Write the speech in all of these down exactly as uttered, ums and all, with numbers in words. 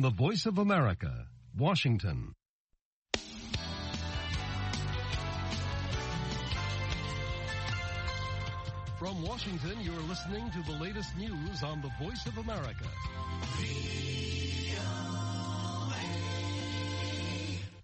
The Voice of America, Washington. From Washington, you're listening to the latest news on the Voice of America.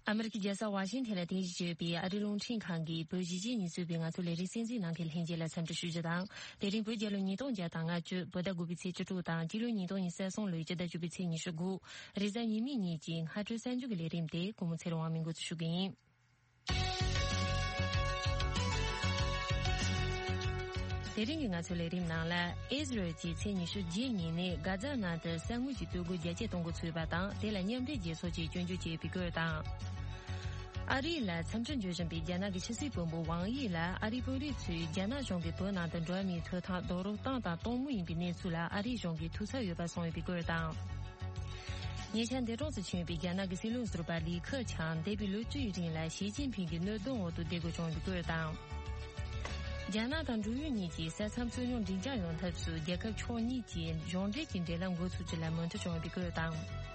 ཨ་མི་རི་ཀའི་རྒྱལ་ས་ཝ་ཤིང་ཐན་ལ་རྟེན་གཞི་བྱས་ཡོད་པའི་ཨ་རིའི་རླུང་འཕྲིན་ཁང་གི་བོད་གཞིས་བྱེས་གཉིས་སུད་པའི་ང་ཚོའི་ལས་རིམ་གསན་གཟིགས་གནང་མཁན་ལྷན་རྒྱས་ལ་འཚམས་འདྲི་ཞུ་རྒྱུ་དང་། དེ་རིང་བོད་རྒྱལ་ལོ་ཉིས་སྟོང་བརྒྱ་དང་ལྔ་བཅུ་བོད་ཟླ་དགུ་པའི་ཚེས་བཅུ་དྲུག་དང་སྤྱི་ལོ་ཉིས་སྟོང་ཉི་ཤུ་རྩ་གསུམ་ལོའི་སྤྱི་ཟླ་བཅུ་པའི་ཚེས་ཉི་ཤུ་དགུ། རེས་གཟའ་ཉི་མའི་ཉིན་གྱི་སྔ་དྲོའི་གསར་འགྱུར་གྱི་ལས་རིམ་དེ་སྐུ་ངོ་ཚེ་རིང་དབང་མིས་འགོ་འཛུགས་ཞུ་གི་ཡིན། དེ་རིང་གི་ང་ཚོའི་ལས་རིམ་ནང་ལ། ཨི་ཟི་རལ་གྱིས་ཚེས་ཉི་ཤུ་རྗེས་ཉིན་ནས་གྷ་ཛ་ནང་དུ་ས་དངུལ་གྱི་སྟོད་སྒོ་རྒྱ་སྐྱེད་གཏོང་འགོ་ཚུགས་པ་དང་། དེ་ལ་མཉམ་འབྲེལ་རྒྱལ་ཚོགས་ཀྱིས་སྐྱོན་བརྗོད་བྱས་པའི་སྐོར་དང་། ཨ་རི་ལ་འཚམས་འདྲི་འབྱོར་བཞིན་པའི་རྒྱ་ནག་གི་ཕྱི་སྲིད་བློན་པོ་ཝང་དབྱི་ལ་ཨ་རིའི་དཔོན་རིགས་ཚོས་རྒྱ་ནག་གཞུང་གིས་བོད་ནང་དུ་འགྲོ་བ་མིའི་ཐོབ་ཐང་རྡོག་རོལ་བཏང་དང་གཏོང་མུས་ཡིན་པའི་གནས་ཚུལ་ལ་ཨ་རིའི་གཞུང་གིས་ཐུགས་འཚབ་ཡོད་པ་གསུངས་ཡོད་པའི་སྐོར་དང་། ཉེ་ཆར་འདས་གྲོངས་སུ་ཕྱིན་པའི་རྒྱ་ནག་གི་སྲིད་བློན་ཟུར་པ་ལི་ཁེ་ཆང་འདས་པའི་ལོ་བཅུ་ཡི་རིང་ལ་ཞི་ཅིན་ཕིང་གི་གནོད་དོན་འོག་ཏུ་བསྡད་དགོས་བྱུང་བའི་སྐོར་དང་། རྒྱ་ནག་དང་འབྲུག་ཡུལ་གཉིས་ཀྱི་ས་མཚམས་རྩོད་རྙོག་འབྲིང་རྐྱང་ཡོང་ཐབས་སུ་རྒྱལ་ཁབ་ཕྱོགས་གཉིས་ཀྱིས་གཞུང་འབྲེལ་གྱི་འབྲེལ་ལམ་འགོ་ཚུགས་རྒྱུ་ལ་མོས་མཐུན་བྱུང་བའི་སྐོར་དང་།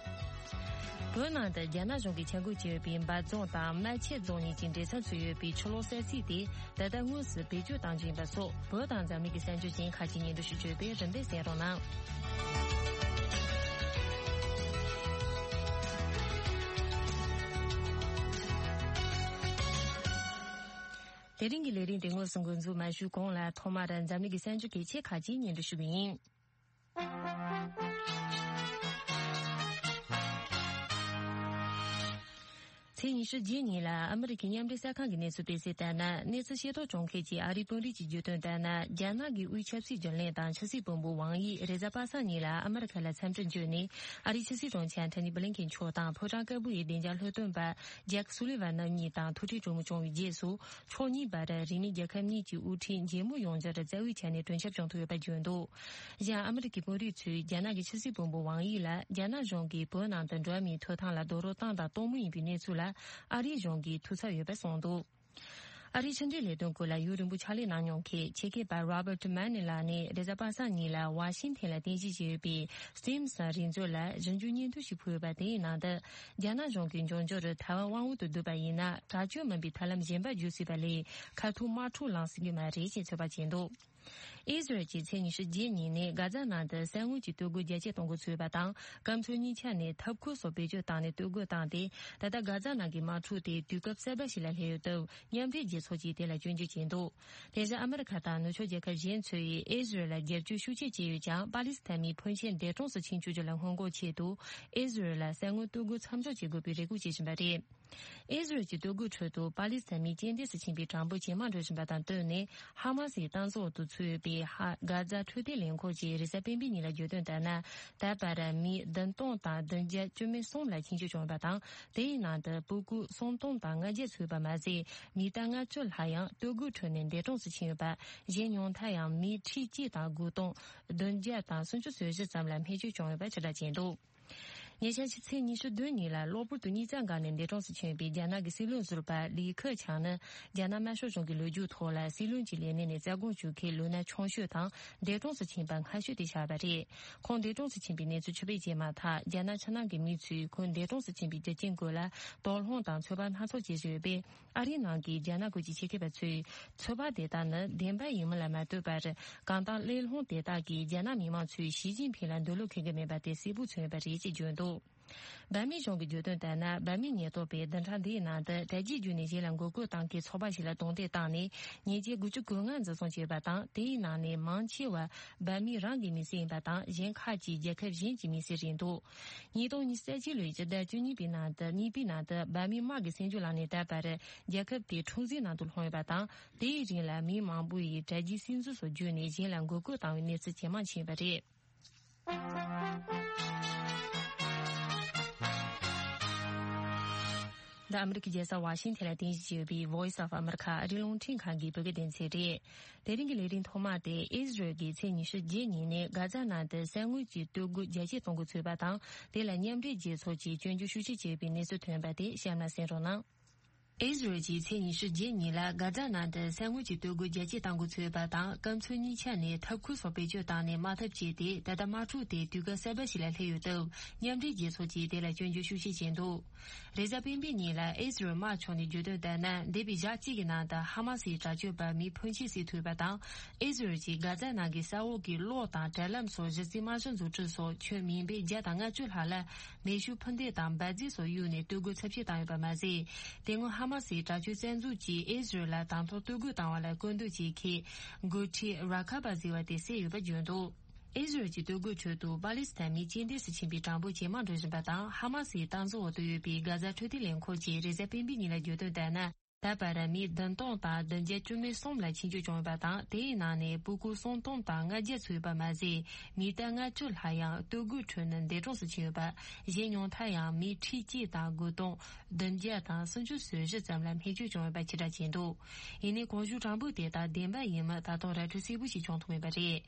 བོད་ནང་དུ་རྒྱ་ནག་གཞུང་གིས་ཆ་བགོས་བྱས་ཡོད་པའི་འབའ་རྫོང་དང་རྨ་ཆེན་རྫོང་གཉིས་ཀྱི་འབྲེལ་མཚམས་སུ་ཡོད་པའི་ཕྱི་ལོགས་ས་ཚིགས་དེ་ད་ལྟ་དངོས་སུ་བེད་སྤྱོད་གཏང་རྒྱུ་ཡིན་པ་སོགས། བོད་དང་འཛམ་གླིང་གི་གསར་འགྱུར་གཞན་ཁག་ཅིག་སྙན་སྒྲོན་ཞུ་རྒྱུ་ཡོད་པས་རིམ་པས་གསན་རོགས་གནང་། དེ་རིང་གི་ལས་རིམ་དེ་དངོས་སུ་འགོ་འཛུགས་མ་ཞུས་གོང་ལ། ཐོག་མར་འཛམ་གླིང་གི་གསར་འགྱུར་གལ་ཆེ་ཁག་ཅིག་སྙན་སྒྲོན་ཞུ་རྒྱུ་ཡིན། ཚེས་ཉི་ཤུ་རྗེས་ཉིན་ལ་ཨ་མི་རི་ཀའི་མཉམ་འབྲེལ་གསར་ཁང་གི་གནས་ཚུལ་སྤེལ་གསལ་ལྟར་ན། གནས་ཚུལ་ཤེས་རྟོགས་བྱུང་མཁན་གྱི་ཨ་རིའི་དཔོན་རིགས་ཀྱིས་བརྗོད་དོན་ལྟར་ན། རྒྱ་ནག་གི་དབུས་ཆབ་སྲིད་རྒྱུན་ལས་དང་ཕྱི་སྲིད་བློན་པོ་ཝང་དབྱི་རེས་གཟའ་པ་སངས་ཉིན་ལ་ཨ་མི་རི་ཁ་ལ་འཚམས་འདྲིར་འབྱོར་ནས། ཨ་རིའི་ཕྱི་སྲིད་དྲུང་ཆེ་ཨན་ཐོ་ནི་བྷི་ལིན་ཁེན་མཆོག་དང་ཕོ་བྲང་དཀར་པོ་ཡི་བདེ་འཇགས་ལྷོ་སྟོན་པ་ཇེག་སུ་ལི་ཝན་རྣམ་གཉིས་དང་ཐུག་འཕྲད་གྲོས་མོལ་བྱུང་བའི་རྗེས་སུ། ཕྱོགས་གཉིས་བར་རིང་མིན་རྒྱལ་ཁབ་གཉིས་ཀྱི་དབུ་ཁྲིད་མཇལ་མོལ་ཡོང་རྒྱུར་རྩ་བའི་ཆ་ནས་གྲོས་འཆམ་བྱུང་ཐུབ་ཡོད་པ་བརྗོད་འདུག་གཞན། ཨ་མི་རི་ཀའི་དཔོན་རིགས་ཚོས་རྒྱ་ནག་གི་ཕྱི་སྲིད་བློན་པོ་ཝང་དབྱི་ལ་རྒྱ་ནག་གཞུང་གིས་བོད་ནང་དུ་འགྲོ་བ་མིའི་ཐོབ་ཐང་ལ་རྡོག་རོལ་བཏང་དང་གཏོང་མུས་ཡིན་པའི་གནས་ཚུལ་ལ་ཨ་རིའི་གཞུང་གིས་ཐུགས་འཚབ་ཡོད་པ་གསུངས་འདུག་ཨ་རིའི་ཕྱི་འབྲེལ་ལས་དོན་སྐོར་ལ་ཡུན་རིང་པོ་ཕྱག་ལས་གནང་མྱོང་མཁན་ཆེད་མཁས་པ་Robert Mann ལགས་ནས་རེས་གཟའ་པ་སངས་ཉིན་ལ་ཝ་ཤིང་ཐན་ལ་རྟེན་གཞི་བྱས་ཡོད་པའི་Stimson་རིག་མཛོད་ལ་ཞིབ་འཇུག་སྙན་ཐོ་ཞིག་ཕུལ་ཡོད་པ། དེའི་ནང་དུ། རྒྱ་ནག་གཞུང་གིས་འབྱུང་འགྱུར་ཐའེ་ཝན་དབང་འོག་ཏུ་བསྡུས་པ་ཡིན་ན། དྲག་སྤྱོད་མིན་པའི་ཐབས་ལམ་གཞན་པ་བརྒྱུད་སྲིད་པ་ལས་ཁ་ཐུག་དམག་འཁྲུག་ལངས་སྲིད་ཀྱི་མ་རེད་ཅེས་ཚོད་དཔག་བྱས་འདུག་ཨི་ཟི་རལ་གྱིས་ཚེས་ཉི་ཤུ་རྗེས་ཉིན་ནས་གྷ་ཛ་ནང་དུ་ས་དངུལ་གྱི་སྟོད་སྒོ་རྒྱ་སྐྱེད་གཏོང་འགོ་ཚུགས་པ་དང་། སྐམ་མཚོ་གཉིས་ཆ་ནས་འཐབ་འཁོར་སོགས་བེད་སྤྱོད་བཏང་ནས་སྟོད་སྒོ་བཏང་སྟེ། ད་ལྟ་གྷ་ཛ་ནང་གི་དམག་འཁྲུག་དེ་དུས་སྐབས་གསར་པ་ཞིག་ལ་སླེབས་ཡོད་སྟབས། མཉམ་འབྲེལ་རྒྱལ་ཚོགས་ཀྱིས་དེ་ལ་སྐྱོན་བརྗོད་བྱས་འདུག་དེ་བཞིན་ཨ་མི་རི་ཁ་དང་ནུབ་ཕྱོགས་རྒྱལ་ཁབ་གཞན་ཚོས་ཨི་ཟི་རལ་ལ་རྒྱབ་སྐྱོར་ཤུགས་ཆེ་བྱས་ཡོད་ཀྱང་། པ་ལི་སི་ཐན་མིའི་ཕོན་ཆེན་འདས་གྲོངས་སུ་ཕྱིན་བཅུག་རྒྱུ་ལ་སྔོན་འགོག་ཆེད་དུ། ཨི་ཟི་རལ་ལ་ས་དངུལ་སྟོད་སྒོ་མཚམས་འཇོག་བྱེད་དགོས་པའི་རེ་སྐུལ་བྱེད་བཞིན་པ་རེད། ཨི་ཟི་རལ་གྱི་སྟོད་སྒོའི་ཁྲོད་དུ་པ་ལི་སི་ཐན་མིའི་རྐྱེན་འདས་སུ་ཕྱིན་པའི་གྲངས་འབོར་ཇེ་མང་འགྲོ་བཞིན་པ་དང་བསྟུན་ནས། ཧ་མ་སིའི་སྟངས་འཛིན་འོག་ཏུ་ཚུད་ཡོད་པའི་ཧ་གྷ་ཛ་འཕྲོད་བསྟེན་ལས་ཁུངས་ཀྱིས་རེས་གཟའ་སྤེན་པའི་ཉིན་ལ་བརྗོད་དོན་ལྟར་ན། ད་བར་མི་བདུན་སྟོང་དང་བདུན་བརྒྱ་བཅུ་མེད་གསུམ་ལ་འཆིང་སྐྱོད་བྱུང་ཡོད་པ་དང་། དེའི་ནང་དུ་སྤུ་གུ་སུམ་སྟོང་དང་ལྔ་བརྒྱ་ཚུད་པ་མ་ཟད། མི་རྟག་ལྔ་བཅུ་ལྷག་ཡང་སྟོད་སྒོའི་ཁྲོད་ནས་འདས་གྲོངས་སུ་ཕྱིན་ཡོད་པ། གཞན་ཉུང་མཐར་ཡང་མི་ཁྲི་གཅིག་དང་དགུ་སྟོང་བདུན་བརྒྱ་དང་སུམ་ཅུ་སོ་བཞི་ཙམ་ལ་རྨས་སྐྱོན་བྱུང་ཡོད་པ་ཕྱིར་བསྒྲགས་བྱས་འདུག་ཉེ་ཆར་ཕྱི་ཚེས་ཉི་ཤུ་བདུན་ཉིན་ལ་གློ་བུར་དུ་སྙིང་རྩ་འགག་ནས་འདས་གྲོངས་སུ་ཕྱིན་པའི་རྒྱ་ནག་གི་སྲིད་བློན་ཟུར་པ་ལི་ཁེ་ཆང་ནི། རྒྱ་ནག་དམར་ཤོག་གཞུང་གི་ལོ་རྒྱུས་ཐོག་ལ་སྲིད་བློན་གྱི་ལས་གནས་ནས་རྩ་དགོངས་ཞུ་མཁན་ལོ་ན་ཆུང་ཤོས་དང་འདས་གྲོངས་སུ་ཕྱིན་པ་སྔ་ཤོས་དེ་ཆགས་པ་རེད། ཁོང་འདས་གྲོངས་སུ་ཕྱིན་པའི་གནས་ཚུལ་ཕྱི་པོ་བྱས་མ་ཐག་རྒྱ་ནག་ཕྱི་ནང་གི་མི་ཚོས་ཁོང་འདས་གྲོངས་སུ་ཕྱིན་པའི་རྒྱུ་རྐྱེན་སྐོར་ལ་དོགས་སློང་དང་ཚོད་དཔག་སྣ་ཚོགས་བྱེད་བཞིན་ཡོད་པས། ཨ་རིའི་ནང་གི་རྒྱ་ནག་ཁུལ་གྱི་ཆེད་མཁས་པ་ཚོས་ཚོད་དཔག་དེ་དག་ནི་བདེན་པ་ཡིན་མིན་ལ་མ་ལྟོས་པར། གང་ལྟར་གླེང་སློང་དེ་དག་གིས་རྒྱ་ནག་མི་མང་ཚོས་ཞི་ཅིན་ཕིང་ལ་འདོད་བློ་འཁེལ་གྱི་མེད་པ་དེ་གསལ་པོ་མཚོན་ཡོད་པ་རེད་ཅེས་བརྗོད་འདུག་འབར་མའི་གཞུང་གིས་བརྗོད་དོན་ལྟར་ན། འབར་མའི་ཉེན་རྟོག་པས་བདུན་ཕྲག་འདིའི་ནང་དུ་དྲ་རྒྱའི་བརྒྱུད་ནས་གཞན་ལ་མགོ་སྐོར་བཏང་མཁན་ཚོགས་པ་ཞིག་ལ་རྡུང་རྡེག་བཏང་ནས་ཉེས་ཆད་དགུ་བཅུ་གོ་ལྔ་འཛིན་བཟུང་བྱས་པ་དང་། དེའི་ནང་ནས་མང་ཆེ་བ་འབར་མའི་རང་གི་མི་སེར་ཡིན་པ་དང་། གཞན་ཁག་ཅིག་རྒྱལ་ཁབ་གཞན་གྱི་མི་སེར་རེད་འདུག་ཉིས་སྟོང་ཉི་ཤུ་རྩ་གཅིག་ལོའི་སྤྱི་ཟླ་བཅུ་གཉིས་པའི་ནང་དུ། གཉིས་པའི་ནང་དུ་འབར་མའི་དམག་གིས་བཙན་བྱོལ་ལ་ནས་ད་བར་རྒྱལ་ཁབ་དེ་འཁྲུག་འཛིང་ནང་དུ་ལྷུང་ཡོད་པ་དང་། དེའི་རིང་ལ་མི་མང་པོ་ཡིས་དྲ་རྒྱའི་སིམ་འཛུལ་སོགས་བརྒྱུད་ནས་གཞན་ལ་མགོ་སྐོར་བཏང་བའི་གནས་ཚུལ་ཇེ་མང་ཕྱིན་པ་རེད། འདི་ཨ་མི་རི་ཀའི་རྒྱལ་ས་ཝ་ཤིང་ཐན་ལ་རྟེན་གཞི་བྱས་ཡོད་པའི་Voice of America ཨ་རིའི་རླུང་འཕྲིན་ཁང་གི་བོད་སྐད་སྡེ་ཚན་རེད། དེ་རིང་གི་ལས་རིམ་ཐོག་མ་དེ་ཨི་ཟི་རལ་གྱིས་ཚེས་ཉི་ཤུ་རྗེས་ཉིན་ནས་གྷ་ཛ་ནང་དུ་ས་དངུལ་གྱི་སྟོད་སྒོ་རྒྱ་སྐྱེད་གཏོང་འགོ་ཚུགས་པ་དང་། དེ་ལ་མཉམ་འབྲེལ་རྒྱལ་ཚོགས་ཀྱིས་སྐྱོན་བརྗོད་ཤུགས་ཆེ་བྱས་པའི་གནས་ཚུལ་ཐོན་པ་དེ་གཤམ་ལ་གསན་རོགས་གནང་། ཨི་ཟི་རལ་གྱིས་ཚེས་ཉི་ཤུ་རྗེས་ཉིན་ལ་གྷ་ཛ་ནང་དུ་ས་སྔོན་གྱི་སྟོད་སྒོ་རྒྱ་སྐྱེད་གཏང་འགོ་ཚུགས་ཡོད་པ་དང་། སྐམ་མཚོན་གཉིས་ཆ་ནས་ཐབ་ཁུལ་སོགས་བེད་སྤྱོད་བཏང་ནས་དམག་འཐབ་བྱས་ཏེ། ད་ལྟ་དམག་འཁྲུག་དེ་དུས་སྐབས་གསར་པ་ཞིག་ལ་སླེབས་ཡོད་སྟབས། མཉམ་འབྲེལ་རྒྱལ་ཚོགས་ཀྱིས་དེ་ལ་སྐྱོན་བརྗོད་ཤུགས་ཆེ་བྱས་འདུག་རེས་གཟའ་སྤེན་པའི་ཉིན་ལ་ཨི་ཟི་རལ་དམག་ཕྱོགས་ནས་བརྗོད་དོན་ལྟར་ན། འདས་པའི་ཞག་གཅིག་གི་ནང་དུ་ཧ་མ་སིའི་དྲག་སྤྱོད་པ་མི་ཕོན་ཆེ་བསད་ཐུབ་པ་དང་། ཨི་ཟི་རལ་གྱིས་གྷ་ཛ་ནང་གི་ས་འོག་གི་གློག་དང་དྲ་ལམ་སོགས་གཞི་རྩའི་རྨང་གཞི་འཛུགས་སྐྲུན་སོགས་ཁྱོན་མིང་སྦས་བརྒྱ་དང་ལྔ་བཅུ་ལྷག་ལ་མེ་ཤུགས་འཕུར་མདེལ་དང་འབར་རྫས་སོགས་གཡུགས་ནས་སྟོད་སྒོ་ཚབས་ཆེ་བཏང་ཡོད་པ་མ་ཟད། དེ་སྔོན་ཧ་མ་སིའི་དྲག་སྤྱོད་རྩ་འཛུགས་ཀྱིས་ཨི་ཟི་རལ་ལ་དང་ཐོག་སྟོད་སྒོ་བཏང་བ་ལ་སྐུལ་འདེད་བྱེད་མཁན་འགོ་ཁྲིད་ར་ཁ་པ་ཟེར་བ་དེ་བསད་ཡོད་པ་བརྗོད་འདུག་ཨི་ཟི་རལ་གྱི་སྟོད་སྒོའི་ཁྲོད་དུ་པ་ལི་སི་ཐན་མི་རྐྱེན་འདས་སུ་ཕྱིན་པའི་གྲངས་འབོར་ཇེ་མང་འགྲོ་བཞིན་པ་དང་། ཧ་མ་སིའི་སྟངས་འཛིན་འོག་ཏུ་ཡོད་པའི་གྷ་ཛ་འཕྲོད་བསྟེན་ལས་ཁུངས་ཀྱིས་རེས་གཟའ་སྤེན་པའི་ཉིན་ལ་བརྗོད་དོན་ལྟར་ན། ད་བར་མི་བདུན་སྟོང་དང་བདུན་བརྒྱ་བཅུ་མེད་གསུམ་ལ་འཆིང་རྒྱུ་བྱུང་ཡོད་པ་དང་། དེའི་ནང་ནས་སྤུ་གུ་སུམ་སྟོང་དང་ལྔ་བརྒྱ་ཚུད་ཡོད་པ་མ་ཟད། མི་ཐེར་ལྔ་བཅུ་ལྷག་ཡང་སྟོད་སྒོའི་ཁྲོད་ནས་འདས་གྲོངས་སུ་ཕྱིན་ཡོད་པ། གཞན་ཉུང་མཐར་ཡང་མི་ཁྲི་གཅིག་དང་དགུ་སྟོང་བདུན་བརྒྱ་དང་སུམ་ཅུ་སོ་བཞི་ཙམ་ལ་རྨས་སྐྱོན་བྱུང་ཡོད་པ་ཕྱིར་བསྒྲགས་བྱས་འདུག་ཡིན་ནའི་གོང་ཞུས་གྲངས་འབོར་དེ་དག་བདེན་པ་ཡིན་མིན་ད་དུང་ར་འཕྲོད་གསལ་པོ་ཞིག་བྱུང་ཐུབ་མེད་པ་རེད།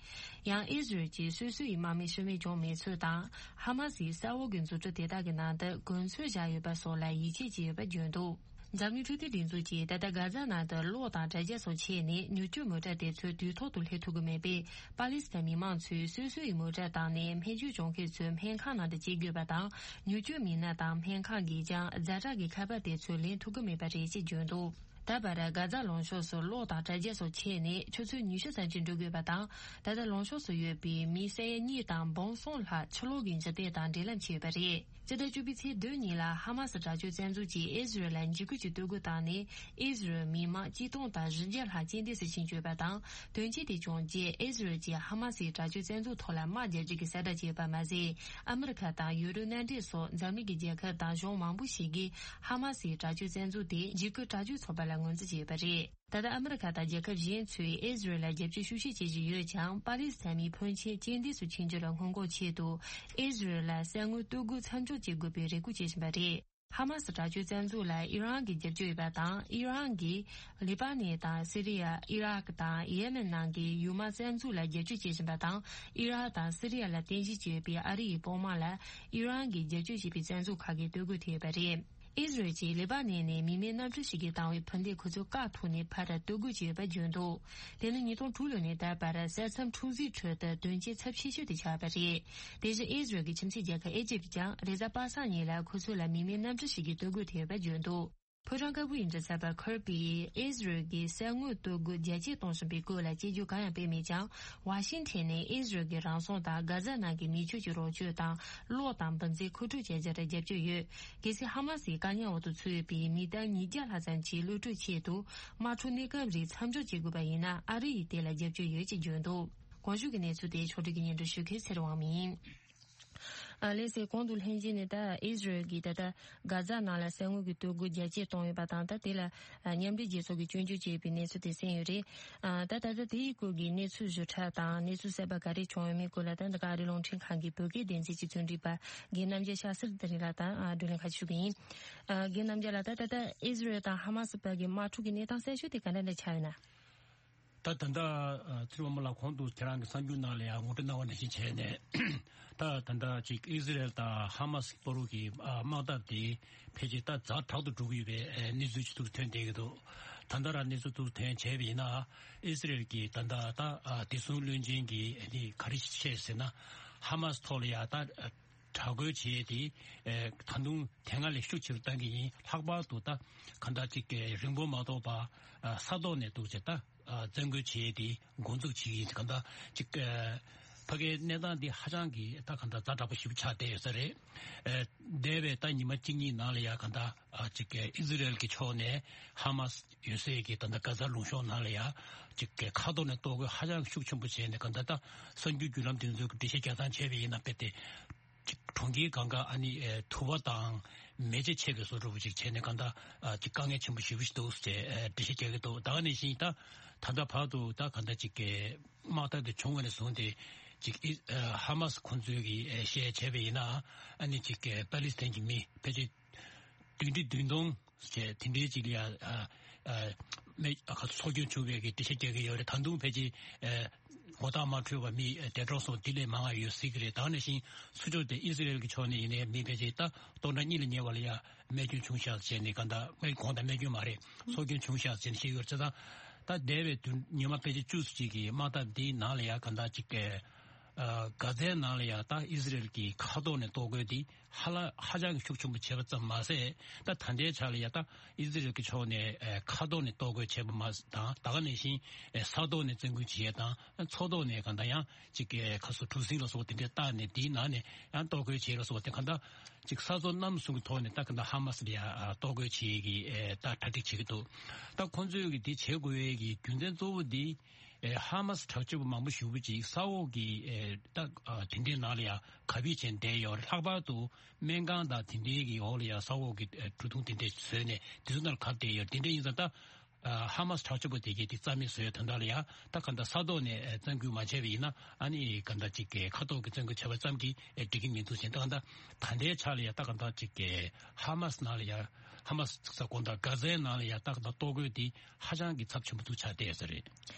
ཡང་ཨི་ཟི་རལ་གྱིས་སོ་སོ་ཡི་དམག་མི་ཤི་རྨས་བྱུང་མེད་ཚུལ་དང་། ཧ་མ་སིའི་ས་འོག་གི་འཛུགས་སྐྲུན་དེ་དག་གི་ནང་དུ་གོ་མཚོན་བཞག་ཡོད་པ་སོགས་ལ་ཡིད་ཆེས་བྱས་ཡོད་པ་བརྗོད་འདུག་འཛམ་གླིང་འཕྲོད་བསྟེན་སྒྲིག་འཛུགས་ཀྱིས་ད་ལྟ་གྷ་ཛ་ནང་དུ་གློག་དང་དྲ་རྒྱ་སོགས་ཆད་ནས་མྱུར་སྐྱོབ་མོ་ཊ་དེ་ཚོ་དུས་ཐོག་ཏུ་སླེབས་ཐུབ་ཀྱི་མེད་པས། པ་ལི་སི་ཐན་མི་མང་ཚོས་སོ་སོ་ཡི་མོ་ཊ་བཏང་ནས་རྨས་སྐྱོན་བྱུང་མཁན་ཚོའི་སྨན་ཁང་ནང་དུ་སྐྱེལ་དགོས་པ་དང་། མྱུར་སྐྱོབ་མི་སྣ་དང་སྨན་ཁང་གིས་ཀྱང་ཛ་དྲག་གི་ཁ་པར་དེ་ཚོ་ལེན་ཐུབ་ཀྱི་མེད་པ་རེད་ཅེས་བརྗོད་འདུག་ད་བར་གྷ་ཛ་ལུང་ཕྱོགས་སུ་གློག་དང་དྲ་རྒྱ་སོགས་ཆད་ནས་ཆུ་ཚོད་ཉི་ཤུ་ཙམ་ཅིག་འགྲོ་དགོས་པ་དང་། ད་ལྟ་ལུང་ཕྱོགས་སུ་ཡོད་པའི་མི་ས་ཡ་གཉིས་དང་འབུམ་གསུམ་ལྷག་ཕྱི་ལོགས་ཀྱི་འཇིག་རྟེན་དང་འབྲེལ་ལམ་བྱས་ཡོད་པ་རེད། སྤྱི་ཟླ་བཅུ་པའི་ཚེས་བདུན་ཉིན་ལ་ཧ་མ་སི་དྲག་སྤྱོད་རྩ་འཛུགས་ཀྱིས་ཨི་ཟི་རལ་ལ་འཇིགས་སྐུལ་གྱི་གཏོར་རྒོལ་བཏང་ནས། ཨི་ཟི་རལ་མི་མང་གཅིག་སྟོང་དང་བཞི་བརྒྱ་ལྷག་རྐྱེན་འདས་སུ་ཕྱིན་ཡོད་པ་དང་། དོན་རྐྱེན་དེ་བྱུང་རྗེས་ཨི་ཟི་རལ་གྱིས་ཧ་མ་སིའི་དྲག་སྤྱོད་རྩ་འཛུགས་ཐོག་ལ་དམག་རྒྱག་རྒྱུ་གི་གསལ་བསྒྲགས་བྱས་ཡོད་པ་མ་ཟད། ཨ་མི་རི་ཁ་དང་ཡུ་རོབ་མནའ་འབྲེལ་སོགས་འཛམ་གླིང་གི་རྒྱལ་ཁབ་དང་གཞུང་མང་པོ་ཞིག་གིས་ཧ་མ་སིའི་དྲག་སྤྱོད་རྩ་འཛུགས་དེ་འཇིགས་སྐུལ་དྲག་སྤྱོད་ཚོགས་པ་ལ་ངོས་འཛིན་བྱས་ཡོད་པ་རེད། ད་ལྟ་ཨ་མི་རི་ཁ་དང་རྒྱལ་ཁབ་གཞན་ཚོས་ཨི་ཟི་རལ་ལ་རྒྱབ་སྐྱོར་ཤུགས་ཆེ་བྱེད་བཞིན་ཡོད་ཀྱང་། པ་ལི་སི་ཐན་མི་ཕོན་ཆེན་རྐྱེན་འདས་སུ་ཕྱིན་རྒྱུ་ལ་སྔོན་འགོག་ཆེད་དུ། ཨི་ཟི་རལ་ལ་ས་སྔོན་གཏོར་རྒོལ་མཚམས་འཇོག་བྱེད་དགོས་པའི་རེ་སྐུལ་བྱེད་བཞིན་པ་རེད། ཧ་མ་སི་དྲག་སྤྱོད་རྩ་འཛུགས་ལ་ཨི་རན་གྱི་རྒྱབ་སྐྱོར་ཡོད་པ་དང་། ཨི་རན་གྱིས་ལི་པ་ནན་དང་སི་རི་ཡ། ཨི་རག་དང་ཡེ་མེན་ནང་གི་ཡུལ་དམག་རྩ་འཛུགས་ལ་རྒྱབ་སྐྱོར་བྱེད་བཞིན་པ་དང་། ཨི་རག་དང་སི་རི་ཡ་ལ་རྟེན་གཞི་བྱས་ཡོད་པའི་ཨ་རི་ཡི་དཔུང་དམག་ལ་ཨི་རན་གྱིས་རྒྱབ་སྐྱོར་བྱེད་པའི་རྩ་འཛུགས་ཁག་གིས་གཏོར་རྒོལ་ཐེབས་ཡོད་པ་རེད། ཨི་ཟི་རལ་གྱིས་ལི་པ་ནན་ནས་མི་མེད་གནམ་གྲུ་ཞིག་གིས་བཏང་བའི་འཕུར་མདེལ་ཁོ་ཚོའི་བཀག་ཐུག་ནས་ཕར་གཏོར་རྒོལ་བྱས་ཡོད་པ་བརྗོད་འདུག་དེ་ནི་ཉིས་སྟོང་དྲུག་ལོ་ནས་ད་བར་ས་མཚམས་འཁྲུག་འཛིང་ཁྲོད་དུ་དོན་རྐྱེན་ཚབས་ཆེ་ཤོས་དེ་ཆགས་པ་རེད། དེ་བཞིན་ཨི་ཟི་རལ་གྱི་ཁྱིམ་མཚེས་རྒྱལ་ཁབ་ཨེ་ཇིབ་ཀྱང་རེས་གཟའ་པ་སངས་ཉིན་ལ་ཁོ་ཚོ་ལ་མི་མེད་གནམ་གྲུ་ཞིག་གིས་གཏོར་རྒོལ་ཐེབས་ཡོད་པ་བརྗོད་འདུག་ཕོ་བྲང་དཀར་པོའི་མགྲིན་ཚབ་པ་ཁིར་པིས་ཨི་ཟི་རལ་གྱིས་ས་སྔོན་གཏོར་རྒོལ་རྒྱ་སྐྱེད་གཏོང་བཞིན་པའི་སྐོར་ལ་དཔྱད་བརྗོད་གང་ཡང་སྤེལ་མེད་ཀྱང་། ཝ་ཤིང་ཊོན་ནས་ཨི་ཟི་རལ་གྱི་རང་སྲུང་དང་གྷ་ཛ་ནང་གི་མི་ཆོས་ཀྱི་རོགས་སྐྱོར་དང་གློག་དང་འབུད་རྫས་མཁོ་སྤྲོད་བྱ་རྒྱུར་རྒྱབ་སྐྱོར་ཡོད། གལ་སྲིད་ཧ་མ་སིའི་བཀག་ཉར་འོག་ཏུ་ཚུད་ཡོད་པའི་མི་ཐེར་ཉིས་བརྒྱ་ལྷག་ཙམ་གྱི་གློད་གྲོལ་ཆེད་དུ་དམག་འཁྲུག་གནས་སྐབས་རིང་མཚམས་འཇོག་བྱེད་དགོས་པ་ཡིན་ན། ཨ་རི་ཡིས་དེ་ལ་རྒྱབ་སྐྱོར་ཡོད་ཅེས་བརྗོད་འདུག་གོང་ཞུས་ཀྱི་གནས་ཚུལ་དེ་ཕྱོགས་སྒྲིག་གིས་སྙན་སྒྲོན་ཞུ་མཁན་ཚེ་རིང་དབང་མོ་ཡིན། ཨ་ལགས་སེ། གོང་དུ་ལྷན་རྒྱས་ནས་ད་ཨི་ཟི་རལ་གྱིས་ད་ལྟ་གྷ་ཛ་ནང་ལ་ས་སྔོན་གྱི་གཏོར་རྒོལ་རྒྱ་སྐྱེད་བཏང་ཡོད་པ་དང་། ད་དེ་ལ་ཨ་མཉམ་འབྲེལ་རྒྱལ་ཚོགས་ཀྱིས་སྐྱོན་བརྗོད་བྱས་པའི་གནས་ཚུལ་དེ་གསན་ཡོད་རེད། ཨ་ད་ད་ལྟ་དེའི་སྐོར་གྱི་གནས་ཚུལ་ཞིབ་ཕྲ་དང་གནས་ཚུལ་གསར་པ་ག་རེ་བྱུང་ཡོད་མེད་སྐོར་ལ། ད་འདི་ག་ཨ་རིའི་རླུང་འཕྲིན་ཁང་གི་བོད་སྐད་སྡེ་ཚན་གྱི་རྩོམ་སྒྲིག་པ་རྒན་རྣམ་རྒྱལ་ཤཱ་སིར་དེ་རིང་ལགས་དང་ཨ་བགྲོ་གླེང་ཁ་ཞུ་གི་ཡིན། ཨ་རྒན་རྣམ་རྒྱལ་ལགས། ད་ད་ལྟ་ཨི་ཟི་རལ་དང་ཧ་མ་སི་བར་གྱི་དམག་འཁྲུག་གི་གནས་སྟངས་གསར་ཤོས་དེ་ག་འདྲ་འདྲ་ཆགས་ཡོད་ན། ད་ད་ལྟ་ཨ་ཚེ་རིང་དབང་མོ་ལགས་གོང་དུ་ཁྱེད་རང་གི་གསར་འགྱུར་ནང་ལ་ཡང་ངོ་སྤྲོད་གནང་བ་ནང་བཞིན་བྱས་ནས། ད་ད་ལྟ་ཅིག་ཨི་ཟི་རལ་དང་ཧ་མ་སི་བར་གྱི་ཨ་དམག་འཐབ་དེ་ཕལ་ཆེར་ད་ཛ་དྲག་ཏུ་འགྲོ་གི་ཡོད་པའི་ཨ་གནས་ཚུལ་ཅིག་ཐུག་ཐོན་བསྡད་ཀྱི་འདུག་ད་ལྟ་རང་གནས་ཚུལ་ཐུག་ཐོན་བྱས་པ་ཡིན་ན། ཨི་ཟི་རལ་གྱིས་ད་ལྟ་ད་ཨ་བདེ་སྲུང་བློན་ཆེན་གྱིས་ཨ་ནི་ག་རེ་བཤད་ཟེར་ན། ཧ་མ་སི་ཐོག་ལ་ཡ་ད་ཨ་དྲག་རྒོལ་བྱས་ཏེ། ཨེ་ད་དུང་དེ་སྔ་ལས་ཤུགས་ཆེ་རུ་བཏང་གི་ཡིན། ལྷག་པར་དུ་ད་གང་ལྟར་ཅིག་ཨེ་རིང་པོ་མ་ཐོགས་པར་ཨ་ས་ཐོག་ནས་འདུག་ཅེས་ད་ཨ་བཙན་རྒོལ་བྱས་ཏེ་འགོ་འཛུགས་བྱེད་ཀྱི་ཡིན། གང་ལྟར་ཅིག་ཨེ་ཕ་གིའི་གནས་སྟངས་འདི་ཧ་ཅང་གི་ད་གང་ལྟར་ཛ་དྲག་པོ་ཞེ་པོ་ཆགས་བསྡད་ཡོད་ས་རེད། ཨེ་འདས་པའི་ད་ཉི་མ་གཅིག་གཉིས་ནང་ལ་ཡ་གང་ལྟར་ཨ་ཅིག་ཨེ་ཨི་ཟི་རལ་གྱི་ཕྱོགས་ནས་ཧ་མ་སི་ཡོད་སའི་གི་ད་ལྟ་གྷ་ཛ་ལུང་གཤོང་ནང་ལ་ཡ་ཅིག་ཨེ་མཁའ་ཐོག་ནས་གཏོར་རྒོལ་ཧ་ཅང་ཤུགས་ཆེན་པོ་བྱས་ནས། གང་ལྟར་ད་གསར་འགྱུར་བརྒྱུད་ལམ་དེ་ཚོས་འགྲེལ་བཤད་རྒྱག་སྟངས་བྱས་པ་ཡིན་ན། དཔེ་དེ་ཅིག་གྲོང་ཁྱེར་སྒང་ག་ཨ་ནི་ཨེ་དུ་བ་དང་མེ་ལྕེ་མཆེད་པའི་བཟོ་འདྲ་པོ་ཅིག་བྱས་ནས། གང་ལྟར་ཨ་ཅིག་དཀའ་ངལ་ཆེན་པོ་ཞེ་པོ་ཞིག་འདུག་ཅེས་ཨེ་འགྲེལ་བཤད་རྒྱག་གི་འདུག་ད་ག་ནང་བཞིན་ད་ད་ལྟ་བར་དུ་ད་གང་ལྟར་ཅིག་གི་དམག་འཐབ་དེ་བྱུང་བ་ནས་བཟུང་སྟེ་ཅིག་ཨི་ཨེ་ཧ་མ་སི་ཁོང་ཚོས་ཀྱི་ཨེ་བཤད་བྱས་པ་ཡིན་ན། ཨ་ནི་ཅིག་གི་པ་ལི་སི་ཐན་གྱི་མི་ཕལ་ཆེར་བདུན་ཁྲི་བདུན་སྟོང་བྱས་དེ་འདྲའི་ཅིག་ལ་ཡ་ཨ་ཨ་མེ་ཨ་ཁ་སྲོག་སྐྱོན་བྱུང་བའི་གི་འགྲེལ་བཤད་རྒྱག་གི་ཡོད་རེད། ད་དུང་ཕལ་ཆེར་ཨ་ ངོ་རྟགས་མ་འཕྲོད་པ་མི་འདས་གྲོངས་སོང་དེ་ལས་མང་བ་ཡོད་སྲིད་ཀྱི་རེད། ད་ནང་བཞིན་ཚུར་ཕྱོགས་དེ་ཨི་ཟི་རེལ་གྱི་ཕྱོགས་ནས་ཡིན་ནའི་མི་ཕལ་ཆེར་ད་སྟོང་ཕྲག་གཉིས་ལ་ཉེ་བ་ལ་ཡ་རྨས་སྐྱོན་བྱུང་ཤག་བྱས་ནས་གང་ལྟར་རྨས་དགོངས་དང་རྨས་སྐྱོན་མ་རེད། སྲོག་སྐྱོན་བྱུང་ཤག་བྱས་ནས་བཤད་ཡོད་རེད། བྱས་ཙང་ད་འདས་པའི་དུས་ཉི་མ་ཕལ་ཆེར་བཅུ་ཙམ་ཅིག་གི་དམག་འཐབ་འདིའི་ནང་ལ་ཡ་གང་ལྟར་ཅིག་གི་ཨ་གྷ་ཛའི་ནང་ལ་ཡ་ད་ཨི་ཟི་རེལ་གྱི་མཁའ་ཐོག་ནས་གཏོར་རྒོལ་འདི་ཧ་ལ་ཧ་ཅང་གི་ཤུགས་ཆེན་པོ་བྱས་པ་ཙམ་མ་ཟད། ད་ད་ལྟའི་ཆ་ལ་ཡ་ད་ཨི་ཟི་རེལ་གྱི་ཕྱོགས་ནས་ཨ་མཁའ་ཐོག་ནས་གཏོར་རྒོལ་བྱས་པ་མ་ཟད་དང་ད་ག་ནང་བཞིན་ཨ་ས་ཐོག་ནས་བཙན་རྒོལ་བྱས་དང་མཚོ་ཐོག་ནས་གང་ལྟར་ཡང་ཅིག་ཨ་ཁ་སོ་གྲུ་གཟིངས་ལ་སོགས་དེ་འདྲས་བཏགས་ནས་དེའི་ནང་ནས་ཡང་གཏོར་རྒོལ་བྱས་ལ་སོགས་དེ་གང་ལྟར་ཅིག་ས་མཚོ་གནམ་གསུམ་གྱི་ཐོག་ནས་ད་གང་ལྟར་ཧ་མ་སི་ལ་ཡ་ཨ་གཏོར་རྒོལ་བྱེད་ཀྱི་ཨ་ད་གྲ་སྒྲིག་བྱེད་ཀྱི་འདུག་ད་ཁོང་ཚོས་ཀྱི་དེ་བྱེད་དགོས་ཡས་ཀྱི་རྒྱུ་མཚན་གཙོ་བོ་འདི། ཨེ་ཧ་མ་སི་དྲག་སྤྱོད་པ་མང་པོ་ཞེ་པོ་ཅིག་ས་འོག་གི་ཨེ་ད་ཨ་དེ་འདྲའི་ནང་ལ་ཡང་གབ་སྦས་བྱས་བསྡད་ཡོད་རེད། ལྷག་པར་དུ་སྨན་ཁང་དང་དེ་འདྲའི་གི་འོག་ལ་ཡང་ས་འོག་གི་ཨེ་གྲུ་གུ་དེ་འདྲ་བཟོས་ནས་དེ་ཚོ་ནང་ལ་གབ་བསྡད་ཡོད་རེད། དེ་འདྲ་ཡིན་ཙང་ད་ཨ་ཧ་མ་སི་དྲག་སྤྱོད་པ་དེ་གས་དེ་རྩ་མེད་བཟོས་ཡོད། དོན་དག་ལ་ཡང་ད་གང་ལྟར་ས་ཐོག་ནས་ཨེ་བཙན་རྒོལ་མ་བྱས་པ་ཡིན་ན་ཨ་ནི་གང་ལྟར་ཅིག་གི་མཁའ་ཐོག་གི་བཙན་རྒོལ་བྱས་པ་ཙམ་གྱིས་ཨེ་འགྲིག་གི་མི་འདུག་ཟེར། ད་གང་ལྟར་ད་ལྟའི་ཆ་ལ་ཡང་ད་གང་ལྟར་ཅིག་གི་ཧ་མ་སི་ནང་ལ་ཡང་ཧ་མ་སི་ས་དགོན་དང་གྷ་ཛའི་ནང་ལ་ཡང་ད་གང་ལྟར་གཏོར་རྒོལ་དེ་ཧ་ཅང་གི་ཚབས་ཆེན་པོ་འདུག་ཆགས་བསྡད་ཡོད་ས་རེད།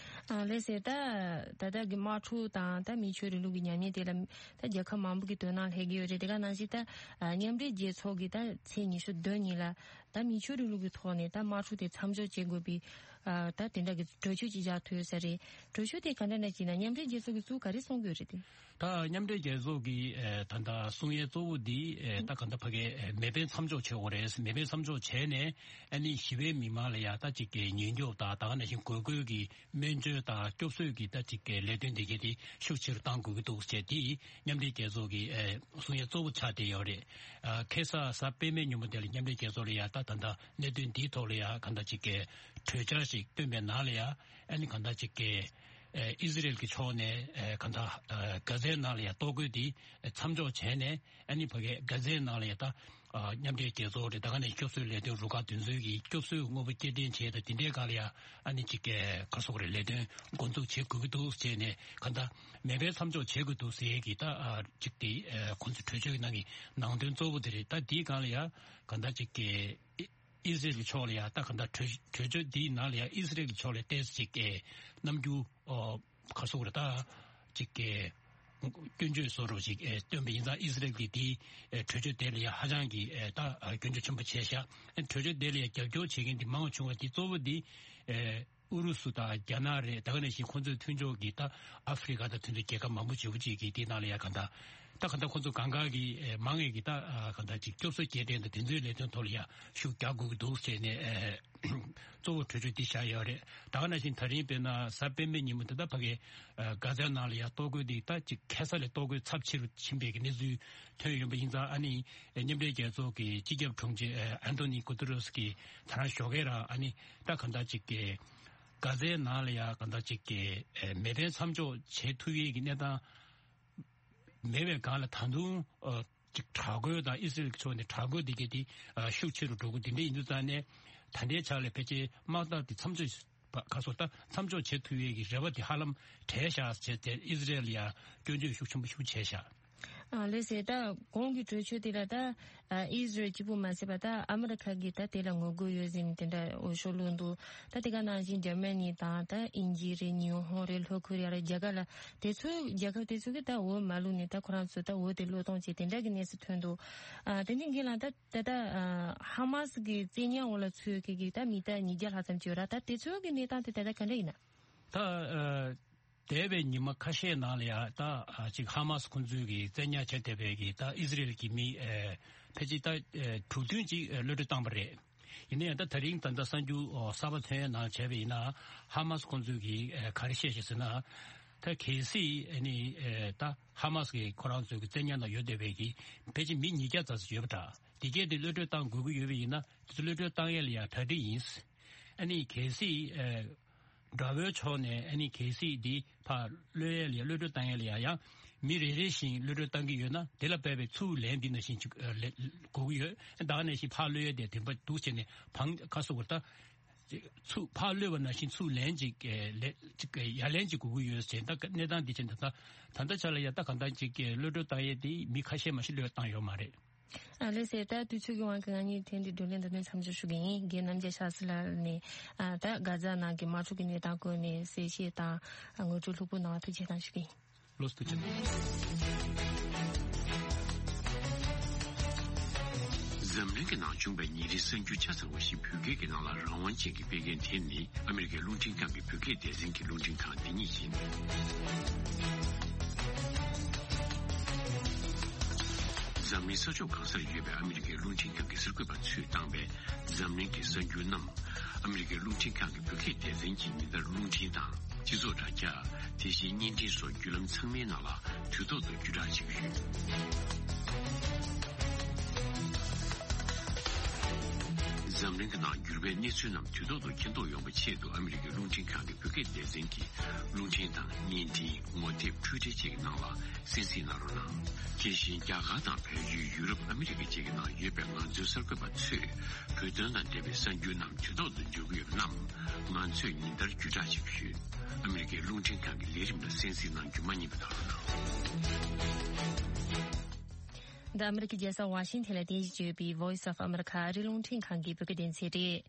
ཨ་ལགས་སེ། ད་ད་ལྟ་གི་དམག་འཁྲུག་དང་ད་མི་ཆོས་རིང་ལུགས་ཀྱི་ཉམས་ཉེས་དེ་ལ་ད་རྒྱལ་ཁབ་མང་པོ་གི་དོ་སྣང་སླེབས་ཀྱི་ཡོད་རེད། དེ་ག་ནང་བཞིན་ད་ཨ་མཉམ་འབྲེལ་རྒྱལ་ཚོགས་ཀྱི་ད་ཚེས་ཉི་ཤུ་བདུན་ཉིན་ལ་ད་མི་ཆོས་རིང་ལུགས་ཀྱི་ཐོག་ནས་ད་དམག་འཁྲུག་དེ་མཚམས་འཇོག་བྱེད་དགོས་པའི་ཨ་ད་དེ་འདྲ་གི་གྲོས་ཆོད་ཅིག་བཞག་ཐུབ་ཡོད་ས་རེད། གྲོས་ཆོད་དེ་ག་འདྲ་འདྲ་ཅིག་ན་མཉམ་འབྲེལ་རྒྱལ་ཚོགས་ཀྱིས་ཚུར་ག་རེ་གསུང་གི་ཡོད་རེད་དེ། ད་མཉམ་འབྲེལ་རྒྱལ་ཚོགས་ཀྱི་ཨེ་ད་ལྟ་གསུང་ཡས་གཙོ་བོ་འདི་ཨེ་ད་ག་འདྲ་ཕ་གི་ཨེ་མེ་འཕེན་མཚམས་འཇོག་བྱེད་དགོས་རེད། མེ་འཕེན་མཚམས་འཇོག་བྱས་ནས་ཨ་ནི་ཞི་བའི་མི་མང་ལ་ཡང་ད་ཅིག་གི་ཉེན་སྐྱོབ་དང་ད་ག་ནང་བཞིན་དགོས་མཁོ་གི་སྨན་བཅོས་དང་སྐྱོབ་གསོའི་གི་ད་ཅིག་གི་ལས་དོན་དེ་གས་དེ་ཤུགས་ཆེ་རུ་གཏང་དགོས་ཀྱི་འདུག་ཅེས་དེ་མཉམ་འབྲེལ་རྒྱལ་ཚོགས་ཀྱི་ཨེ་གསུང་ཡས་གཙོ་བོ་ཆགས་བསྡད་ཡོད་རེད། ཨ་ཁ་སང་གཟའ་སྤེན་པའི་ཉིན་མོ་དེ་ལ་མཉམ་འབྲེལ་རྒྱལ་ཚོགས་ལ་ཡང་ད་ད་ལྟ་གནད་དོན་འདིའི་ཐོག་ལ་ཡང་ག་འདྲ་ཅིག་གི་གྲོས་འཆར་ཞིག་བཏོན་པའི་ནང་ལ་ཡང་ཨ་ནི་ག་འདྲ་ཅིག་གི་ཨེ་ཨི་ཟི་རེལ་གྱི་ཕྱོགས་ནས་ཨེ་གང་ལྟར་ཨེ་གྷ་ཛའི་ནང་ལ་ཡང་གཏོར་རྒོལ་འདི་མཚམས་འཇོག་བྱས་ནས་ཨ་ནི་ཕ་གི་གྷ་ཛའི་ནང་ལ་ཡང་ད་ཨ་མཉམ་འབྲེལ་རྒྱལ་ཚོགས་རེད། ད་ག་ནས་སྐྱོབ་གསོའི་ལས་དོན་རུ་ཁག་དེ་ཚོའི་གི་སྐྱོབ་གསོའི་དངོས་པོ་སྐྱེལ་འདྲེན་བྱས་ད་དེ་འདྲའི་སྒང་ལ་ཡང་ཨ་ནི་ཅིག་གི་ག་རེ་ཟེར་དགོས་རེད། ལས་དོན་འགོ་འཛུགས་བྱེད་དགོས་ཀྱི་འདུག་ཟེར་ནས་གང་ལྟར་མེ་འཕེན་མཚམས་འཇོག་བྱེད་དགོས་འདུག་ཟེར་གི་ད་ཨ་ཅིག་དེ་ཨ་ཁོང་ཚོ་གྲོས་ཆོད་ཀྱི་ནང་གི་ནང་དོན་གཙོ་བོ་དེ་རེད། ད་དེའི་སྒང་ལ་ཡང་གང་ལྟར་ཅིག་གི་ཨི་ཟི་རེལ་གྱི་ཕྱོགས་ལ་ཡང་ད་གང་ལྟར་གྲོས་གྲོས་ཆོད་འདིའི་ནང་ལ་ཡང་ཨི་ཟི་རེལ་གྱི་ཕྱོགས་ལ་ཏོག་ཙམ་ཅིག་གི་རྣམ་འགྱུར་ཨོ་ག་རེ་ཟེར་དགོས་རེད། ད་ཅིག་གི་སྐྱོན་བརྗོད་བཟོ་འདྲ་ཅིག་ཨེ་བཏོན་པ་ཡིན་ཙང་ཨི་ཟི་རེལ་གྱིས་དེའི་ཨེ་གྲོས་ཆོད་དེ་ལ་ཡང་ཧ་ཅང་གི་ཨེ་ད་ཨ་སྐྱོན་བརྗོད་ཆེན་པོ་བྱས་ཤག་ཨེ་གྲོས་ཆོད་དེ་ལ་ཡང་རྒྱབ་སྐྱོར་བྱེད་མཁན་དེ་མང་བ་བྱུང་བ་དེ་གཙོ་བོ་དེ་ཨེ་ཨུ་རུ་སུ་དང་རྒྱ་ནག་རེད། ད་ག་ནང་བཞིན་ཁོང་ཚོའི་མཐུན་ཕྱོགས་ཀྱི་ད་ཨ་ཧྥི་རི་ཀ་དང་མཐུན་ཚོགས་རྒྱལ་ཁབ་མང་པོ་ཞེ་པོ་ཅིག་གིས་དེའི་ནང་ལ་ཡང་གང་ལྟར་ད་གང་ལྟར་ཁོང་ཚོ་གང་ག་གི་ཨེ་མང་ངེས་ཀྱི་ད་ཨ་གང་ལྟར་ཅིག་སྐྱོབ་གསོ་སྐྱེལ་འདྲེན་དང་དེ་ཚོའི་ལས་དོན་ཐོག་ལ་ཡང་ཤུགས་རྒྱག་དགོས་ཀྱི་འདུག་ཟེར་ནས་ཨེ་གཙོ་བོ་གྲོས་ཆོད་འདི་བཞག་ཡོད་རེད། ད་ག་ནང་བཞིན་ད་རིང་དཔེར་ན་གཟའ་སྤེན་པའི་ཉིན་མོ་དེ་ད་ཕ་གི་ཨ་གྷ་ཛའི་ནང་ལ་ཡང་གཏོར་རྒོལ་འདི་ད་ཅིག་ཁ་སང་ལས་གཏོར་རྒོལ་ཚབས་ཆེ་རུ་ཕྱིན་པའི་གི་གནས་ཚུལ་ཐོན་ཡོད་པ་ཡིན་ཙང་ཨ་ནི་མཉམ་འབྲེལ་རྒྱལ་ཚོགས་ཀྱི་སྤྱི་ཁྱབ་དྲུང་ཆེ་ཨ་ཨན་ཐོ་ནི་གུ་ཏུ་རེ་སི་གིས་ད་རང་ཞོགས་ཀས་རང་ཨ་ནི་ད་གང་ལྟར་ཅིག་གི་གྷ་ཛའི་ནང་ལ་ཡང་གང་ལྟར་ཅིག་གི་ཨེ་མེ་འཕེན་མཚམས་འཇོག་བྱེད་ཐུབ་ཡས་ཀྱི་གནས་སྟངས་མེད་པའི་སྒང་ལ་ད་དུང་ཨ་ཅིག་དྲག་རྒོལ་དང་ཨི་སི་རེལ་གྱི་ཕྱོགས་ནས་དྲག་རྒོལ་འདི་གས་དེ་ཨ་ཤུགས་ཆེ་རུ་འགྲོ་གི་འདི་འདྲ་ཡིན་དུས་ཙང་ནས་ད་ལྟའི་ཆ་ལ་ཕལ་ཆེར་དམག་འཐབ་དེ་མཚམས་འཇོག་པ་ག་སོ་ད་མཚམས་འཇོག་བྱེད་ཐུབ་ཡས་ཀྱི་རེ་བ་དེ་ཧ་ལམ་བྲལ་བཞག་བྱས་ཏེ་ཨི་སི་རེལ་ཡང་སྐྱོན་བརྗོད་ཤུགས་ཆེན་པོ་ཤུགས་བྱས་བཞག་ཨ་ལགས་སེ། ད་གོང་གི་གྲོས་ཆོད་དེ་ལ་ད་ཨ་ཨི་སི་རེལ་གཅིག་པུ་མ་ཟད་པ་ད་ཨ་མི་རི་ཁ་གིས་ད་དེ་ལ་ངོ་རྒོལ་ཡོད་ཟེར་ནས་དེ་འདྲ་འོས་ཤོག་བླུགས་འདུག་ད་དེ་ག་ནང་བཞིན་འཇར་མ་ནི་དང་ད་དབྱིན་ཇི་རེད། ཉི་ཧོང་རེད། ལྷོ་ཁོ་རི་ཡ་རེད། རྒྱ་གར་ལ་དེ་ཚོའི་རྒྱལ་ཁབ་དེ་ཚོ་གིས་ད་འོས་མ་བླུགས་ནས་ད་ཁོ་རང་ཚོ་ད་འོས་དེ་བློས་གཏོང་བྱས་དེ་འདྲ་གི་གནས་ཚུལ་ཐོན་འདུག་ཨ་དེ་ནས་རྒན་ལགས་ད་ད་ལྟ་ཨ་ཧ་མ་སི་གི་བཙན་ཉར་འོག་ལ་ཚུད་མཁན་གྱི་ད་མི་ད་ཉིས་བརྒྱ་ལྷག་ཙམ་ཅིག་ཡོད་ར། ད་དེ་ཚོ་གི་གནས་སྟངས་དེ་ད་ལྟ་ག་འདྲ་ཡིན་ན། ད་ཨ་འདས་པའི་ཉི་མ་ཁ་ཤས་ནང་ལ་ཡང་ད་ཨ་ཅིག་ཧ་མ་སི་ཁོང་ཚོས་ཀྱི་བཙན་ཉར་བྱས་བསྡད་པའི་གི་ད་ཨི་སི་རེལ་གྱི་མི་ཨེ་ཕལ་ཆེར་ད་ཨེ་དྲུག་བདུན་ཅིག་ཨེ་གློད་གྲོལ་བཏང་པ་རེད། ཡིན་ན་ཡང་ད་ད་རིང་ད་ལྟ་གསར་འགྱུར་ཨོ་གསར་པ་ཐོན་ཡའི་ནང་བྱས་པ་ཡིན་ན་ཧ་མ་སི་ཁོང་ཚོས་ཀྱི་ཨེ་ག་རེ་བཤད་ཤག་ཟེར་ན། ད་གལ་སྲིད་ཨ་ནི་ཨེ་ད་ཧ་མ་སི་གི་ཁོ་རང་ཚོའི་གི་བཙན་ཉར་ནང་ཡོད་བསྡད་པའི་གི་ཕལ་ཆེར་མི་ཉིས་བརྒྱ་ཙམ་ཞིག་ཡོད་པ་འདྲ། དེ་གས་དེ་གློད་གྲོལ་བཏང་དགོས་ཀྱི་ཡོད་པ་ཡིན་ན་དེ་ཚོ་གློད་གྲོལ་བཏང་ཡས་ལ་ཡང་གྲ་སྒྲིག་ཡིན། ཨ་ནི་གལ་སྲིད་ཨེ་དགྲ་བོའི་ཕྱོགས་ནས་ཨ་ནི་གལ་སྲིད་འདི་ཕར་གློད་ཡས་ལ་ཡ་གློད་གྲོལ་བཏང་ཡས་ལ་ཡ་ཡང་མི་རེ་རེ་བཞིན་གློད་གྲོལ་བཏང་གི་ཡོད་ན་དེ་ལ་དཔག་པའི་ཚུར་ལན་འདི་ནང་བཞིན་ཅིག་ཨ་ལེ་དགོས་ཀྱི་ཡོད། ད་ག་ནང་བཞིན་ཕར་གློད་ཡས་དེ་བདེན་པ་འདུག་བྱས་ནས་བང་ཁ་སོ་བར་ད་ཚུར་ཕར་གློད་པ་ནང་བཞིན་ཚུར་ལན་ཅིག་ཨ་ལེ་ཅིག་ཡ་ལན་ཅིག་དགོས་ཀྱི་ཡོད་ཟེར། ད་གནས་སྟངས་འདི་བྱས་ནས་ད་ད་ལྟ་ཆ་ལ་ཡ་ད་གང་ལྟར་ཅིག་གློད་གྲོལ་བཏང་ཡས་དེ་མི་ཁ་ཤས་མ་ཞིག་གློད་བཏང་ཡོད་མ་རེད། ཨ་ལེ་སེ། ད་དུས་ཚོད་ཀྱི་དབང་གིས་ང་གཉིས་ཐེངས་འདིའི་བགྲོ་གླེང་འདི་ནས་མཚམས་འཇོག་ཞུ་གི་ཡིན། རྒན་རྣམ་རྒྱལ་ཤཱ་སི་ལགས་ནས་ཨ་ད་གྷ་ཛ་ནང་གི་དམག་འཁྲུག་གི་གནས་སྟངས་སྐོར་ནས་གསལ་བཤད་དང་ངོ་སྤྲོད་ལྷུག་པོ་གནང་བ་ཐུགས་རྗེ་ཆེ་གནང་ཞུ་གི་ཡིན། ལོ་སྟོད་ཅན། འཛམ་གླིང་གི་ནང་བྱུང་བའི་ཉིན་རེའི་གསར་འགྱུར་ཆ་ཚང་བ་ཞིག་བོད་སྐད་ཀྱི་ནང་ལ་རང་དབང་ཅན་གྱིས་སྤེལ་མཁན་དེ་ནི་ཨ་མི་རི་ཀའི་རླུང་འཕྲིན་ཁང་གི་བོད་སྐད་སྡེ་ཚན་གྱི་རླུང་འཕྲིན་ཁང་འདི་ཉིད་ཡིན། འཛམ་གླིང་ས་ཕྱོགས་གང་སར་ཡོད་པའི་ཨ་མི་རི་ཀའི་རླུང་འཕྲིན་ཁང་གི་གསར་འགོད་པ་ཚོས་བཏང་བའི་འཛམ་གླིང་གི་གསར་འགྱུར་རྣམས། ཨ་མི་རི་ཀའི་རླུང་འཕྲིན་ཁང་གི་བོད་སྐད་སྡེ་ཚན་གྱིས་ཉིན་ལྟར་རླུང་འཕྲིན་དང་། སྤྱི་ཚོགས་དྲ་རྒྱ། དེ་བཞིན་བརྙན་འཕྲིན་སོགས་བརྒྱུད་ལམ་ཚང་མའི་ནང་ལ་དུས་ཐོག་ཏུ་བརྒྱུད་བསྒྲགས་བྱེད་ཀྱི་ཡོད། འཛམ་གླིང་གི་ནང་འགྱུར་བའི་གནས་ཚུལ་རྣམས་དུས་ཐོག་ཏུ་མཁྱེན་རྟོགས་ཡོང་བའི་ཆེད་དུ་ཨ་མི་རི་ཀའི་རླུང་འཕྲིན་ཁང་གི་བོད་སྐད་སྡེ་ཚན་གྱིས་རླུང་འཕྲིན་དང་བརྙན་འཕྲིན། ངོ་དེབ། འཕྲུལ་འཕྲིན་བཅས་ཀྱི་ནང་ལ་གསན་གཟིགས་གནང་རོགས་གནང་། དེ་བཞིན་རྒྱ་གར་དང་བལ་ཡུལ། ཡུ་རོབ། ཨ་མི་རི་ཀ་བཅས་ཀྱི་ནང་ཡོད་པའི་ང་ཚོའི་གསར་འགོད་པ་ཚོས་བོད་དོན་དང་འབྲེལ་བའི་གསར་འགྱུར་རྣམས་དུས་ཐོག་ཏུ་འབྱོར་གྱི་ཡོད་པ་རྣམས་ང་ཚོས་ཉིན་ལྟར་བརྒྱུད་བསྒྲགས་བྱེད་ཀྱི་ཡོད། ཨ་མི་རི་ཀའི་རླུང་འཕྲིན་ཁང་གི་ལས་རིམ་ལ་གསན་གཟིགས་གནང་རྒྱུ་མ་བསྙེལ་བ་དང་། འདི་ཨ་མི་རི་ཀའི་རྒྱལ་ས་ཝ་ཤིང་ཊོན་ལ་རྟེན་གཞི་བྱས་ཡོད་པའི་Voice of America ཨ་རིའི་རླུང་འཕྲིན་ཁང་གི་བོད་སྐད་སྡེ་ཚན་རེད།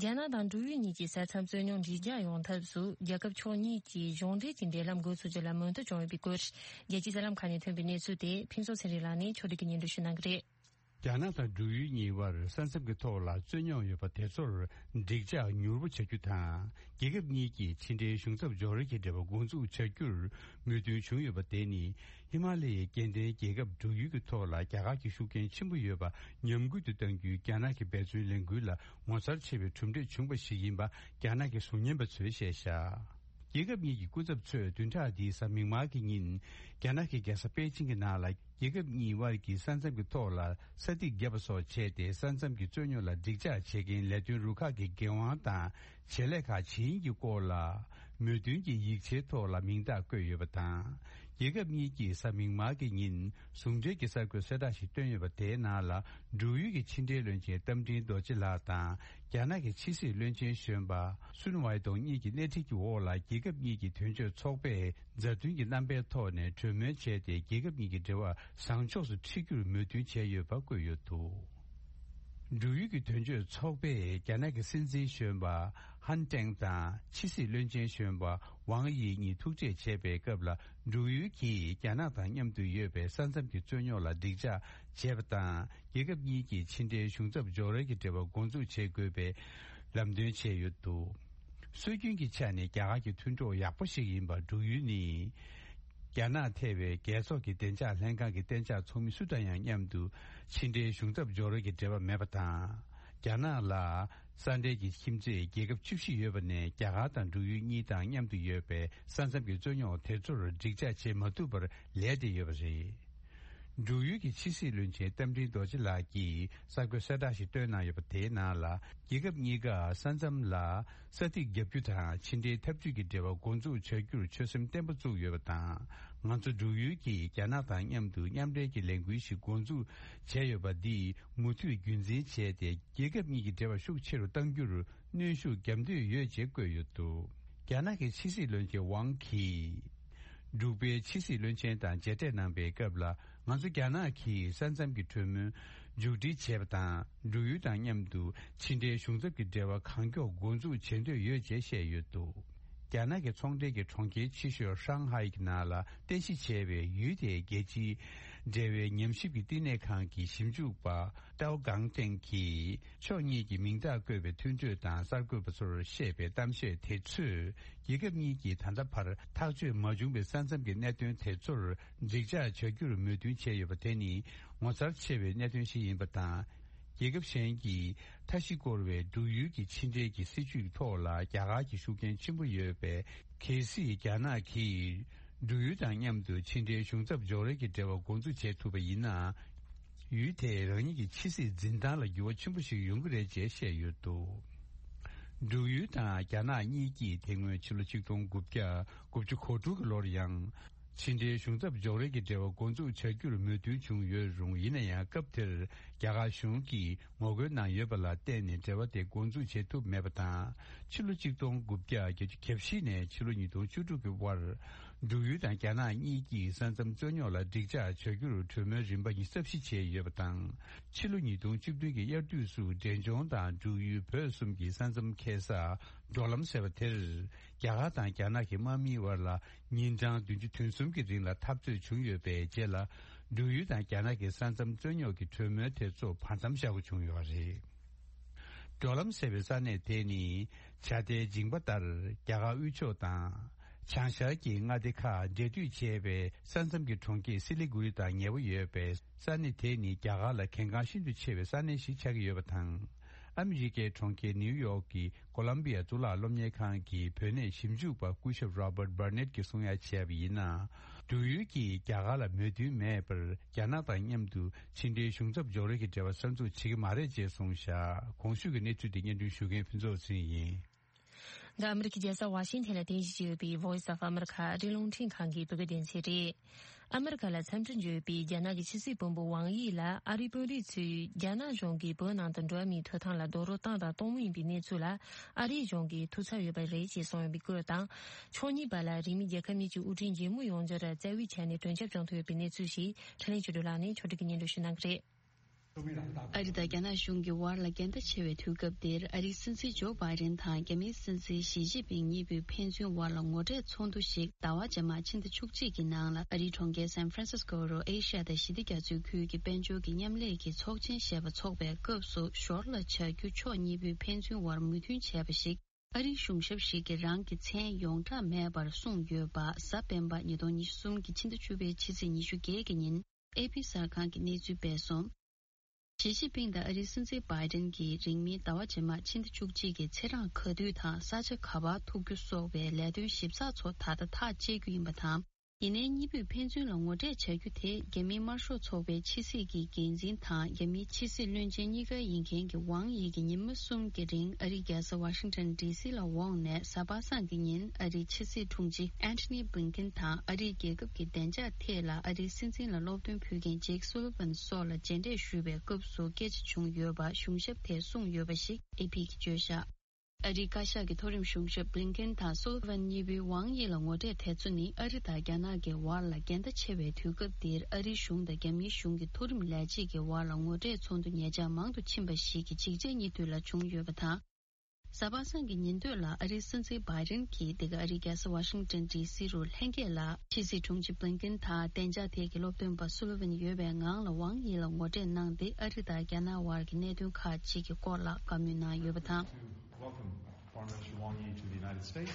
རྒྱ་ནག་དང་འབྲུག་ཡུལ་གཉིས་ཀྱི་ས་མཚམས་རྩོད་རྙོག་འགྲིག་འཇགས་ཡོང་ཐབས་སུ་རྒྱལ་ཁབ་ཕྱོགས་གཉིས་ཀྱིས་གཞུང་འབྲེལ་གྱི་འབྲེལ་ལམ་འགོ་ཚུགས་རྒྱུ་ལ་མོས་མཐུན་བྱུང་ཡོད་པའི་སྐོར། རྒྱལ་སྤྱིའི་གསར་ལམ་ཁག་ནས་ཐོན་པའི་གནས་ཚུལ་དེ་ཕུན་ཚོགས་ཚེ་རིང་ལགས་ནས་ཕྱོགས་སྒྲིག་གིས་སྙན་སྒྲོན་ཞུ་གནང་གི་རེད། རྒྱ་ནག་དང་འབྲུག་ཡུལ་གཉིས་དབར་ས་མཚམས་ཀྱི་ཐོག་ལ་རྩོད་རྙོག་ཡོད་པ་དེ་ཚོར་འགྲིག་འཇགས་མྱུར་པོ་བྱ་རྒྱུ་དང་། རྒྱལ་ཁབ་གཉིས་ཀྱིས་ཕྱི་འབྲེལ་གཞུང་ཚབ་འཇོག་རེས་ཀྱི་འབྲེལ་བ་འགོ་འཛུགས་བྱ་རྒྱུར་མོས་མཐུན་བྱུང་ཡོད་པ་དེ་ནི། ཧི་མ་ལ་ཡའི་སྐྱེ་ལྡན་རྒྱལ་ཁབ་འབྲུག་ཡུལ་གྱི་ཐོག་ལ་རྒྱ་གར་གྱི་ཤུགས་རྐྱེན་ཆེན་པོ་ཡོད་པ་ཉམས་རྒུད་དུ་གཏང་རྒྱུའི་རྒྱ་ནག་གི་འབད་བརྩོན་ལས་འགུལ་ལ་ངོ་མཚར་ཆེ་བའི་གྲུབ་འབྲས་བྱུང་བ་ཞིག་ཡིན་པ་རྒྱ་ནག་གི་གཟུགས་བརྙན་པ་ཚོས་བཤད་བཞག་རྒྱལ་ཁབ་གཉིས་ཀྱི་སྐུ་ཚབ་ཚོས་བདུན་ཕྲག་འདིའི་གཟའ་མིག་དམར་གྱི་ཉིན། རྒྱ་ནག་གི་རྒྱལ་ས་པེ་ཅིང་གི་ནང་ལ། རྒྱལ་ཁབ་གཉིས་དབར་གྱི་ས་མཚམས་ཀྱི་ཐོག་ལ་ས་ཐིག་བརྒྱབ་པ་སོགས་བྱས་ཏེ། ས་མཚམས་ཀྱི་རྩོད་རྙོག་ལ་འགྲིག་འཇགས་བྱེད་མཁན་ལས་དོན་རུ་ཁག་གི་འགན་དབང་དང་། བྱེད་ལས་ཁག་ཇི་ཡིན་གྱི་སྐོར་ལ། མོས་མཐུན་གྱི་ཡིག་ཆའི་ཐོག་ལ་མིང་རྟགས་བཀོད་ཡོད་པ་དང་། རྒྱལ་ཁབ་གཉིས་ཀྱིས་གཟའ་མིག་དམར་གྱི་ཉིན། ཟུང་འབྲེལ་གྱི་གསར་འགོད་གསལ་བསྒྲགས་ཤིག་བཏོན་ཡོད་པ། དེའི་ནང་ལ། འབྲུག་ཡུལ་གྱི་ཕྱི་འབྲེལ་བློན་ཆེན་རྟ་མགྲིན་རྡོ་རྗེ་ལགས་དང་། རྒྱ་ནག་གི་ཕྱི་སྲིད་བློན་ཆེན་གཞོན་པ་སུན་ཝའེ་ཏུང་གཉིས་ཀྱི་སྣེ་ཁྲིད་ཀྱི་འོག་ལ། རྒྱལ་ཁབ་གཉིས་ཀྱི་དོན་གཅོད་ཚོགས་པས་མཛའ་མཐུན་གྱི་རྣམ་པའི་ཐོག་ནས་གྲོས་མོལ་བྱས་ཏེ། རྒྱལ་ཁབ་གཉིས་ཀྱི་འབྲེལ་བ་བཟང་ཕྱོགས་སུ་འཁྲིད་རྒྱུར་མོས་མཐུན་བྱས་ཡོད་པ་བཀོད་ཡོད་འདུག་འབྲུག་ཡུལ་གྱི་དོན་གཅོད་ཚོགས་པས་རྒྱ་ནག་གི་སྲིད་འཛིན་གཞོན་པ་ཧན་ཀྲེང་དང་ཕྱི་སྲིད་བློན་ཆེན་གཞོན་པ་ཝང་དབྱི་གཉིས་ཐུག་འཕྲད་བྱས་པའི་སྐབས་ལ། འབྲུག་ཡུལ་གྱིས་རྒྱ་ནག་དང་མཉམ་དུ་ཡོད་པའི་ས་མཚམས་ཀྱི་རྩོད་རྙོག་ལ་འགྲིག་འཇགས་བྱས་པ་དང་། རྒྱལ་ཁབ་གཉིས་ཀྱིས་ཕྱི་འབྲེལ་གཞུང་ཚབ་འཇོག་རེས་ཀྱི་འབྲེལ་བ་འགོ་འཛུགས་བྱེད་དགོས་པའི་ལམ་སྟོན་བྱས་ཡོད་འདུག་སྲོལ་རྒྱུན་གྱི་ཆ་ནས་རྒྱ་གར་གྱི་མཐུན་གྲོགས་ཡག་པོ་ཞིག་ཡིན་པ་འབྲུག་ཡུལ་ནི། རྒྱ་ནག་ཐེ་བའི་རྒྱལ་ཚོགས་ཀྱི་བདེ་འཇགས་ལྷན་ཁང་གི་གཏན་འཇགས་ཚོགས་མི་སུ་དང་ཡང་མཉམ་དུ་ཕྱི་འབྲེལ་གཞུང་ཚབ་འཇོག་རེས་ཀྱི་འབྲེལ་བ་མེད་པ་དང་། རྒྱ་ནག་ལ་ས་འབྲེལ་གྱི་ཁྱིམ་མཚེས་རྒྱལ་ཁབ་བཅུ་བཞི་ཡོད་པ་ནས། རྒྱ་གར་དང་འབྲུག་ཡུལ་གཉིས་དང་མཉམ་དུ་ཡོད་པའི་ས་མཚམས་ཀྱི་རྩོད་རྙོག་དེ་ཚོར་འགྲིག་འཇགས་བྱེད་མ་ཐུབ་པར་ལས་བསྡད་ཡོད་པ་རེད། འབྲུག་ཡུལ་གྱི་ཕྱི་སྲིད་བློན་ཆེན་རྟ་མགྲིན་རྡོ་རྗེ་ལགས་ཀྱིས་གསར་འགོད་གསལ་བསྒྲགས་ཤིག་བཏོན་གནང་ཡོད་པ། དེའི་ནང་ལ། རྒྱལ་ཁབ་གཉིས་ཀ་ས་མཚམས་ལ་ས་ཐིག་བརྒྱབ་རྒྱུ་དང་། ཕྱི་འབྲེལ་འཐབ་ཇུས་ཀྱི་འབྲེལ་བ་འགོ་འཛུགས་བྱ་རྒྱུར་ཆོད་སེམས་བརྟན་པོ་བཙུགས་ཡོད་པ་དང་། ང་ཚོ་འབྲུག་ཡུལ་གྱིས་རྒྱ་ནག་དང་མཉམ་དུ་མཉམ་འབྲེལ་གྱི་ལས་འགུལ་ཞིག་འགོ་འཛུགས་བྱས་ཡོད་པ་འདིས་མུ་མཐུད་རྒྱུན་འཛིན་བྱས་ཏེ། རྒྱལ་ཁབ་གཉིས་ཀྱི་འབྲེལ་བ་ཤུགས་ཆེ་རུ་གཏང་རྒྱུར་གནོན་ཤུགས་བརྒྱབ་འདོད་ཡོད་ཅེས་བཀོད་ཡོད་འདུག་རྒྱ་ནག་གི་ཕྱི་སྲིད་བློན་ཆེན་ཝང་གིས། འབྲུག་པའི་ཕྱི་སྲིད་བློན་ཆེན་དང་མཇལ་འཕྲད་གནང་པའི་སྐབས་ལ། ང་ཚོ་རྒྱ་ནག་གིས་ས་མཚམས་ཀྱི་གྲོས་མོལ་མཇུག་སྒྲིལ་བྱས་པ་དང་། འབྲུག་ཡུལ་དང་མཉམ་དུ་ཕྱི་འབྲེལ་གཞུང་ཚབ་ཀྱི་འབྲེལ་བ་གང་མགྱོགས་འགོ་འཛུགས་བྱེད་འདོད་ཡོད་ཅེས་བཤད་ཡོད་འདུག་རྒྱ་ནག་གི་ཚོང་འབྲེལ་གྱི་གྲོང་ཁྱེར་ཆེ་ཤོས་ཧྲང་ཧའེ་གྱི་ནང་ལ་རྟེན་གཞི་བྱས་པའི་ཡུལ་དེའི་རྒྱལ་སྤྱིའི་འབྲེལ་བའི་ཉམས་ཞིབ་ཀྱི་བསྟི་གནས་ཁང་གི་ཞིབ་འཇུག་པ་ཏའོ་གང་ཏེང་གིས། ཕྱོགས་གཉིས་ཀྱིས་མིང་རྟགས་བཀོད་པའི་མཐུན་གྲོས་དང་གསར་འགོད་པ་ཚོར་བཤད་པའི་གཏམ་བཤད་དེ་ཚོས། རྒྱལ་ཁབ་གཉིས་ཀྱིས་ད་ལྟ་བར་ཐག་གཅོད་མ་བྱུང་བའི་ས་མཚམས་ཀྱི་གནད་དོན་དེ་ཚོར་འགྲིག་འཇགས་བྱ་རྒྱུར་མོས་མཐུན་བྱས་ཡོད་པ་དེ་ནི་ངོ་མཚར་ཆེ་བའི་གནད་དོན་ཞིག་ཡིན་པ་དང་། རྒྱལ་ཁབ་གཞན་གྱིས་མཐའ་བཞི་བསྐོར་བའི་འབྲུག་ཡུལ་གྱི་ཕྱི་འབྲེལ་གྱི་སྲིད་བྱུས་ཐོག་ལ་རྒྱ་གར་གྱི་ཤུགས་རྐྱེན་ཆེན་པོ་ཡོད་པས། གལ་སྲིད་རྒྱ་ནག་གིས་འབྲུག་ཡུལ་དང་མཉམ་དུ་ཕྱི་འབྲེལ་གཞུང་ཚབ་འཇོག་རེས་ཀྱི་འབྲེལ་བ་འགོ་འཛུགས་བྱེད་ཐུབ་པ་ཡིན་ན། ཡུལ་དེས་རང་ཉིད་ཀྱི་ཕྱི་སྲིད་འཛིན་སྟངས་ལ་འགྱུར་བ་ཆེན་པོ་ཞིག་ཡོང་གི་རེད་ཅེས་བཤད་ཡོད་འདུག་འབྲུག་ཡུལ་དང་རྒྱ་ནག་གཉིས་ཀྱིས་དེ་སྔོན་ཕྱི་ལོ་ཆིག་སྟོང་དགུ་བརྒྱ་དགུ་བཅུ་གོ་དྲུག་གི་ལོར་ཡང་། ཕྱི་འབྲེལ་གཞུང་ཚབ་འཇོག་རེས་ཀྱི་འབྲེལ་བ་འགོ་འཛུགས་བྱ་རྒྱུར་མོས་མཐུན་བྱུང་ཡོད་རུང་། ཡིན་ན་ཡང་སྐབས་དེར་རྒྱ་གར་གཞུང་གིས་ངོ་རྒོལ་གནང་ཡོད་པ་ལ་བརྟེན་ནས་འབྲེལ་བ་དེ་འགོ་འཛུགས་བྱེད་ཐུབ་མེད་པ་དང་། ཕྱི་ལོ་ཆིག་སྟོང་དགུ་བརྒྱ་བརྒྱད་ཅུ་གྱ་བཞི་ནས་ཕྱི་ལོ་ཉིས་སྟོང་བཅུ་དྲུག་གི་བར། འབྲུག་ཡུལ་དང་རྒྱ་ནག་གཉིས་ཀྱིས་ས་མཚམས་རྩོད་རྙོག་ལ་འགྲིག་འཇགས་བྱ་རྒྱུར་གྲོས་མོལ་རིམ་པ་གཉིས་ཚབ་བཞི་བྱས་ཡོད་པ་དང་། ཕྱི་ལོ་ཉིས་སྟོང་བཅུ་བདུན་གྱི་དབྱར་དུས་སུ་འབྲས་ལྗོངས་དང་འབྲུག་ཡུལ་བོད་གསུམ་གྱི་ས་མཚམས་འཁེལ་ས་འགྲོ་ལམ་ཟེར་བ་དེར། རྒྱ་གར་དང་རྒྱ་ནག་གི་དམག་མིའི་དབར་ལ་ཉིན་གྲངས་བདུན་ཅུ་དོན་གསུམ་གྱི་རིང་ལ་འཐབ་རྩོད་བྱུང་ཡོད་པའི་རྗེས་ལ། འབྲུག་ཡུལ་དང་རྒྱ་ནག་གི་ས་མཚམས་རྩོད་རྙོག་གི་གྲོས་མོལ་དེ་ཚོ་བར་མཚམས་བཞག་དགོས་བྱུང་ཡོད་པ་རེད། འགྲོ་ལམ་ཟེར་བའི་ས་གནས་དེ་ནི་བྱ་ལྡན་འཇིང་པ་ལྟར་རྒྱ་གར་དབུས་ཕྱོགས་དང་། བྱང་ཤར་གྱི་མངའ་སྡེ་ཁག་འབྲེལ་མཐུད་བྱས་པའི་ས་མཚམས་ཀྱི་གྲོང་ཁྱེར་སི་ལི་གུ་རི་དང་ཉེ་བོ་ཡོད་པའི་ས་གནས་དེ་ནི་རྒྱ་གར་ལ་གལ་འགངས་ཤིན་ཏུ་ཆེ་བའི་ས་གནས་ཤིག་ཆགས་ཀྱི་ཡོད་པ་དང་། ཨ་མི་རི་ཀའི་གྲོང་ཁྱེར་ནིའུ་ཡོག་གི་ཀོ་ལམ་བི་ཡ་གཙུག་ལག་སློབ་གཉེར་ཁང་གི་བོད་གནས་ཞིབ་འཇུག་པ་སྐུ་ཞབས་Robert Burnett གྱིས་གསུང་ཡ་བྱས་པ་ཡིན་ན། འབྲུག་ཡུལ་གྱིས་རྒྱ་གར་ལ་མོས་མཐུན་མེད་པར་རྒྱ་ནག་དང་མཉམ་དུ་ཕྱི་འབྲེལ་གཞུང་ཚབ་སྦྱོར་རེས་ཀྱི་འབྲེལ་བ་གསར་འཛུགས་བྱེད་ཀྱི་མ་རེད་ཅེས་གསུངས་བཞག་གོང་ཞུས་ཀྱི་གནས་ཚུལ་དེ་སྙན་སྒྲོན་ཞུ་མཁན་ཕུན་ཚོགས་ཚེ་རིང་ཡིན། འདི་ཨ་མི་རི་ཀའི་རྒྱལ་ས་ཝ་ཤིང་ཐན་ལ་རྟེན་གཞི་བྱས་ཡོད་པའི་Voice of America ཨ་རིའི་རླུང་འཕྲིན་ཁང་གི་བོད་སྐད་སྡེ་ཚན་རེད། ཨ་མི་རི་ཀ་ལ་འཚམས་འདྲི་འབྱོར་བའི་རྒྱ་ནག་གི་ཕྱི་སྲིད་བློན་པོ་ཝང་དབྱི་ལ་ཨ་རིའི་དཔོན་རིགས་ཚོས་རྒྱ་ནག་གཞུང་གིས་བོད་ནང་དུ་འགྲོ་བ་མིའི་ཐོབ་ཐང་ལ་རྡོག་རོལ་བཏང་དང་གཏོང་མུས་ཡིན་པའི་གནས་ཚུལ་ལ་ཨ་རིའི་གཞུང་གིས་ཐུགས་འཚབ་ཡོད་པ་རེད་ཅེས་གསུངས་ཡོད་པའི་སྐོར་དང་། ཕྱོགས་གཉིས་བར་ལ་རིང་མིན་རྒྱལ་ཁབ་གཉིས་ཀྱི་དབུ་ཁྲིད་མཇལ་མོ་ཡོང་རྒྱུར་རྩ་བའི་ཆ་ནས་གྲོས་འཆར་བྱུང་ཐུབ་ཡོད་པའི་གནས་ཚུལ་ཞིག་འཕྲིན་ལས་ཆོས་སྒྲོན་ལགས་ནས་ཕྱོགས་སྒྲིག་གིས་སྙན་སྒྲོན་ཞུ་གནང་གི་རེད། ཨ་རི་དང་རྒྱ་ནག་གཞུང་གི་བར་ལ་འགལ་ཟླ་ཆེ་བའི་དུས་སྐབས་འདིར་ཨ་རིའི་སྲིད་འཛིན་ཇོ་བྷའི་ཌེན་དང་རྒྱ་མིའི་སྲིད་འཛིན་ཞི་ཅིན་ཕིང་གཉིས་པོས་ཕན་ཚུན་བར་ལ་ངོ་འཕྲད་ཚོགས་འདུ་ཞིག་ཟླ་བ་རྗེས་མ་ཕྱི་ཟླ་བཅུ་གཅིག་གི་ནང་ལ་ཨ་རིའི་གྲོང་ཁྱེར་སན་ཧྥ་རན་སིས་ཀོ་རུ་ཨེ་ཤ་ཡ་དང་ཞི་བདེ་རྒྱ་མཚོའི་ཁུལ་གྱི་དཔལ་འབྱོར་གྱི་མཉམ་ལས་ཀྱི་ཚོགས་ཆེན་ཞེས་པ་འཚོགས་པའི་སྐབས་སུ་ཞོར་ལ་བྱ་རྒྱུ་ཕྱོགས་གཉིས་པོས་ཕན་ཚུན་བར་མོས་མཐུན་བྱས་པ་ཞིག་ཨ་རིའི་གཞུང་ཞབས་ཤིག་གིས་རང་གི་མཚན་ཡོངས་གྲགས་མེད་པར་གསུངས་ཡོད་པ་གཟའ་སྤེན་པ་ཉིས་སྟོང་ཉི་ཤུ་གསུམ་གྱི་ཕྱི་ཟླ་བཅུ་པའི་ཕྱི་ཚེས་ཉི་ཤུ་བརྒྱད་ཀྱི་ཉིན། ཨེ་པི་གསར་ཁང་གིས་གནས་ཚུལ་སྤེལ་སོང་། ཞི་ཅིན་ཕིང་དང་ཨ་རིའི་སྲིད་འཛིན་བྷའི་ཌེན་གྱིས་རིང་མིན་ཟླ་བ་རྗེས་མ་ཕྱི་ཟླ་བཅུ་གཅིག་གི་ཚེས་གྲངས་ག་དུས་དང་ས་ཆ་ག་པར་ཐུག་རྒྱུ་སོགས་པའི་ལས་དོན་ཞིབ་ཚགས་ཚོ་ད་ལྟ་ཐག་བཅད་རྒྱུ་ཡིན་པ་དང་། ཡིན་ནའི་གཉིས་པོས་ཕན་ཚུན་ལ་ངོ་འཕྲད་བྱ་རྒྱུ་དེ་རྒྱ་མིའི་དམར་ཤོག་ཚོགས་པའི་ཕྱི་སྲིད་ཀྱི་འགན་འཛིན་དང་རྒྱ་མིའི་ཕྱི་སྲིད་བློན་ཆེན་གཉིས་ཀ་ཡིན་མཁན་གྱི་ཝང་དབྱི་གིས་ཉི་མ་གསུམ་གྱི་རིང་ཨ་རིའི་རྒྱལ་ས་ཝ་ཤིང་ཊོན་ཌི་སི་ལ་འོངས་ནས་གཟའ་པ་སངས་ཀྱི་ཉིན་ཨ་རིའི་ཕྱི་སྲིད་དྲུང་ཆེ་ཨན་ཐོ་ནི་བྷི་ལིན་ཀིན་དང་ཨ་རིའི་རྒྱལ་ཁབ་ཀྱི་བདེ་འཇགས་ཐད་ལ་ཨ་རིའི་སྲིད་འཛིན་ལ་སློབ་སྟོན་ཕུལ་མཁན་ཇེཀ་སུ་ལི་ཝན་སོགས་ལ་མཇལ་འཕྲད་ཞུས་པའི་སྐབས་སུ་སྐད་ཆ་བྱུང་ཡོད་པ་གཞུང་ཞབས་དེས་གསུངས་ཡོད་པ་ཞིག་ཨེ་པི་གིས་བརྗོད་བཞག་ཨ་རིའི་བཀའ་ཤག་གི་མཐོ་རིམ་གཞུང་ཞབས་བྷི་ལིན་ཀིན་དང་སུ་ལི་ཝན་གཉིས་པོའི་ཝང་དབྱི་ལ་ངོ་འཕྲད་དེ་ཚོ་ནི་ཨ་རི་དང་རྒྱ་ནག་གི་བར་ལ་འགལ་ཟླ་ཆེ་བའི་དུས་སྐབས་འདིར་ཨ་རིའི་གཞུང་དང་རྒྱ་མིའི་གཞུང་གི་མཐོ་རིམ་ལས་བྱེད་ཀྱི་བར་ལ་ངོ་འཕྲད་ཚོགས་འདུ་ཉེ་ཆར་མང་དུ་ཕྱིན་པ་ཞིག་གི་ཅིག་ཅར་གཉིས་མཐུད་ལ་བྱུང་ཡོད་པ་དང་། གཟའ་པ་སངས་ཀྱི་ཉིན་སྟོད་ལ་ཨ་རིའི་སྲིད་འཛིན་བྷའི་ཌེན་གྱིས་འདི་ག་ཨ་རིའི་རྒྱལ་ས་ཝ་ཤིང་ཊོན་ཌི་སི་རུ་ལྷན་རྒྱས་ལ་ཕྱི་སྲིད་དྲུང་ཆེ་བྷི་ལིན་ཀིན་དང་བདེ་འཇགས་ཐད་ཀྱི་སློབ་སྟོན་པ་སུ་ལི་ཝན་ཡོད་པའི་ངང་ལ་ཝང་དབྱི་ལ་ངོ་འཕྲད་གནང་སྟེ་ཨ་རི་དང་རྒྱ་ནག་དབར་གྱི་གནད་དོན་ཁག་ཅིག་གི་སྐོར་ལ་བཀའ་མོལ་གནང་ཡོད་པ་དང་། Welcome Foreign Minister Wang Yi to the United States.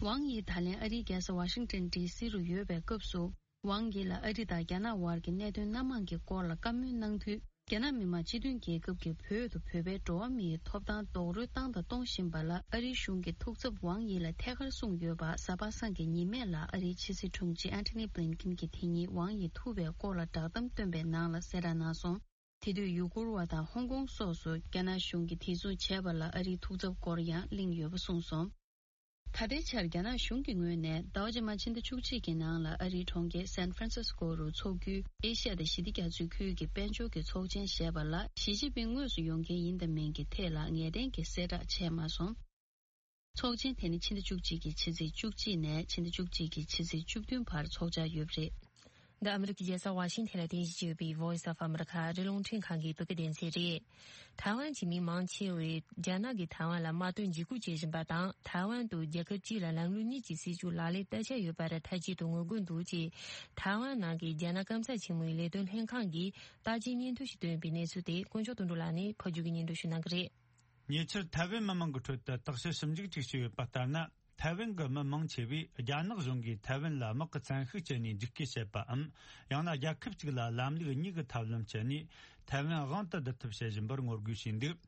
ཝང་དབྱི་ད་ལན་ཨ་རིའི་རྒྱལ་ས་ཝ་ཤིང་ཊོན་ཌི་སི་རུ་ཡོད་པའི་སྐབས་སུ། ཝང་དབྱི་ལ་ཨ་རི་དང་རྒྱ་ནག་དབར་གྱི་གནད་དོན་སྣ་མང་གི་སྐོར་ལ་བཀའ་མོལ་གནང་དུས། རྒྱ་ནག་མི་དམངས་སྤྱི་མཐུན་རྒྱལ་ཁབ་ཀྱིས་བོད་དུ་བོད་པའི་འགྲོ་བ་མིའི་ཐོབ་ཐང་རྡོག་རོལ་བཏང་དང་གཏོང་བཞིན་པ་ལ་ཨ་རིའི་གཞུང་གིས་ཐུགས་འཚབ་ཝང་དབྱི་ལ་ཐད་ཀར་གསུངས་ཡོད་པ་གཟའ་པ་སངས་ཀྱི་ཉི་མ་ལ་ཨ་རིའི་ཕྱི་སྲིད་དྲུང་ཆེ་ཨན་ཐོ་ནི་བྷི་ལིན་ཀིན་གྱིས་དེ་ཉིན་ཝང་དབྱི་ཐུག་པའི་སྐོར་ལ་བསྒྲགས་གཏམ་བཏོན་པའི་ནང་ལ་གསལ་བསྒྲགས་གནང་སོང་། དེ་དུས་ཡུ་གུར་བ་དང་ཧོང་ཀོང་སོགས་སུ་རྒྱ་ནག་གཞུང་གིས་དེ་མཚུངས་བྱས་པ་ལ་ཨ་རིའི་ཐུགས་འཚབ་སྐོར་ཡང་གླེང་ཡོད་པ་གསུངས་སོང་། ད་ལྟའི་ཆར་རྒྱ་ནག་གཞུང་གི་ངོས་ནས་ཟླ་བ་རྗེས་མ་ཕྱི་ཟླ་བཅུ་གཅིག་གི་ནང་ལ་ཨ་རིའི་གྲོང་ཁྱེར་སན་ཧྥ་རན་སིས་ཀོ་རུ་འཚོགས་རྒྱུའི་ཨེ་ཤ་ཡ་དང་ཞི་བདེ་རྒྱ་མཚོའི་ཁུལ་གྱི་དཔལ་འབྱོར་གྱི་ཚོགས་ཆེན་ཞེས་པ་ལ་ཞི་ཅིན་ཕིང་དངོས་སུ་ཡོང་མཁན་ཡིན་དང་མིན་གྱི་ཐད་ལ་ངེས་གཏན་གྱི་གསལ་བསྒྲགས་བྱས་མ་སོང་། ཚོགས་ཆེན་དེ་ནི་ཕྱི་ཟླ་བཅུ་གཅིག་གི་ཕྱི་ཚེས་བཅུ་གཅིག་ནས་ཕྱི་ཟླ་བཅུ་གཅིག་གི་ཕྱི་ཚེས་བཅུ་བདུན་བར་འཚོགས་འཆར་ཡོད་པ་རེད། འདི་ཨ་མི་རི་ཀའི་རྒྱལ་ས་ཝ་ཤིང་ཐན་ལ་རྟེན་གཞི་བྱས་ཡོད་པའི་Voice of America ཨ་རིའི་རླུང་འཕྲིན་ཁང་གི་བོད་སྐད་སྡེ་ཚན་རེད། ཐའེ་ཝན་གྱི་མི་མང་ཆེ་བས་རྒྱ་ནག་གིས་ཐའེ་ཝན་ལ་དམག་དོན་འཇིགས་སྐུལ་བྱེད་བཞིན་པ་དང་། ཐའེ་ཝན་དུ་རྒྱལ་ཁབ་གཅིག་ལ་ལམ་ལུགས་གཉིས་ཀྱི་སྲིད་བྱུས་ལག་ལེན་བསྟར་འཆར་ཡོད་པར་མཐའ་གཅིག་ཏུ་ངོ་རྒོལ་འདུག་ཅེས། ཐའེ་ཝན་ནང་གི་རྒྱ་ནག་སྐམ་ས་ཆེན་མོའི་ལས་དོན་ལྷན་ཁང་གིས་བརྟག་དཔྱད་སྙན་ཐོ་ཞིག་བཏོན་པའི་གནས་ཚུལ་དེ་དཀོན་མཆོག་དོན་གྲུབ་ལགས་ནས་ཕབ་སྒྱུར་གྱིས་སྙན་སྒྲོན་ཞུ་གནང་གི་རེད། ཉེ་ཆར་ཐའེ་ཝན་མི་མང་གི་ཁྲོད་དུ་བརྟག་དཔྱད་ཞིབ་འཇུག་ཅིག་བྱས་ཡོད་པ་ལྟར་ན། ཐའེ་ཝན་གྱི་མི་མང་ཆེ་བས་རྒྱ་ནག་གཞུང་གིས་ཐའེ་ཝན་ལ་དམག་གི་བཙན་ཤུགས་སྤྱད་ནས་འཇིགས་སྐུལ་བྱེད་པའམ། ཡང་ན་རྒྱལ་ཁབ་གཅིག་ལ་ལམ་ལུགས་གཉིས་ཀྱི་ཐབས་ལམ་སྤྱད་ནས་ཐའེ་ཝན་དབང་དུ་བསྡུ་ཐབས་བྱེད་བཞིན་པར་ངོ་རྒོལ་བྱས་འདུག་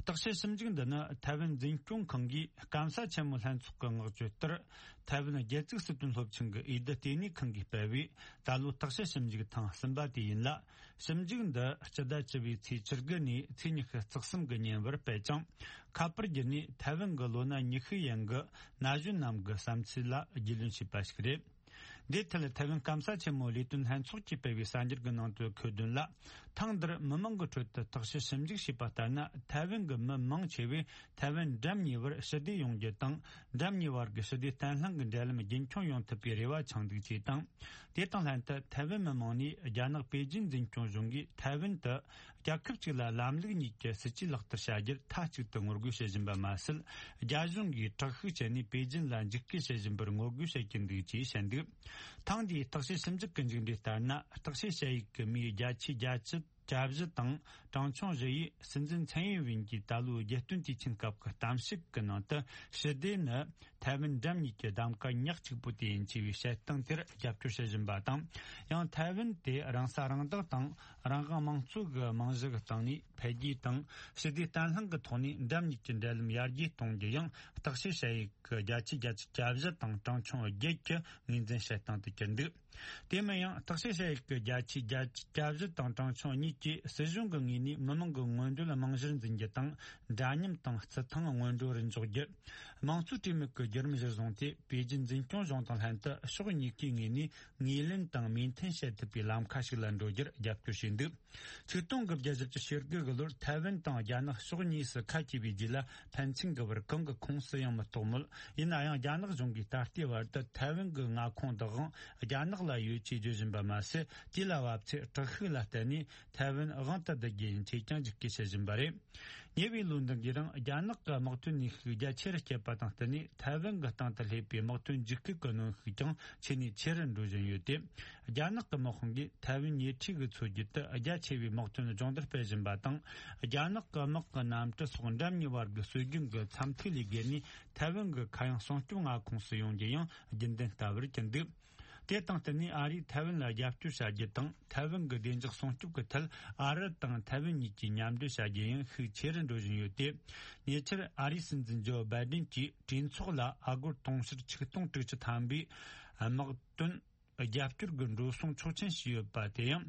བརྟག་དཔྱད་ཞིབ་འཇུག་འདི་ནི་ཐའེ་ཝན་འཛིན་སྐྱོང་ཁང་གིས་སྐམ་ས་ཆེན་མོ་ལྷན་ཚོགས་ཀྱི་མངགས་བཅོལ་ལྟར། ཐའེ་ཝན་རྒྱལ་བཙུགས་སྲིད་དོན་སློབ་ཆེན་གྱི་འོས་བསྡུ་ལྟེ་གནས་ཁང་གིས་སྤེལ་བའི་ད་ལོའི་བརྟག་དཔྱད་ཞིབ་འཇུག་ཐེངས་གསུམ་པ་དེ་ཡིན་ལ། ཞིབ་འཇུག་འདི་སྤྱི་ཟླ་བཅུ་པའི་ཚེས་བཅུ་དགུ་ནས་ཚེས་ཉི་ཤུ་རྩ་གསུམ་གྱི་ཉིན་བར་སྤེལ་ཅིང་། ཁ་པར་བརྒྱུད་ནས་ཐའེ་ཝན་གྱི་ལོ་ན་ཉི་ཤུ་ཡན་གྱི་ན་གཞོན་རྣམས་ཀྱི་བསམ་ཚུལ་ལ་རྒྱུས་ལོན་བྱས་པ་ཞིག་རེད། འདིར་ཐད་ཐའེ་ཝན་སྐམ་ས་ཆེན་མོའི་ལས་དོན་ལྷན་ཚོགས་ཀྱིས་སྤེལ་བའི་གསར་འགྱུར་གྱི་ནང་དུ་འཁོད་དོན་ལ། ཐེངས་འདིར་མི་མང་གི་ཁྲོད་དུ་བརྟག་དཔྱད་ཞིབ་འཇུག་བྱས་པ་ལྟར་ན། ཐའེ་ཝན་གྱི་མི་མང་ཆེ་བས་ཐའེ་ཝན་འགྲམ་གཉིས་བར་ཞི་བདེ་ཡོང་རྒྱུ་དང་། འགྲམ་གཉིས་བར་གྱི་ཞི་བདེ་བརྟན་ལྷིང་གི་འབྲེལ་ལམ་རྒྱུན་འཁྱོངས་ཡོང་ཐུབ་པའི་རེ་བ་འཆང་འདུག་ཅེས་དང་། དེ་དང་ལྷན་དུ་ཐའེ་ཝན་མི་མང་ནས་རྒྱ་ནག་པེ་ཅིན་འཛིན་སྐྱོང་གཞུང་གིས་ཐའེ་ཝན་དུ་རྒྱལ་ཁབ་གཅིག་ལ་ལམ་ལུགས་གཉིས་ཀྱི་སྲིད་ཇུས་ལག་བསྟར་བྱ་རྒྱུར་མཐའ་གཅིག་ཏུ་ངོ་རྒོལ་བྱེད་བཞིན་པ་མ་ཟད། རྒྱ་གཞུང་གིས་དྲག་ཤུགས་སྤྱད་ནས་པེ་ཅིན་ལ་འཇིགས་སྐུལ་བྱེད་བཞིན་པར་ངོ་རྒོལ་བྱེད་ཀྱིན་འདུག་ཅེས་བཤད་འདུག་ཐེངས་འདིའི་བརྟག་དཔྱད་ཞིབ་འཇུག་གི་མཇུག་འབྲས་ལྟར་ན། བརྟག་དཔྱད་བྱ་ཡུལ་གྱི་མིའི་བརྒྱ་ཆའི་བརྒྱད་ཅུ་གྱ་བཞི་དང་། གྲངས་ཆུང་བཞི་ཡིས་སྲིད་འཛིན་ཚན་ཡིན་ཝིན་གྱིས་ད་ལོའི་རྒྱལ་སྟོན་དུས་ཆེན་སྐབས་ཀྱི་གཏམ་བཤད་ཀྱི་ནང་དུ། ཞི་བདེ་ནི་ཐའེ་ཝན་འགྲམ་གཉིས་ཀྱི་གདམ་ག་ཉག་གཅིག་པུ་དེ་ཡིན་ཅེས་པའི་བཤད་སྟངས་དེར་རྒྱབ་སྐྱོར་བྱེད་བཞིན་པ་དང་། ཡང་ཐའེ་ཝན་དེ་རང་ས་རང་བདག་དང་རང་དབང་དམངས་གཙོ་གི་རྨང་གཞི་གི་སྟེང་ནས་འཕེལ་རྒྱས་དང་ཞི་བདེ་བརྟན་ལྷིང་གི་ཐོག་ནས་འགྲམ་གཉིས་ཀྱི་འབྲེལ་ལམ་ཡར་རྒྱས་གཏོང་རྒྱུ་ཡང་བརྟག་དཔྱད་བྱ་ཡུལ་གྱི་བརྒྱ་ཆའི་བརྒྱད་ཅུ་གྱ་བཞི་དང་གྲངས་ཆུང་བརྒྱད་ཀྱིས་ངོས་འཛིན་བྱེད་སྟངས་དུ་གྱུར་འདུག་དེ་མིན་ཡང་བརྟག་དཔྱད་བྱ་ཡུལ་གྱི་བརྒྱ་ཆའི་བརྒྱད་ཅུ་གྱ་བཞི་དང་གྲངས་ཆུང་གཉིས་ཀྱིས་སྲིད་གཞུང་གི་ངོས་ནས་མི་མང་གི་སྔོན་འགྲོ་ལ་རྨང་གཞིར་འཛིན་རྒྱུ་དང་། འདྲ་མཉམ་དང་རྩི་ཐང་སྔོན་འགྲོ་རུ་འཇོག་རྒྱུ། དམངས་གཙོའི་གྲོས་མོལ་གྱི་བརྒྱུད་རིམ་གཞིར་བཟུང་སྟེ། པེ་ཅིན་འཛིན་སྐྱོང་གཞུང་དང་ལྷན་དུ་ཕྱོགས་གཉིས་ཀའི་ངོས་ནས་ངོས་ལེན་དང་མོས་མཐུན་བྱེད་ཐུབ་པའི་ལམ་ཁ་ཞིག་ལ་འགྲོ་རྒྱུར་རྒྱབ་སྐྱོར་བྱས་འདུག་ཆིག་སྟོང་དགུ་བརྒྱ་བཞི་བཅུ་ཞེ་དགུ་གི་ལོར་ཐའེ་ཝན་དང་རྒྱ་ནག་ཕྱོགས་གཉིས་སུ་ཁ་གྱེས་པའི་རྗེས་ལ། ཕན་ཚུན་གྱི་བར་གང་གི་ཁོངས་སུ་ཡང་མི་གཏོགས་མོད། ཡིན་ན་ཡང་རྒྱ་ནག་གཞུང་གིས་ད་ལྟའི་བར་དུ་ཐའེ་ཝན་གྱི་མངའ་ཁོངས་འདི་དབང་རྒྱ་ནག་ལ་ཡོད་ཅེས་བརྗོད་བཞིན་པ་མ་ཟད། དེ་ལ་བབ་ཚེ་དྲག་ཤུགས་ལ་བརྟེན་ནས་ཐའེ་ཝན་དབང་དུ་བསྡུ་རྒྱུ་ཡིན་ཅེས་ཀྱང་འཇིགས་སྐུལ་བྱེད་བཞིན་པ་རེད། ཉེ་བའི་ལོ་འདི་གའི་རིང་རྒྱ་ནག་གི་དམག་དོན་ནུས་ཤུགས་རྒྱ་ཆེ་རུ་བསྐྱེད་པ་དང་བསྟུན་ནས། ཐའེ་ཝན་གྱི་སྟེང་དུ་སླེབས་པའི་དམག་དོན་འཇིགས་སྐུལ་གྱི་གནོན་ཤུགས་ཀྱང་ཆེ་ནས་ཆེ་རུ་འགྲོ་བཞིན་ཡོད་དེ། རྒྱ་ནག་གི་དམག་དཔུང་གིས་ཐའེ་ཝན་ཉེ་འཁྲིས་ཀྱི་མཚོ་རྒྱུད་དུ་རྒྱ་ཆེ་བའི་དམག་དོན་སྦྱོང་བརྡར་སྤེལ་བཞིན་པ་དང་། རྒྱ་ནག་གི་དམག་གི་གནམ་གྲུ་སོགས་འགྲམ་གཉིས་བར་གྱི་སྲོལ་རྒྱུན་གྱི་འཚམས་ཐིག་ལས་བརྒལ་ནས། ཐའེ་ཝན་གྱི་མཁའ་དབྱིངས་སྲུང་སྐྱོབ་མངའ་ཁོངས་སུ་ཡོང་རྒྱུ་ཡང་རྒྱུན་ལྡན་ལྟ་བུར་གྱུར་འདུག་དེ་དང་བསྟུན་ནས། ཨ་རིས་ཐའེ་ཝན་ལ་རྒྱབ་སྐྱོར་བྱ་རྒྱུ་དང་། ཐའེ་ཝན་གྱི་བདེ་འཇགས་སྲུང་སྐྱོབ་ཀྱི་ཐད་ཨ་རི་དང་ཐའེ་ཝན་གཉིས་ཀྱིས་མཉམ་འབྲེལ་བྱ་རྒྱུ་ཡང་ཤུགས་ཆེ་རུ་འགྲོ་བཞིན་ཡོད་དེ། ཉེ་ཆར་ཨ་རིའི་སྲིད་འཛིན་ཇོ་བྷའི་ཌེན་གྱིས་གྲོས་ཚོགས་ལ་ཨ་སྒོར་དུང་ཕྱུར་ཆིག་སྟོང་དྲུག་ཅུ་ཐམ་པའི་དམག་དོན་རྒྱབ་སྐྱོར་གྱི་འགྲོ་སོང་ཆོག་མཆན་ཞུས་ཡོད་པ་དེ་ཡང་།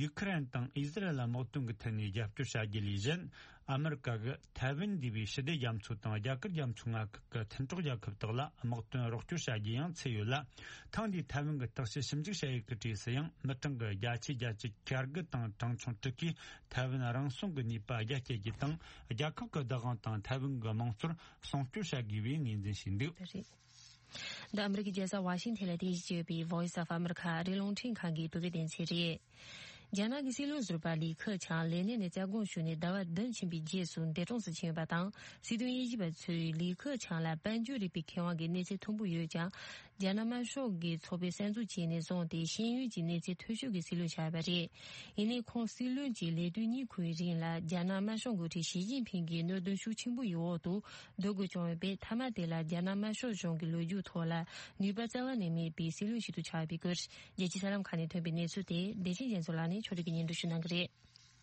ཡུ་ཁུ་རེན་དང་ཨི་ཟི་རལ་ལ་དམག་དོན་གྱི་ཐད་ནས་རྒྱབ་སྐྱོར་བྱ་རྒྱུ་ལས་གཞན། ཨ་མི་རི་ཀ་གིས་ཐའེ་ཝན་འདུས་པའི་ཞི་བདེ་རྒྱ་མཚོ་དང་རྒྱ་གར་རྒྱ་མཚོའི་མངའ་ཁུལ་གྱི་མཐུན་གྲོགས་རྒྱལ་ཁབ་དག་ལ་དམག་དོན་རོགས་སྐྱོར་བྱ་རྒྱུ་ཡང་ཚུད་ཡོད་ལ། ཐེངས་འདིའི་ཐའེ་ཝན་གྱི་བརྟག་དཔྱད་ཞིབ་འཇུག་བྱ་ཡུལ་གྱི་གྲས་སུ་ཡང་། མི་གྲངས་ཀྱི་བརྒྱ་ཆའི་བརྒྱད་ཅུ་གྱ་དགུ་དང་གྲངས་ཆུང་དྲུག་གིས་ཐའེ་ཝན་རང་སྲུང་གི་ནུས་པ་རྒྱ་སྐྱེད་རྒྱུ་དང་། རྒྱལ་ཁབ་ཀྱི་བདག་དབང་དང་ཐའེ་ཝན་གྱི་དམངས་གཙོར་སྲུང་སྐྱོབ་བྱ་དགོས་པའི་ངོས་འཛིན་བྱས་འདུག་ད་རེད། འདི་ཨ་མི་རི་ཀའི་རྒྱལ་ས་ཝ་ཤིང་ཐན་ལ་རྟེན་གཞི་བྱས་ཡོད་པའི་Voice of America ཨ་རིའི་རླུང་འཕྲིན་ཁང་གི་བོད་སྐད་སྡེ་ཚན་རེད། རྒྱ་ནག་གི་སྲིད་བློན་ཟུར་པ་ལི་ཁེ་ཆང་ལས་གནས་ནས་བཙན་དབང་ཞུས་ནས་ཟླ་བ་བདུན་ཕྱིན་པའི་རྗེས་སུ་འདས་གྲོངས་སུ་ཕྱིན་ཡོད་པ་དང་། སྲིད་དོན་དབྱེ་ཞིབ་པ་ཚོས་ལི་ཁེ་ཆང་ལ་དཔལ་འབྱོར་རིག་པའི་ཁེ་དབང་གི་གནས་ཚད་མཐོན་པོ་ཡོད་ཀྱང་། རྒྱ་ནག་དམར་ཤོག་གི་ཚོགས་པས་གསར་འཛུགས་བྱས་ནས་བཟུང་སྟེ་ཤེས་ཡོན་གྱི་གནས་ཚད་མཐོ་ཤོས་ཀྱི་སྲིད་བློན་ཆགས་པ་རེད། ཡིན་ནའི་ཁོང་སྲིད་བློན་གྱི་ལས་དུས་གཉིས་འཁོར་བའི་རིང་ལ་རྒྱ་ནག་དམར་ཤོག་འགོ་ཁྲིད་ཞི་ཅིན་ཕིང་གི་གནད་དོན་ཤུགས་ཆེན་པོ་ཡི་འོག་ཏུ་སྡོད་དགོས་བྱུང་ཡོད་པས། མཐའ་མ་དེ་ལ་རྒྱ་ནག་དམར་ཤོག་གཞུང་གི་ལོ་རྒྱུས་ཐོག་ལ་ནུས་པ་རྩ་བ་ནས་མེད་པའི་སྲིད་བློན་ཞིག་ཏུ་ཆགས་པའི་སྐོར། རྒྱལ་སྤྱིའི་གསར་ལམ་ཁག་ནས་ཐོན་པའི་གནས་ཚུལ་དེ་བདེ་ཆེན་རྒྱ་མཚོ་ལགས་ནས་ཕྱོགས་སྒྲིག་གིས་སྙན་སྒྲོན་ཞུ་གནང་གི་རེད།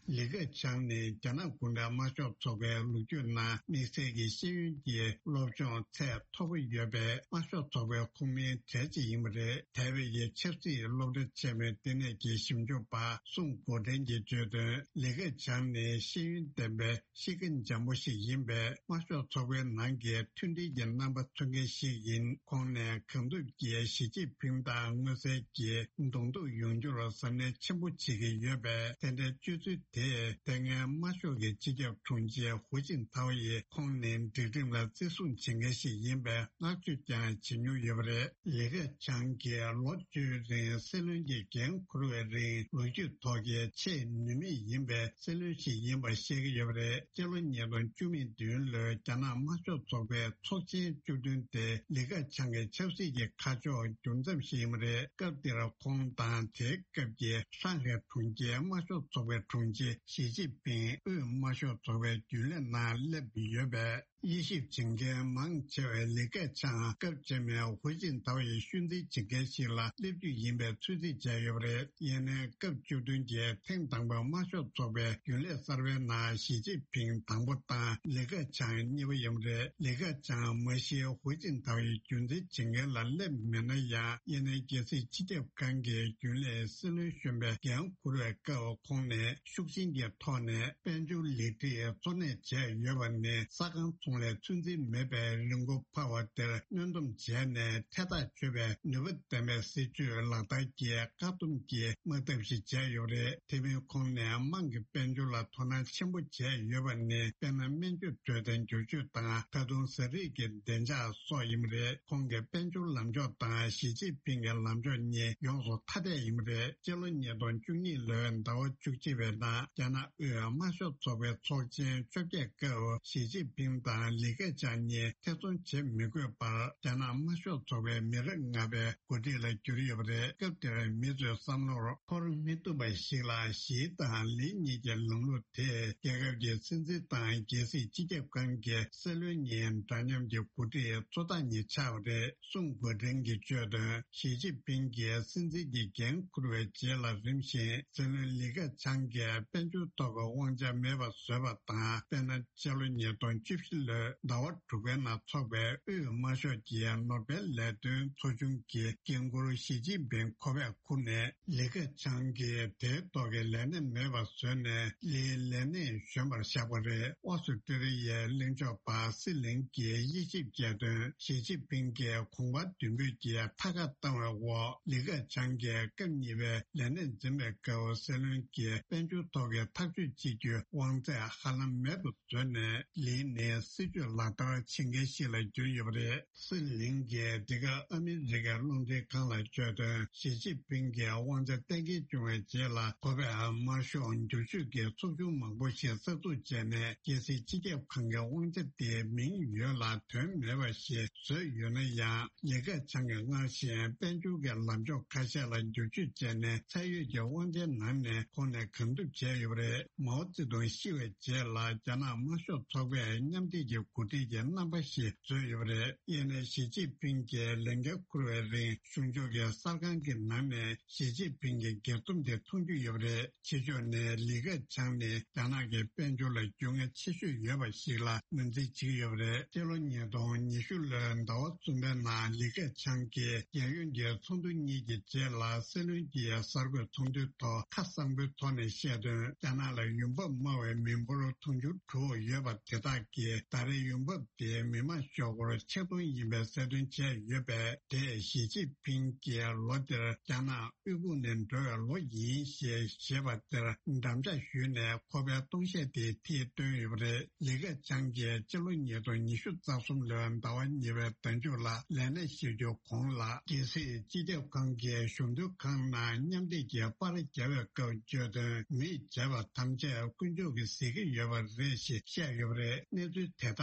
ལི་ཁེ་ཆང་ནི་རྒྱ་ནག་གུང་ཁྲན་དམར་ཤོག་ཚོགས་པའི་ལོ་རྒྱུས་ནང་དམིགས་བསལ་གྱི་ཤེས་ཡོན་གྱི་སློབ་སྦྱོང་ཚད་མཐོ་པོ་ཡོད་པའི་དམར་ཤོག་ཚོགས་པའི་ཁོངས་མིའི་གྲས་གཅིག་ཡིན་པ་རེད། ཐའེ་ཝན་གྱི་ཆབ་སྲིད་སློབ་གྲྭ་ཆེན་མོའི་ལྟེ་གནས་ཀྱི་ཞིབ་འཇུག་པ་སུང་གོ་ཀྲེན་གྱིས་བརྗོད་དོན། ལི་ཁེ་ཆང་ནི་ཤེས་ཡོན་ལྡན་པའི་གཤིས་ཀ་འཇམ་པོ་ཞིག་ཡིན་པས། དམར་ཤོག་ཚོགས་པའི་ནང་གི་མཐུན་སྒྲིལ་གྱི་རྣམ་པ་མཚོན་མཁན་ཞིག་ཡིན། ཁོང་ནས་གང་ཐུབ་ཀྱིས་ཞི་ཅིན་ཕིང་དང་མངོན་གསལ་གྱིས་གདོང་ཐུག་ཡོང་རྒྱུར་གཟབ་ནན་ཆེན་པོ་བྱེད་ཀྱི་ཡོད་པས། དེ་འདྲའི་སྤྱོད་ཚུལ་དེས་དེ་སྔའི་དམར་ཤོག་གི་སྤྱི་ཁྱབ་དྲུང་ཆེ་ཧུའུ་ཅིན་ཐའོ་ཡིས་ཁོང་ནི་སྒྲིག་ཁྲིམས་ལ་བརྩི་སྲུང་བྱེད་མཁན་ཞིག་ཡིན་པའི་བསྔགས་བརྗོད་ཀྱང་བྱེད་མྱོང་ཡོད་པ་རེད། ལི་ཁེ་ཆང་གིས་ལོ་བཅུའི་རིང་སྲིད་བློན་གྱི་འགན་འཁུར་བའི་རིང་། ལོ་རྒྱུས་ཐོག་གི་ཆེས་ནུས་མེད་ཡིན་པའི་སྲིད་བློན་ཞིག་ཡིན་པ་བཤད་ཀྱི་ཡོད་པ་རེད། སྤྱི་ལོ་ཉིས་སྟོང་བཅུ་མེད་བདུན་ལོའི་རྒྱ་ནག་དམར་ཤོག་ཚོགས་པའི་ཚོགས་ཆེན་བཅུ་བདུན་དེ་ལི་ཁེ་ཆང་གི་ཆབ་སྲིད་ཀྱི་ཁ་ཕྱོགས་འགྱུར་མཚམས་ཤིག་ཡིན་པ་རེད། སྐབས་དེར་ཁོང་དང་དེའི་སྐབས་ཀྱི་ཧྲང་ཧའེ་གྲོང་ཁྱེར་དམར་ཤོག་ཚོགས་པའི་དྲུང་ཆེ་ཞི་ཅིན་ཕིང་དབུས་དམར་ཤོག་ཚོགས་པའི་རྒྱུན་ལས་ནང་སླེབས་ཡོད་པས། དབྱེ་ཞིབ་བྱེད་མཁན་མང་ཆེ་བས་ལི་ཁེ་ཆང་སྐབས་རྗེས་མའི་ཧུའུ་ཅིན་ཐའོ་ཡི་ཤུལ་འཛིན་བྱེད་མཁན་ཞིག་ལ་སླེབས་རྒྱུ་ཡིན་པའི་ཚོད་རྩིས་བྱས་ཡོད་པ་རེད། ཡིན་ནའི་སྐབས་བཅུ་བདུན་གྱི་ཐེངས་དང་པོའི་དམར་ཤོག་ཚོགས་པའི་རྒྱུན་ལས་གསར་པའི་ནང་ཞི་ཅིན་ཕིང་དང་པོ་དང་ལི་ཁེ་ཆང་གཉིས་པ་ཡིན་པ་རེད། ལི་ཁེ་ཆང་མ་གཞི་ཧུའུ་ཅིན་ཐའོ་ཡི་རྒྱུན་འཛིན་བྱེད་མཁན་ལ་སླེབས་མེད་ན་ཡང་། ཡིན་ནའི་རྒྱལ་སྲིད་སྤྱི་ཁྱབ་ཁང་གི་རྒྱུན་ལས་སྲིད་བློན་གཞོན་པའི་འགན་འཁུར་བའི་སྐབས་ཁོང་ནས་ཤུགས་ རྐྱེན་གྱི་ཐོག་ནས་དཔལ་འབྱོར་ལེགས་སྒྲིག་གཙོ་གནད་བྱས་ཡོད་པ་ནི་ས་ཁང་ཚོང་ལས་ཚོད་འཛིན་མེད་པའི་རིན་གོང་འཕར་བ་དེར་གནོན་སྡོམ་བྱས་ནས་ཐད་ཐག་ཆོད་པའི་ནུས་པ་ལྡན་པའི་སྲིད་ཇུས་ལག་བསྟར་གྱིས་བཀག་སྡོམ་གྱི་དམག་འཐབ་ཞིག་བྱས་ཡོད་རེད། དེ་མིན་ཁོང་ནས་དམངས་ཀྱི་དཔལ་འབྱོར་ལ་དོ་སྣང་ཆེན་པོ་བྱས་ཡོད་པ་ནི་དཔེར་ན་སྨན་བཅོས་འཕྲོད་བསྟེན་བསྒྱུར་བཅོས་དང་ད་དུང་ཟས་རིགས་ཀྱི་བདེ་འཇགས་སོགས་ཡིན་པ་རེད། ཁོང་གི་དཔལ་འབྱོར་ལམ་ཕྱོགས་དང་ཞི་ཅིན་ཕིང་གི་ལམ་ཕྱོགས་གཉིས་ཡོངས་སུ་ཐ་དད་ཡིན་པ་རེད། སྤྱི་ལོ་ཉིས་སྟོང་བཅུ་གཉིས་ལོའི་ཟླ་བ་བཅུ་གཅིག་པའི་ནང་རྒྱ་ནག་དབུས་དམར་ཤོག་ཚོགས་པའི་ཚོགས་ཆེན་བཅོ་བརྒྱད་སྐབས་ཞི་ཅིན་ཕིང་དང་ལི་ཁེ་ཆང་གཉིས་ཐེ་ཚོམ་བྱེད་མི་དགོས་པར་རྒྱ་ནག་དམར་ཤོག་ཚོགས་པའི་མི་རབས་ལྔ་པའི་འགོ་ཁྲིད་ལ་གྱུར་ཡོད་པ་རེད། སྐབས་དེར་མི་ཚོའི་བསམ་བློར་འཁོར་མི་ཐུབ་པ་ཞིག་ལ་ཞི་དང་ལི་གཉིས་ཀྱི་ལམ་ལུགས་དེས་རྒྱལ་ཁབ་ཀྱི་སྲིད་འཛིན་དང་རྒྱལ་སྲིད་སྤྱི་ཁྱབ་ཁང་གི་སྲིད་བློན་གཉིས་འདྲ་མཉམ་གྱི་འགོ་ཁྲིད་གཙོ་བདག་གཉིས་ཆགས་པ་རེད། སུང་གོ་ཁྲེན་གྱིས་བརྗོད་དོན། ཞི་ཅིན་ཕིང་གིས་སྲིད་འཛིན་གྱི་འགན་འཁུར་བའི་རྗེས་ལ་རིམ་བཞིན་སྲིད་བློན་ལི་ཁེ་ཆང་གིས་དཔལ་འབྱོར་ཐོག་གི་དབང་ཆ་མེད་པ་བཟོས་པ་དང་། དཔེར་ན། སྤྱི་ལོ་ཉིས་སྟོང་བཅུ་བཞི་ལོའི་ཟླ་བ་དྲུག་པའི་ནང་འཚོགས་པའི་དབུས་དམར་ཤོག་གི་ནོ་བེལ་ལས་དོན་ཚོགས་ཆུང་གི་འགན་འཁུར་ཞི་ཅིན་ཕིང་ཁོ་པས་འཁུར་ནས། ལི་ཁེ་ཆང་གིས་དེའི་ཐོག་གི་ལས་གནས་མེད་པར་བཟོས་ནས་ལིའི་ལས་གནས་གཞོན་པར་བཞག་པ་རེད། ཨོ་སི་ཀྲི་ལི་ཡའི་གླེང་ཕྱོགས་པ་སི་ལིང་གིས་དབྱེ་ཞིབ་བྱས་དོན། ཞི་ཅིན་ཕིང་གིས་གོང་འཕེལ་མདུན་སྤོས་ཀྱི་མཐའ་ཁ་བཏང་བའི་འོག་ལི་ཁེ་ཆང་གིས་སྐབས་གཉིས་པའི་ལས་གནས་འཛིན་པའི་སྐབས་སྲིད་བློན་གྱི་དཔལ་འབྱོར་ཐོག་གི་ཐག་གཅོད་བྱེད་རྒྱུའི་དབང་ཚད་ཧ་ལམ་མེད་དུ་བཟོས་ནས་ལིན་ནི་སྲིད་ཇུས་ལག་བསྟར་བྱེད་མཁན་ཞིག་ལ་གྱུར་ཡོད་པ་རེད། སི་ལིང་གིས་འདི་ག་ཨ་མི་རི་ཀའི་རླུང་འཕྲིན་ཁང་ལ་བརྗོད་དོན། ཞི་ཅིན་ཕིང་གིས་དབང་ཆ་གཏན་འཁེལ་བྱུང་བའི་རྗེས་ལ་ཁོ་པས་དམར་ཤོག་འགྱུར་བཅོས་ཀྱི་ཚོགས་ཆུང་མང་པོ་ཞིག་གསར་འཛུགས་བྱས་ནས་རྒྱལ་སྲིད་སྤྱི་ཁྱབ་ཁང་གི་དབང་ཆ་དེའི་མིང་ཡོད་ལ་དོན་མེད་པ་ཞིག་བཟོས་ཡོད་ན་ཡང་། ལི་ཁེ་ཆང་གིས་སྔར་བཞིན་དཔལ་འབྱོར་གྱི་ལམ་ཕྱོགས་ཁ་ཤས་ལ་འགྱུར་བཅོས་བྱས་ནས་ཚད་ཡོད་ཀྱི་དབང་ཆའི་ནང་ནས་ཁོང་ནས་གང་ཐུབ་བྱས་ཡོད་པ་རེད། མའོ་ཙེ་ཏུང་ཤི་བའི་རྗེས་ལ་རྒྱ་ནག་དམར་ཤོག་ཚོགས་པས་མཉམ་འབྲེལ་གྱི་འགོ་ཁྲིད་ཀྱི་རྣམ་པ་ཞིག་བཟོས་ཡོད་པ་རེད། ཡིན་ནའི་ཞི་ཅིན་ཕིང་གིས་ལས་འགན་འཁུར་བའི་རིང་གཞུང་ཕྱོགས་ཀྱི་གསར་ཁང་གི་ནང་ནས་ཞི་ཅིན་ཕིང་གི་སྒེར་རྩོམ་དེ་མཐོང་རྒྱུ་ཡོད་པ་རེད། ཕྱི་ཕྱོགས་ནས་ལི་ཁེ་ཆང་ནི་རྒྱ་ནག་གི་དཔལ་འབྱོར་ལ་རྒྱུས་མངའ་ཆེ་ཤོས་ཡོད་པ་ཞིག་ལ་ངོས་འཛིན་བྱེད་ཀྱི་ཡོད་པ་རེད། སྤྱི་ལོ་ཉིས་སྟོང་ཉི་ཤུ་ལོའི་ཟླ་བ་གསུམ་པའི་ནང་ལི་ཁེ་ཆང་གིས་རྒྱལ་ཡོངས་ཀྱི་ཚོགས་འདུ་གཉིས་ཀྱི་རྗེས་ལ་སྲིད་བློན་གྱི་གསར་འགོད་ཚོགས་འདུའི་ཐོག་ཁ་གསང་པོའི་ཐོག་ནས་བཤད་དོན། རྒྱ་ནག་ལ་ཡོང་འབབ་དམའ་བའི་མི་འབོར་དུང་ཕྱུར་དྲུག་ཡོད་པ་དེ་དག་གིས་ད་རེས་ཡོང་འབབ་དེ་མི་དམངས་ཤོག་སྒོར་ཆིག་སྟོང་ཡིན་པའི་གསལ་སྟོན་བྱས་ཡོད་པས། དེས་ཞི་ཅིན་ཕིང་གིས་ལོ་འདིར་རྒྱ་ནག་དབུལ་ཕོངས་ནས་འགྲོ་བའི་ལོ་ཡིན་ཞེས་བཤད་པ་དེར་འགྲམ་ལྕག་གཞུས་ནས་ཁོ་པའི་སྟོང་བཤད་དེ་མཐིལ་བཏོན་ཡོད་པ་རེད། ལི་ཁེ་ཆང་གིས་སྤྱི་ལོ་ཉིས་སྟོང་ཉི་ཤུ་རྩ་གསུམ་ལོའི་ཟླ་བ་གཉིས་པའི་ཟླ་མཇུག་ལ་ལས་གནས་བཞེས་རྒྱུ་གོང་ལ་རྒྱལ་སྲིད་སྤྱི་ཁྱབ་ཁང་གི་གཞུང་དོན་ཁང་ནང་མཉམ་འབྲེལ་གྱི་པར་རྒྱག་པའི་སྐབས་བརྗོད་དོན། མིས་བྱས་པ་ཐམས་ཅད་དཀོན་མཆོག་གིས་གཟིགས་ཀྱི་ཡོད་པ་རེད་ཞེས་བཤད་ཡོད་པ་རེད། གནས་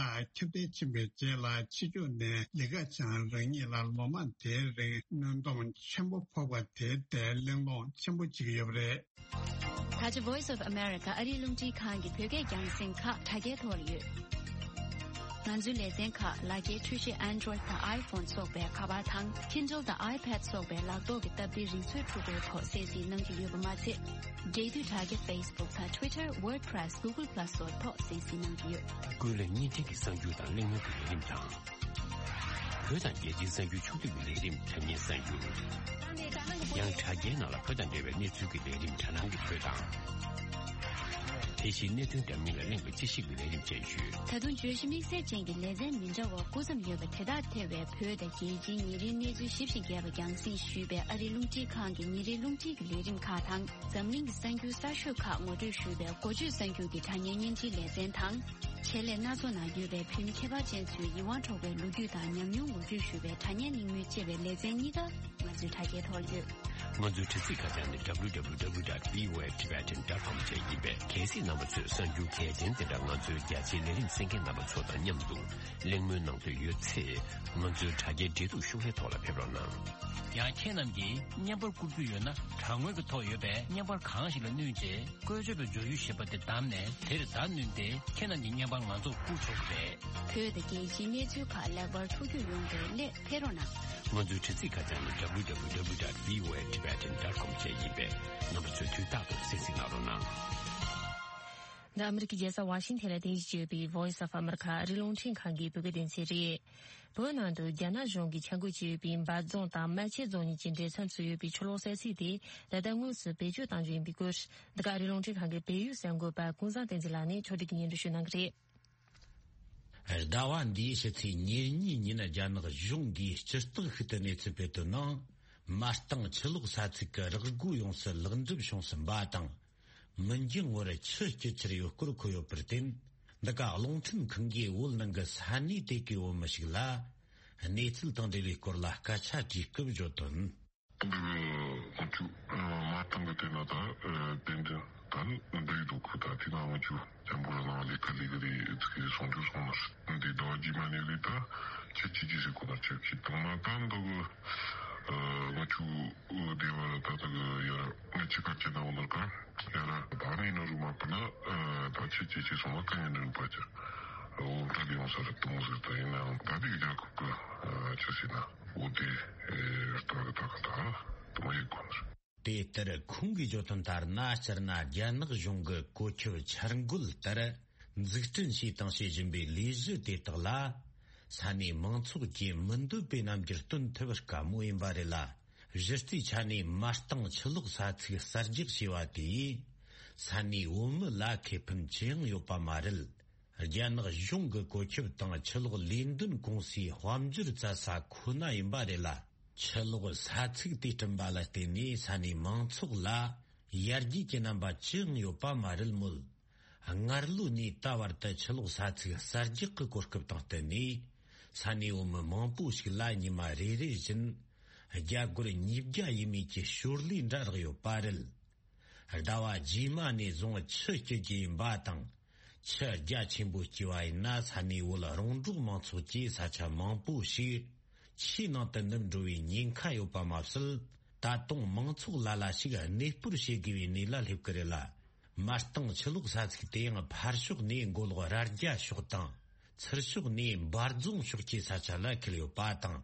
ཚུལ་དེ་དག་ཁྱབ་གདལ་ཕྱིན་པའི་རྗེས་ལ་ཕྱི་ཕྱོགས་ནས་ལི་ཁེ་ཆང་རང་ཉིད་ལ་ལོ་མང་དེའི་རིང་གནོན་སྡོམ་ཆེན་པོ་ཕོག་པ་དེ་དེ་གླེང་སློང་ཆེན་པོ་བྱེད་ཀྱི་ཡོད་པ་རེད། ད་ཆ་Voice of America ཨ་རིའི་རླུང་འཕྲིན་ཁང་གི་བོད་སྐད་རྒྱང་སྲིང་ཁག་དྲ་རྒྱའི་ཐོག་ལ་ཡོད། ང་ཚོའི་ལེ་ཚན་ཁག་ལག་འཁྱེར་འཕྲུལ་ཆས་Android་དང་iPhone་སོགས་པའི་ཁ་པར་དང་Kindle་དང་iPad་སོགས་པའི་ལག་ཐོག་གི་སྟབས་བདེའི་རིག་མཛོད་འཕྲུལ་འཁོར་ཐོག་གསན་གཟིགས་གནང་རྒྱུ་ཡོད་པ་མ་ཚད། འབྲེལ་མཐུད་དྲ་རྒྱ་Facebook་དང་Twitter WordPress Google Plus་སོགས་ཐོག་གསན་གཟིགས་གནང་གི་ཡོད། ཀུན་གླེང་བརྙན་འཕྲིན་གྱི་གསར་འགྱུར་དང་གླེང་མོལ་གྱི་ལས་རིམ་དང་། བོད་དང་རྒྱལ་སྤྱིའི་གསར་འགྱུར་ཕྱོགས་བསྡུས་ཀྱི་ལས་རིམ་དྲ་བརྙན་གསར་འགྱུར། ཡང་དྲ་རྒྱའི་ནང་ལ་བོད་དང་འབྲེལ་བའི་གནས་ཚུལ་གྱི་ལས་རིམ་དྲ་ནང་གི་བོད་དང་། དེ་བཞིན་གནད་དོན་འདྲ་མིན་ལ་གླེང་བའི་དཔྱད་ཞིབ་ཀྱི་ལས་རིམ་བཅས་ཡོད། ད་དུང་བརྗོད་གཞི་དམིགས་བསལ་ཅན་གྱི་ལེ་ཚན་མི་འདྲ་བ་སྐུ་མཚམས་ཡོད་པ་དེ་དག་ཐེ་བའི་བོད་དང་རྒྱལ་སྤྱིའི་ཉིན་རེའི་གནས་ཚུལ་ཞིབ་ཅིང་རྒྱས་པ་རྒྱང་སྲིང་ཞུས་པའི་ཨ་རིའི་རླུང་འཕྲིན་ཁང་གི་ཉིན་རེའི་རླུང་འཕྲིན་གྱི་ལས་རིམ་ཁག་དང་། འཛམ་གླིང་གི་གསར་འགྱུར་གསར་ཤོས་ཁག་ངོ་སྤྲོད་ཞུས་པའི་འགོ་བརྗོད་གསར་འགྱུར་གྱི་དྲ་བརྙན་བརྙན་འཕྲིན་ལེ་ཚན་དང་། ཆེད་ལས་སྣ་ཚོགས་ནང་ཡོད་པའི་བོད་མི་ཁྱད་པར་ཅན་ཚོའི་ཡིད་དབང་འཕྲོག་པའི་ལོ་རྒྱུས་དང་ཉམས་མྱོང་ངོ་སྤྲོད་ཞུས་པའི་དྲ་བརྙན་གླེང་མོལ་བཅས་པའི་ལེ་ཚན་གཉིས་ཀ་ང་ཚོའི་དྲ་རྒྱའི་ཐོག་ཡོད། ང་ཚོའི་དྲ་ཚིགས་ཁ་བྱང་ནི་W W W dot V O A Tibetan dot com བཅས་ཡིན་པས། གལ་སྲིད་རྣམ་པ་ཚོས་གསར་འགྱུར་གལ་ཆེན་དེ་འདྲ་ང་ཚོའི་རྒྱ་ཆེའི་ལས་རིམ་གསན་མཁན་རྣམ་པ་ཚོ་དང་མཉམ་དུ་གླེང་མོལ་གནང་འདོད་ཡོད་ཚེ། ང་ཚོའི་དྲ་རྒྱའི་འབྲེལ་གཏུག་ཤོག་ལྷེ་ཐོག་ལ་ཕེབས་རོགས་གནང་། ཡང་ཁྱེད་རྣམས་ཀྱིས་བརྙན་པར་བསྐུར་རྒྱུ་ཡོད་ན། དྲ་ངོས་ཀྱི་ཐོག་ཡོད་པའི་བརྙན་པར་གང་ཞིག་ལ་བསྣུན་རྗེས། བཀོལ་སྤྱོད་པའི་བརྗོད་གཞི་ཞེས་པ་དེ་བདམས་ནས་དེར་བརྡ་བསྣུན་ཏེ། ཁྱེད་རྣམས་ཀྱི་བརྙན་པར་ང་ཚོར་བསྐུར་ཆོག་གི་རེད། བོད་དང་རྒྱལ་སྤྱིའི་གནས་ཚུལ་ཁག་ལེགས་པར་ཐུགས་རྒྱུས་ཡོང་བའི་སླད་ཕེབས་རོགས་གནང་། ང་ཚོའི་དྲ་ཚིགས་ཁ་བྱང་ནི་W W W dot V O A Tibetan dot com བཅས་ཡིན་པས། རྣམ་པ་ཚོས་དུས་རྟག་ཏུ་གསན་གཟིགས་གནང་རོགས་གནང་། འདི་ཨ་མི་རི་ཀའི་རྒྱལ་ས་ཝ་ཤིང་ཐན་ལ་རྟེན་གཞི་བྱས་ཡོད་པའི་Voice of America ཨ་རིའི་རླུང་འཕྲིན་ཁང་གི་བོད་སྐད་སྡེ་ཚན་རེད། བོད་ནང་དུ་རྒྱ་ནག་གཞུང་གིས་འཆར་འགོད་བྱས་ཡོད་པའི་འབའ་རྫོང་དང་རྨ་ཆེན་རྫོང་གཉིས་ཀྱི་འབྲེལ་མཚམས་སུ་ཡོད་པའི་ཆུ་ལོག་ས་ཚིགས་དེ་ད་ལྟ་དངོས་སུ་བེད་སྤྱོད་གཏང་རྒྱུ་ཡིན་པའི་སྐོར། འདི་ག་ཨ་རིའི་རླུང་འཕྲིན་ཁང་གི་བལ་ཡུལ་གསར་འགོད་པ་ཀུན་བཟང་བསྟན་འཛིན་ལགས་ནས་ཕྱོགས་སྒྲིག་གིས་སྙན་སྒྲོན་ཞུ་གནང་གི་རེད། ཟླ་བ་འདིའི་ཕྱི་ཚེས་ཉེར་གཉིས་ཉིན་རྒྱ་ནག་གཞུང་གིས་སྤྱིར་བཏང་ཤུགས་ལྡན་གནས་ཚུལ་སྤེལ་དོན་ནང་། མ་རྟིང་ཆུ་ལོག་ས་ཚིགས་ཀྱི་རག་སྒོ་ཡོངས་སུ་ལེགས་འགྲུབ་བྱུང་ཟིན་པ་དང་། མི་འགྱང་བར་ཆུ་སྐྱོད་འཆར་ཡོད་སྐོར་འཁོད་ཡོད་པར་བརྟེན། འདི་ག་རླུང་འཕྲིན་ཁང་གིས་བོད་ནང་གི་ས་གནས་དེ་གའི་བོད་མི་ཞིག་ལ་གནས་ཚུལ་དང་འབྲེལ་བའི་སྐོར་ལ་སྐད་ཆ་དྲིས་སྐབས་བརྗོད་དོན། འདི་གི་ང་ཚོ་མ་བཏང་གི་དེ་ན་ད་དེ་འདྲ་ད་འདི་འདུག་གི། ད་དེ་ན་ང་ཚོ་ཇམ་པོ་ལ་ནང་ལས་ཀ་ལས་གི་རེད། ཚིག་གི་སོང་ཚུལ་སོང་ན་འདི་ཟླ་བ་རྗེས་མ་ནས་གི་ད་ཁྱེད་ཀྱིས་ཅི་ཟེར་གོ་ན་ཁྱེད་ཀྱིས་དང་མ་ད་འདི་གི་ང་ཚོ་སྡེ་བ་ད་ད་གི་ཡ་ང་ཚོ་ཁ་ཆེ་ན་འོ་ན་ག་ཡ་ར་ད་ནི་ན་རུ་མ་པ་ན་ད་ཁྱེད་ཀྱིས་ཅི་སོང་ན་ག་ཡ་ན་རུ་པ་ཅི་འོ་ད་གི་ཡོང་ས་རེད་དུ་མོ་ཟེར། ད་ཡིན་ནའང་ད་འདི་གི་རྒྱལ་ཁབ་གི་ཆི་ཟེར་ན། འོ་དེ་ཨེ་ལྟ་གི་ད་གི་ད་དུ་མ་ཡི་གོ་ནར། དེ་ལྟར་ཁོང་གིས་བརྗོད་དོན་ལྟར་ན། སྤྱིར་ན་རྒྱ་ནག་གཞུང་གི་བཀོད་ཁྱབ་འཆར་འགོད་ལྟར་འཛུགས་སྐྲུན་བྱས་དང་བྱེད་བཞིན་པའི་ལས་གཞི་དེ་དག་ལ། ས་གནས་མང་ཚོགས་ཀྱིས་མི་འདོད་པའི་རྣམ་འགྱུར་སྟོན་ཐུབ་པར་དཀའ་མོ་ཡིན་པ་རེད་ལ། གཞི་རྩའི་ཆ་ནས་མ་རྟིང་ཆུ་ལོག་ས་ཚིགས་གསར་རྒྱག་བྱས་པ་དེས། ས་གནས་བོད་མི་ལ་ཁེ་ཕན་ཅི་ཡང་ཡོད་པ་མ་རེད། རྒྱ་ནག་གཞུང་གི་བཀོད་ཁྱབ་དང་ཆུ་ལོག་ལས་འདོན་ཀུང་སིའི་དཔལ་འབྱོར་བཙལ་ས་ཁོ་ན་ཡིན་པ་རེད་ལ། ཆུ་ལོག་ས་ཚིགས་དེ་བསྐྲུན་པ་ལ་བརྟེན་ནས་ས་གནས་མང་ཚོགས་ལ་ཡར་རྒྱས་ཀྱི་རྣམ་པ་ཅི་ཡང་ཡོད་པ་མ་རེད་མོད། སྔར་ལོ་ནས་ད་བར་དུ་ཆུ་ལོག་ས་ཚིགས་གསར་རྒྱག་གི་གོ་སྐབས་དང་བསྟུན་ནས། ས་གནས་བོད་མི་མང་པོ་ཞིག་ལ་ཉི་མ་རེ་རེ་བཞིན་རྒྱ་སྒོར་ཉིས་བརྒྱ་ཡས་མས་ཀྱི་ཞོར་ལས་འདྲ་རག་ཡོད་པ་རེད། ཟླ་བ་རྗེས་མ་ནས་བཟུང་ཆུ་སྐྱོད་རྒྱུ་ཡིན་པ་དང་། ཆུ་རྒྱ་ཆེན་པོ་སྐྱེས་པ་ཡིན་ན་ས་གནས་བོད་རོང་འབྲོག་མང་ཚོགས་ཀྱི་ས་ཆ་མང་པོ་ཞིག་ཆུའི་ནང་དུ་ནུབ་འགྲོ་བའི་ཉེན་ཁ་ཡོད་པ་མ་ཟད། ད་དུང་མང་ཚོགས་ལ་ལ་ཞིག་གནས་སྤོར་བྱེད་དགོས་པའི་གནས་ལ་སླེབས་ཀྱི་རེད་ལ། མ་རྟིང་ཆུ་ལོག་ས་ཚིགས་དེ་ཡང་ཕར་ཕྱོགས་ནས་མགོ་ལོག་རྭ་རྒྱ་ཕྱོགས་དང་། ཚུར་ཕྱོགས་ནས་འབའ་རྫོང་ཕྱོགས་ཀྱི་ས་ཆ་ལ་འཁེལ་ཡོད་པ་དང་།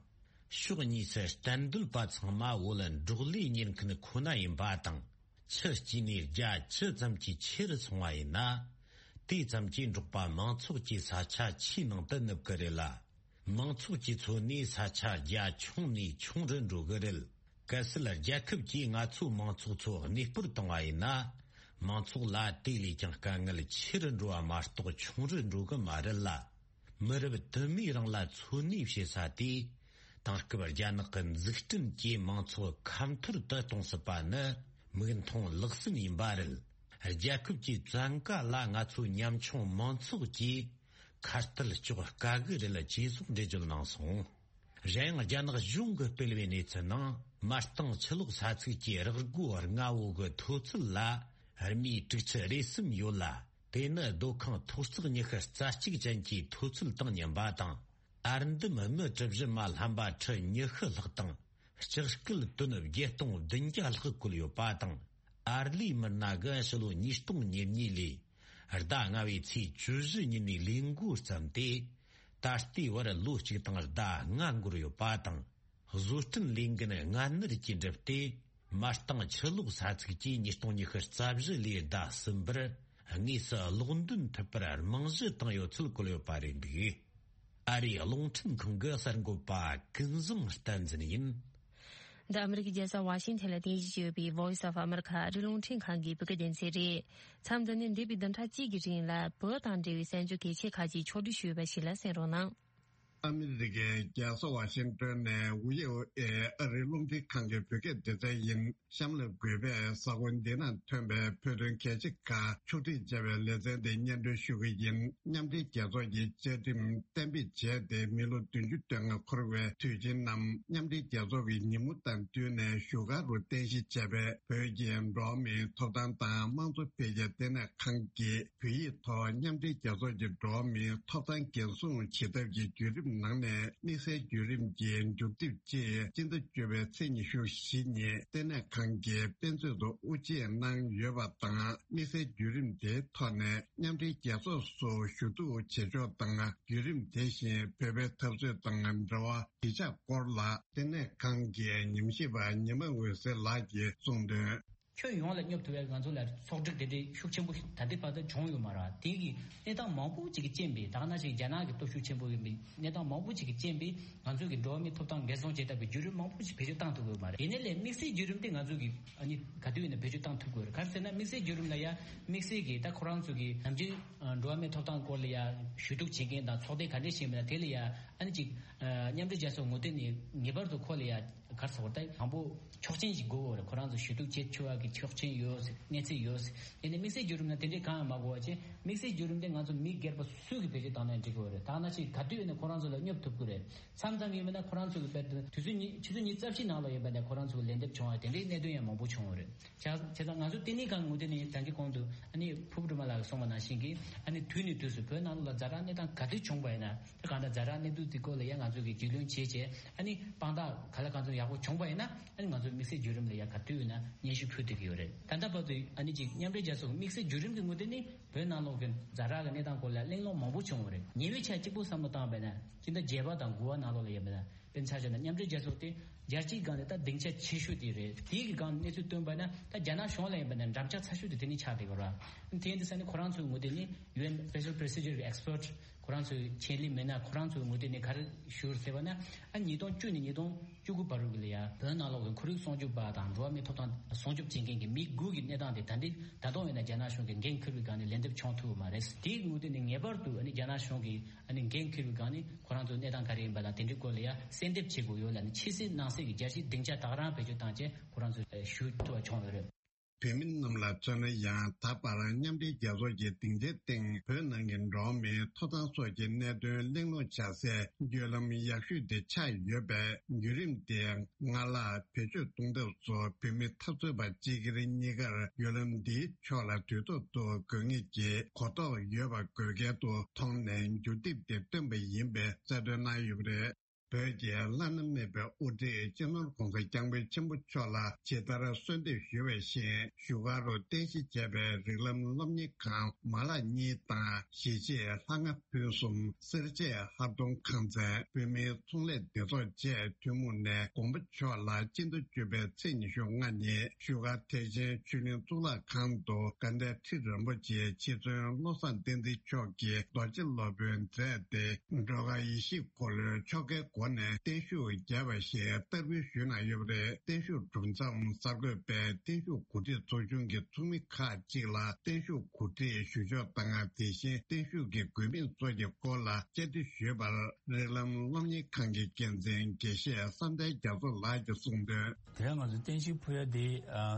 ཕྱོགས་གཉིས་སུ་གཏན་སྡོད་པ་ཚང་མ་བོད་འབྲོག་ལས་གཉེར་མཁན་ཁོ་ན་ཡིན་པ་དང་། ཆུ་སྐྱེས་ནས་རྒྱ་ཇི་ཙམ་གྱིས་ཆེ་རུ་སོང་བ་ཡིན་ན། དེ་ཙམ་གྱིས་འབྲོག་པ་མང་ཚོགས་ཀྱི་ས་ཆ་ཆུའི་ནང་དུ་ནུབ་ཀྱི་རེད་ལ། མང་ཚོགས་ཀྱི་འཚོ་གནས་ས་ཆ་རྒྱ་ཆུང་ནས་ཆུང་རུ་འགྲོ་གི་རེད། གལ་སྲིད་རྒྱལ་ཁབ་ཀྱིས་ང་ཚོའི་མང་ཚོགས་ཚོ་གནས་སྤོར་བཏང་བ་ཡིན་ན། མང་ཚོགས་ལ་དེ་ལས་ཀྱང་དཀའ་ངལ་ཆེ་རུ་འགྲོ་བ་མ་གཏོགས་ཆུང་རུ་འགྲོ་གི་མ་རེད་ལ། མི་རབས་དུ་མའི་རིང་ལ་འཚོ་གནས་བྱེད་ས་དེ། དེང་སྐབས་རྒྱ་ནག་གི་འཛུགས་སྐྲུན་གྱིས་མང་ཚོགས་ཁ་འཐོར་དུ་གཏོང་སྲིད་པ་ནི་མིག་མཐོང་ལག་ཟིན་ཡིན་པ་རེད། རྒྱལ་ཁབ་ཀྱིས་བཙན་བཀའ་ལ་ང་ཚོའི་ཉམ་ཆུང་མང་ཚོགས་ཀྱིས་ཁ་གཏད་གཅོག་དཀའ་གི་རེད་ཅེས་སོགས་འགྲེལ་བརྗོད་གནང་སོང་། གཞན་ཡང་རྒྱ་ནག་གཞུང་གིས་སྤེལ་བའི་གནས་ཚུལ་ནང་། མ་རྟིང་ཆུ་ལོག་ས་ཚིགས་ཀྱི་རག་སྒོ་ལྔ་བོ་གི་མཐོ་ཚད་ལ་རྨིད་དྲུག་ཅུ་རེ་གསུམ་ཡོད་ལ། དེ་ནི་སྡོད་ཁང་མཐོ་གསར་ཉི་ཤུ་རྩ་གཅིག་ཅན་གྱི་མཐོ་ཚད་དང་མཉམ་པ་དང་། ཨར་འདམ་སྨི་གྲུ་བཞི་མ་ལྷམ་པ་ཁྲི་ཉི་ཤུ་ལྷག་དང་། ལྕགས་སྐུད་ཏོན་བརྒྱད་སྟོང་བདུན་བརྒྱ་ལྷག་བཀོལ་ཡོད་པ་དང་། ཨར་ལས་མི་སྣ་གི་ཕྱི་ལོ་ཉིས་སྟོང་ཉེར་གཉིས་ལོའི་ཟླ་ལྔ་བའི་ཚེས་བཅུ་བཞི་ཉིན་ནས་ལས་འགོ་བརྩམས་ཏེ། ད་ལྟའི་བར་ལོ་གཅིག་དང་ཟླ་ལྔ་འགོར་ཡོད་པ་དང་། བཟོ་སྐྲུན་ལས་འགན་སྔ་སྣུར་གྱིས་བསྒྲུབས་ཏེ། མ་རྟིང་ཆུ་ལོག་ས་ཚིགས་ཀྱིས་ཉིས་སྟོང་ཉི་ཤུ་རྩ་བཞི་ལོའི་ཟླ་གསུམ་པར་དངོས་སུ་སློག་འདོན་ཐུབ་པར་རྨང་གཞི་བཏིང་ཡོད་ཚུལ་བཀོད་ཡོད་པ་རེད་འདུག་ཨ་རིའི་རླུང་འཕྲིན་ཁང་གི་གསར་འགོད་པ་ཀུན་བཟང་བསྟན་འཛིན་ཡིན། འདི་ཨ་མི་རི་ཀའི་རྒྱལ་ས་ཝ་ཤིང་ཐན་ལ་རྟེན་གཞི་བྱས་ཡོད་པའི་Voice of America ཨ་རིའི་རླུང་འཕྲིན་ཁང་གི་བོད་སྐད་སྡེ་ཚན་རེད། མཚམས་འདི་ནས་འདས་པའི་བདུན་ཕྲག་གཅིག་གི་རིང་ལ་བོད་དང་འབྲེལ་བའི་གསར་འགྱུར་གལ་ཆེ་ཁག་ཅིག་ཕྱོགས་བསྒྲིགས་ཞུས་པ་ཞིག་ལ་གསན་རོགས་གནང་། ཨ་མི་རི་ཀའི་རྒྱལ་ས་ཝ་ཤིང་ཏོན་ནས་ཝི་ཨོ་ཨེ་ཨ་རིའི་རླུང་འཕྲིན་ཁང་གི་བོད་སྐད་སྡེ་ཚན་ཡིན། གཤམ་ལ་གུས་པས་གཟའ་འཁོར་འདི་ན་ཐོན་པའི་བོད་དོན་གལ་ཆེ་ཁག་ཕྱོགས་སྒྲིག་བྱས་པའི་ལེ་ཚན་དེ་སྙན་སྒྲོན་ཞུ་གི་ཡིན། མཉམ་འབྲེལ་རྒྱལ་ཚོགས་ཀྱི་བཅའ་ཁྲིམས་གཏན་འབེབས་བྱས་ཏེ་མི་ལོ་བདུན་ཅུ་དོན་ལྔ་འཁོར་བའི་དུས་ཆེན་རྣམས་མཉམ་འབྲེལ་རྒྱལ་ཚོགས་ཀྱི་ཉིན་མོ་དང་བསྟུན་ནས་བཞུགས་སྒར་དུ་རྟེན་གཞི་བྱས་པའི་བོད་ཀྱི་འགྲོ་བ་མིའི་ཐོབ་ཐང་དང་དམངས་གཙོ་འཕེལ་རྒྱས་ལྟེ་གནས་ཁང་གིས། བོད་ཡིག་ཐོག་མཉམ་འབྲེལ་རྒྱལ་ཚོགས་ཀྱི་འགྲོ་བ་མིའི་ཐོབ་ཐང་འགན་སྲུང་བྱེད་ཐབས་ཀྱི་བརྒྱུད་རིམ་ནང་ནས་དམིགས་བསལ་བརྒྱུད་རིམ་གྱི་མཇུག་སྡེབ་ཅེས་སྤྱི་ཟླ་བཅུ་པའི་ཚེས་ཉི་ཤུ་བཞི་ཉིན་ལྟེ་གནས་ཁང་གིས་དཔེ་མཛོད་དུ་དབུ་འབྱེད་གནང་ཡོད་པ་དང་། དམིགས་བསལ་བརྒྱུད་རིམ་དེའི་ཐོག་ནས་མཉམ་འབྲེལ་རྒྱལ་ཚོགས་སུ་ཞུ་གཏུག་བྱེད་ཕྱོགས་དང་། བརྒྱུད་རིམ་དེ་བཞིན་བོད་པའི་འཐབ་རྩོད་དང་འབྲེལ་བ་གཞིས་ཆགས་སྐོར་ལ་ལྟེ་གནས་ཁང་གི་ཉམས་ཞིབ་པ་ཉི་མ་འོད་ཟེར་ལགས་ཀྱིས་གསུངས་དོན། ཁྱོན་ཡོངས་ལ་སྙོབ་ཐུབ་པའི་ང་ཚོ་ལ་ཚོགས་སྒྲིག་དེ་འདྲའི་ཤུགས་ཆེན་པོ་ད་ལྟའི་བར་དུ་བྱུང་ཡོད་མ་རེད། དེ་གི་གནས་སྟངས་མང་པོ་ཅིག་གི་རྐྱེན་པས། ད་ག་ནང་བཞིན་རྒྱ་ནག་གི་སྟོབས་ཤུགས་ཆེན་པོ་ཡིན་པའི་གནས་སྟངས་མང་པོ་ཅིག་གི་རྐྱེན་པས། ང་ཚོ་གི་འགྲོ་བ་མིའི་ཐོབ་ཐང་འགན་སྲུང་བྱེད་ཐབས་ཀྱི་བརྒྱུད་རིམ་མང་པོ་ཞིག་བེད་སྤྱོད་བཏང་ཐུབ་ཀྱི་ཡོད་མ་རེད། ཡིན་ནའི་ལས་དམིགས་བསལ་བརྒྱུད་རིམ་དེ་ང་ཚོ་གི་ཨ་ནི་ག་དུས་ཡིན་ན་བེད་སྤྱོད་བཏང་ཐུབ་ཀྱི་ཡོད་རེད། ག་རེ་ཟེར་ན་དམིགས་བསལ་བརྒྱུད་རིམ་ལ་ཡ་དམིགས་བསལ་གྱི་ད་ཁོ་རང་ཚོ་གི་ནམ་རྒྱུན་འགྲོ་བ་མིའི་ཐོབ་ཐང་སྐོར་ལ་ཡ་ཞུ་གཏུག་བྱེད་མཁན་དང་ཚོགས་སྡེ་ག་འདྲས་ཤིག་ཡིན་པ་དེ་ལ་ཡ་ཨ་ནི་ཅིག་མཉམ་འབྲེལ་རྒྱལ་ཚོགས་ངོས་སྟེང་ནས་ངེས་པར་དུ་ཁོ་ལ་ཡ་ག་རེ་ཟེར་དགོས་རེད། ད་དང་པོ་ཆོག་མཆན་ཞིག་དགོས་ཀྱི་ཡོད་རེད། ཁོ་རང་ཚོ་ཞུ་གཏུག་བྱེད་ཆོག་པ་གི་ཆོག་མཆན་ཡོད་ཟེར། གནས་ཚུལ་ཡོད་ཟེར། ཡིན་ནའི་དམིགས་བསལ་བརྒྱུད་རིམ་ལ་དེ་འདྲའི་གང་ཡང་མ་དགོས་པ་བྱས། དམིགས་བསལ་བརྒྱུད་རིམ་དེ་ང་ཚོ་མི་སྒེར་པ་སུ་གིས་བེད་སྤྱོད་བཏང་ན་འགྲིག་གི་ཡོད་རེད། ད་ག་ནང་བཞིན་ག་དུས་ཡིན་ན་ཁོ་རང་ཚོ་ལ་སྙོབ་ཐུབ་ཀྱི་རེད། མཚམས་མཚམས་ཡིན་པ་ན་ཁོ་རང་ཚོ་གི་དཔེར་ན་དུས་ཚོད་ཉི་ཆུ་ཚོད་ཉི་ཤུ་རྩ་བཞི་ནང་ལ་ཡིན་པ་ན་ཁོ་རང་ཚོ་གི་ལན་འདེབས་བྱུང་བ་དེ་འདྲའི་གནད་དོན་ཡང་མང་པོ་བྱུང་བ་རེད། བྱས་བྱས་ཙང་ང་ཚོ་ལྟེ་གནས་ཁང་ངོས་སྟེང་ནས་ད་གིན་གོང་དུ་ཨ་ནི་ཕུར་བུ་སྒྲོལ་མ་ལགས་གསུངས་པ་ནང་བཞིན་གྱི་ཨ་ནི་དུས་ནས་དུས་སུ་བོད་ནང་ལོགས་ལ་ཛ་དྲག་གནས་སྟངས་ག་དུས་བྱུང་པ་ཡིན་ན། ད་གང་ལྟར་ཛ་དྲག་གནས་ཚུལ་འདི་སྐོར་ལ་ཡང་ང་ཚོ་གིས་རྒྱུས་ལོན་བྱས་བྱས། ཨ་ནི་དཔང་རྟགས་ག་ལ་གང་འཚམ་ཡག་པོ་བྱུང་པ་ཡིན་ན། ཨ་ནི་ང་ཚོ་དམིགས་བསལ་བརྒྱུད་རིམ་ལ་ཡང་ག་དུས་ཡིན་ན་སྙན་ཞུ་ཕུལ་ཐུབ་ཀྱི་ཡོད་རེད། ད་ལྟ་བར་དུ་ཨ་ནི་ཅིག་མཉམ་འབྲེལ་རྒྱལ་ཚོགས་དམིགས་བསལ་བརྒྱུད་རིམ་གྱི་ངོས་སྟེང་ནས་བོད་ནང་ལོགས་ཀྱི་ཛ་དྲག་གི་གནས་སྟངས་སྐོར་ལ་གླེང་སློང་མང་པོ་བྱུང་བ་རེད། ཉེ་བའི་ཆར་གཅིག་པུ་བསམ་བློ་བཏང་བ་ཡིན་ན། སྤྱི་ཟླ་བརྒྱད་པ་དང་དགུ་པ་ནང་ལོགས་ལ་ཡིན་པ་ན། དཔེར་ན་ཆ་བཞག་ན་མཉམ་འབྲེལ་རྒྱལ་ཚོགས་དེ་རྒྱལ་སྤྱིའི་སྒང་ནས་ད་སྡིངས་ཆ་ཆེ་ཤོས་དེ་རེད། དེའི་གི་སྒང་གནས་ཚུལ་བཏོན་པ་ན་ད་རྒྱ་ནག་གཞུང་ལ་ཡིན་པ་ན་འགྲམ་ལྕག་ཚ་ཤོས་དེ་དེ་ནས་ཆགས་བསྡད་ཡོད་རེད། དེ་ཡིན་དུས་ས་ནས་ཁོ་རང་ཚོའི་ངོས་སྟེང་ནས་ཡུ་ཨེན་སྤེ་ཤལ་པོ་རོ་སི་ཇར་གི་ཨེགས་པར་ཊི་ཁོ་རང་ཚོའི་ཆེད་ལས་མི་སྣ་ཁོ་རང་ཚོའི་ངོས་སྟེང་ནས་ག་རེ་ཞུ་ཟེར་བ་ན། ཨ་ཉིས་སྟོང་བཅུ་ནས་ཉིས་སྟོང་བཅུ་དགུ་བར་དུ་ལ་ཡ་བོད་ནང་ལོགས་ཀྱི་ཁོར་ཡུག་སྲུང་སྐྱོབ་པ་དང་འགྲོ་བ་མིའི་ཐོབ་ཐང་སྲུང་སྐྱོབ་བྱེད་མཁན་གྱི་མི་དགུ་གི་གནས་སྟངས་དེ་ད་ལྟའི་ད་དུང་ཡིན་ན་རྒྱ་ནག་གཞུང་གིས་འགན་འཁུར་བའི་སྒང་ནས་ལན་འདེབས་བྱུང་ཐུབ་པ་མ་རེད། དེའི་ངོས་སྟེང་ནས་ངེས་པར་དུ་ཨ་ནི་རྒྱ་ནག་གཞུང་གིས་ཨ་ནི་འགན་འཁུར་བའི་སྒང་ནས་ཁོ་རང་ཚོའི་གནས་སྟངས་ག་རེ་ཡིན་པ་དང་དེ་འདྲའི་སྐོར་ལ་ཡ་གསལ་འདེབས་བྱེད་དགོས་ཡོད་ལབ་ནས་ཕྱི་སྲིད་ནང་སྲིད་ཀྱི་རྒྱལ་སྤྱིའི་སྡིངས་ཆ་ད་ག་རང་བེད་སྤྱོད་བཏང་བྱས་ཁོ་རང་ཚོས་ཞུ་ཐུབ་པ་བྱུང་ཡོད་རེད། བོད་མི་རྣམས་ལ་མཚོན་ན་ཡང་ད་བར་མཉམ་འབྲེལ་རྒྱལ་ཚོགས་ཀྱི་སྡིངས་ཆའི་སྟེང་བོད་ནང་གི་འགྲོ་བ་མིའི་ཐོབ་ཐང་སོགས་ཀྱི་གནད་དོན་གླེང་སློང་བྱ་སའི་བརྒྱུད་ལམ་ཡག་ཤོས་དེ་ཆགས་ཡོད་པས། བརྒྱུད་རིམ་དེ་སྔར་ལྷག་བེད་སྤྱོད་གཏོང་ཐབས་སུ་བོད་མི་འཐབ་རྩོད་པ་སྤྱི་སྒེར་གཉིས་ཀར་བརྒྱུད་ལམ་འདིའི་ཕྱོགས་ལ་དུས་ཐོག་ཏུ་དགོས་ངེས་ཀྱི་གོ་རྟོགས་ཡོད་པ་དགོས་གལ་དུ་མཐོང་ནས་བརྒྱུད་དེབ་དེ་བཏོན་པ་ཡིན་པའི་གསལ་སྟོན་གནང་ཡོད་པ་རེད། བོད་ཀྱི་བླ་ན་མེད་པའི་དབུ་ཁྲིད་སྤྱི་ནོར་༸གོང་ས་༸སྐྱབས་མགོན་ཆེན་པོ་མཆོག་ལ་ཇི་ལྟར་གསོལ་འདེབས་ཞུ་བ་བཞིན། བཞུགས་སྒར་དུ་རྟེན་གཞི་བྱས་པའི་རིགས་ལམ་སློབ་གཉེར་ཁང་མ་ལག་གཉིས་དང་གཞིས་བྱེས་ལྷ་ལྔ་ཕུན་སུམ། སེར་བྱེས་ལྷ་སྡོང་ཁང་ཚན། བོད་མིའི་ཚོང་ལས་སྡེ་ཚོགས་བཅས་ཐུན་མོང་ནས་མགོན་པོ་མཆོག་ལ་སྤྱི་ཟླ་བཅུ་པའི་ཚེས་ཉི་ཤུ་ལྔ་ཉིན་བཞུགས་སྒར་ཐེག་ཆེན་ཆོས་གླིང་གཙུག་ལག་ཁང་དུ་དགའ་ལྡན་ཁྲི་རིན་པོ་ཆེ་ཆེ་བཙུན་བློ་བཟང་བསྟན་འཛིན་མཆོག་གིས་རྡོ་རྗེ་སློབ་དཔོན་མཛད་དེ། སྒྲོལ་དཀར་ཡེ་ཤེས་འཁོར་ལོའི་ཆོ་གའི་སྒོ་ནས་བརྟན་བཞུགས་མཇལ་བ་ཞིག་བསྟར་འབུལ་ཞུས་གནང་ཡོད་པ་རེད། བརྟན་བཞུགས་གྲུབ་མཚམས་གསར་འགོད་པས་བརྟན་བཞུགས་གོ་སྒྲིག་ཚོགས་ཆུང་གི་ཚོགས་མི་ཁག་ཅིག་ལ་བརྟན་བཞུགས་གོ་སྒྲིག་ཞུ་ཕྱོགས་དང་། དེ་བཞིན་བརྟན་བཞུགས་ཀྱི་དགོས་དམིགས་སོགས་ཀྱི་སྐོར་ལ་བཅར་འདྲི་ཞུས་པར། རིགས་ལམ་སློབ་གཉེར་ཁང་གི་འགན་འཛིན་དགེ་བཤེས་བསམ་གཏན་རྒྱ་མཚོ་ལགས་ཀྱིས་གསུངས་དོན། དེ་རིང་ང་ཚོ་རྟེན་གཞི་ཕུལ་ཡ་དེ་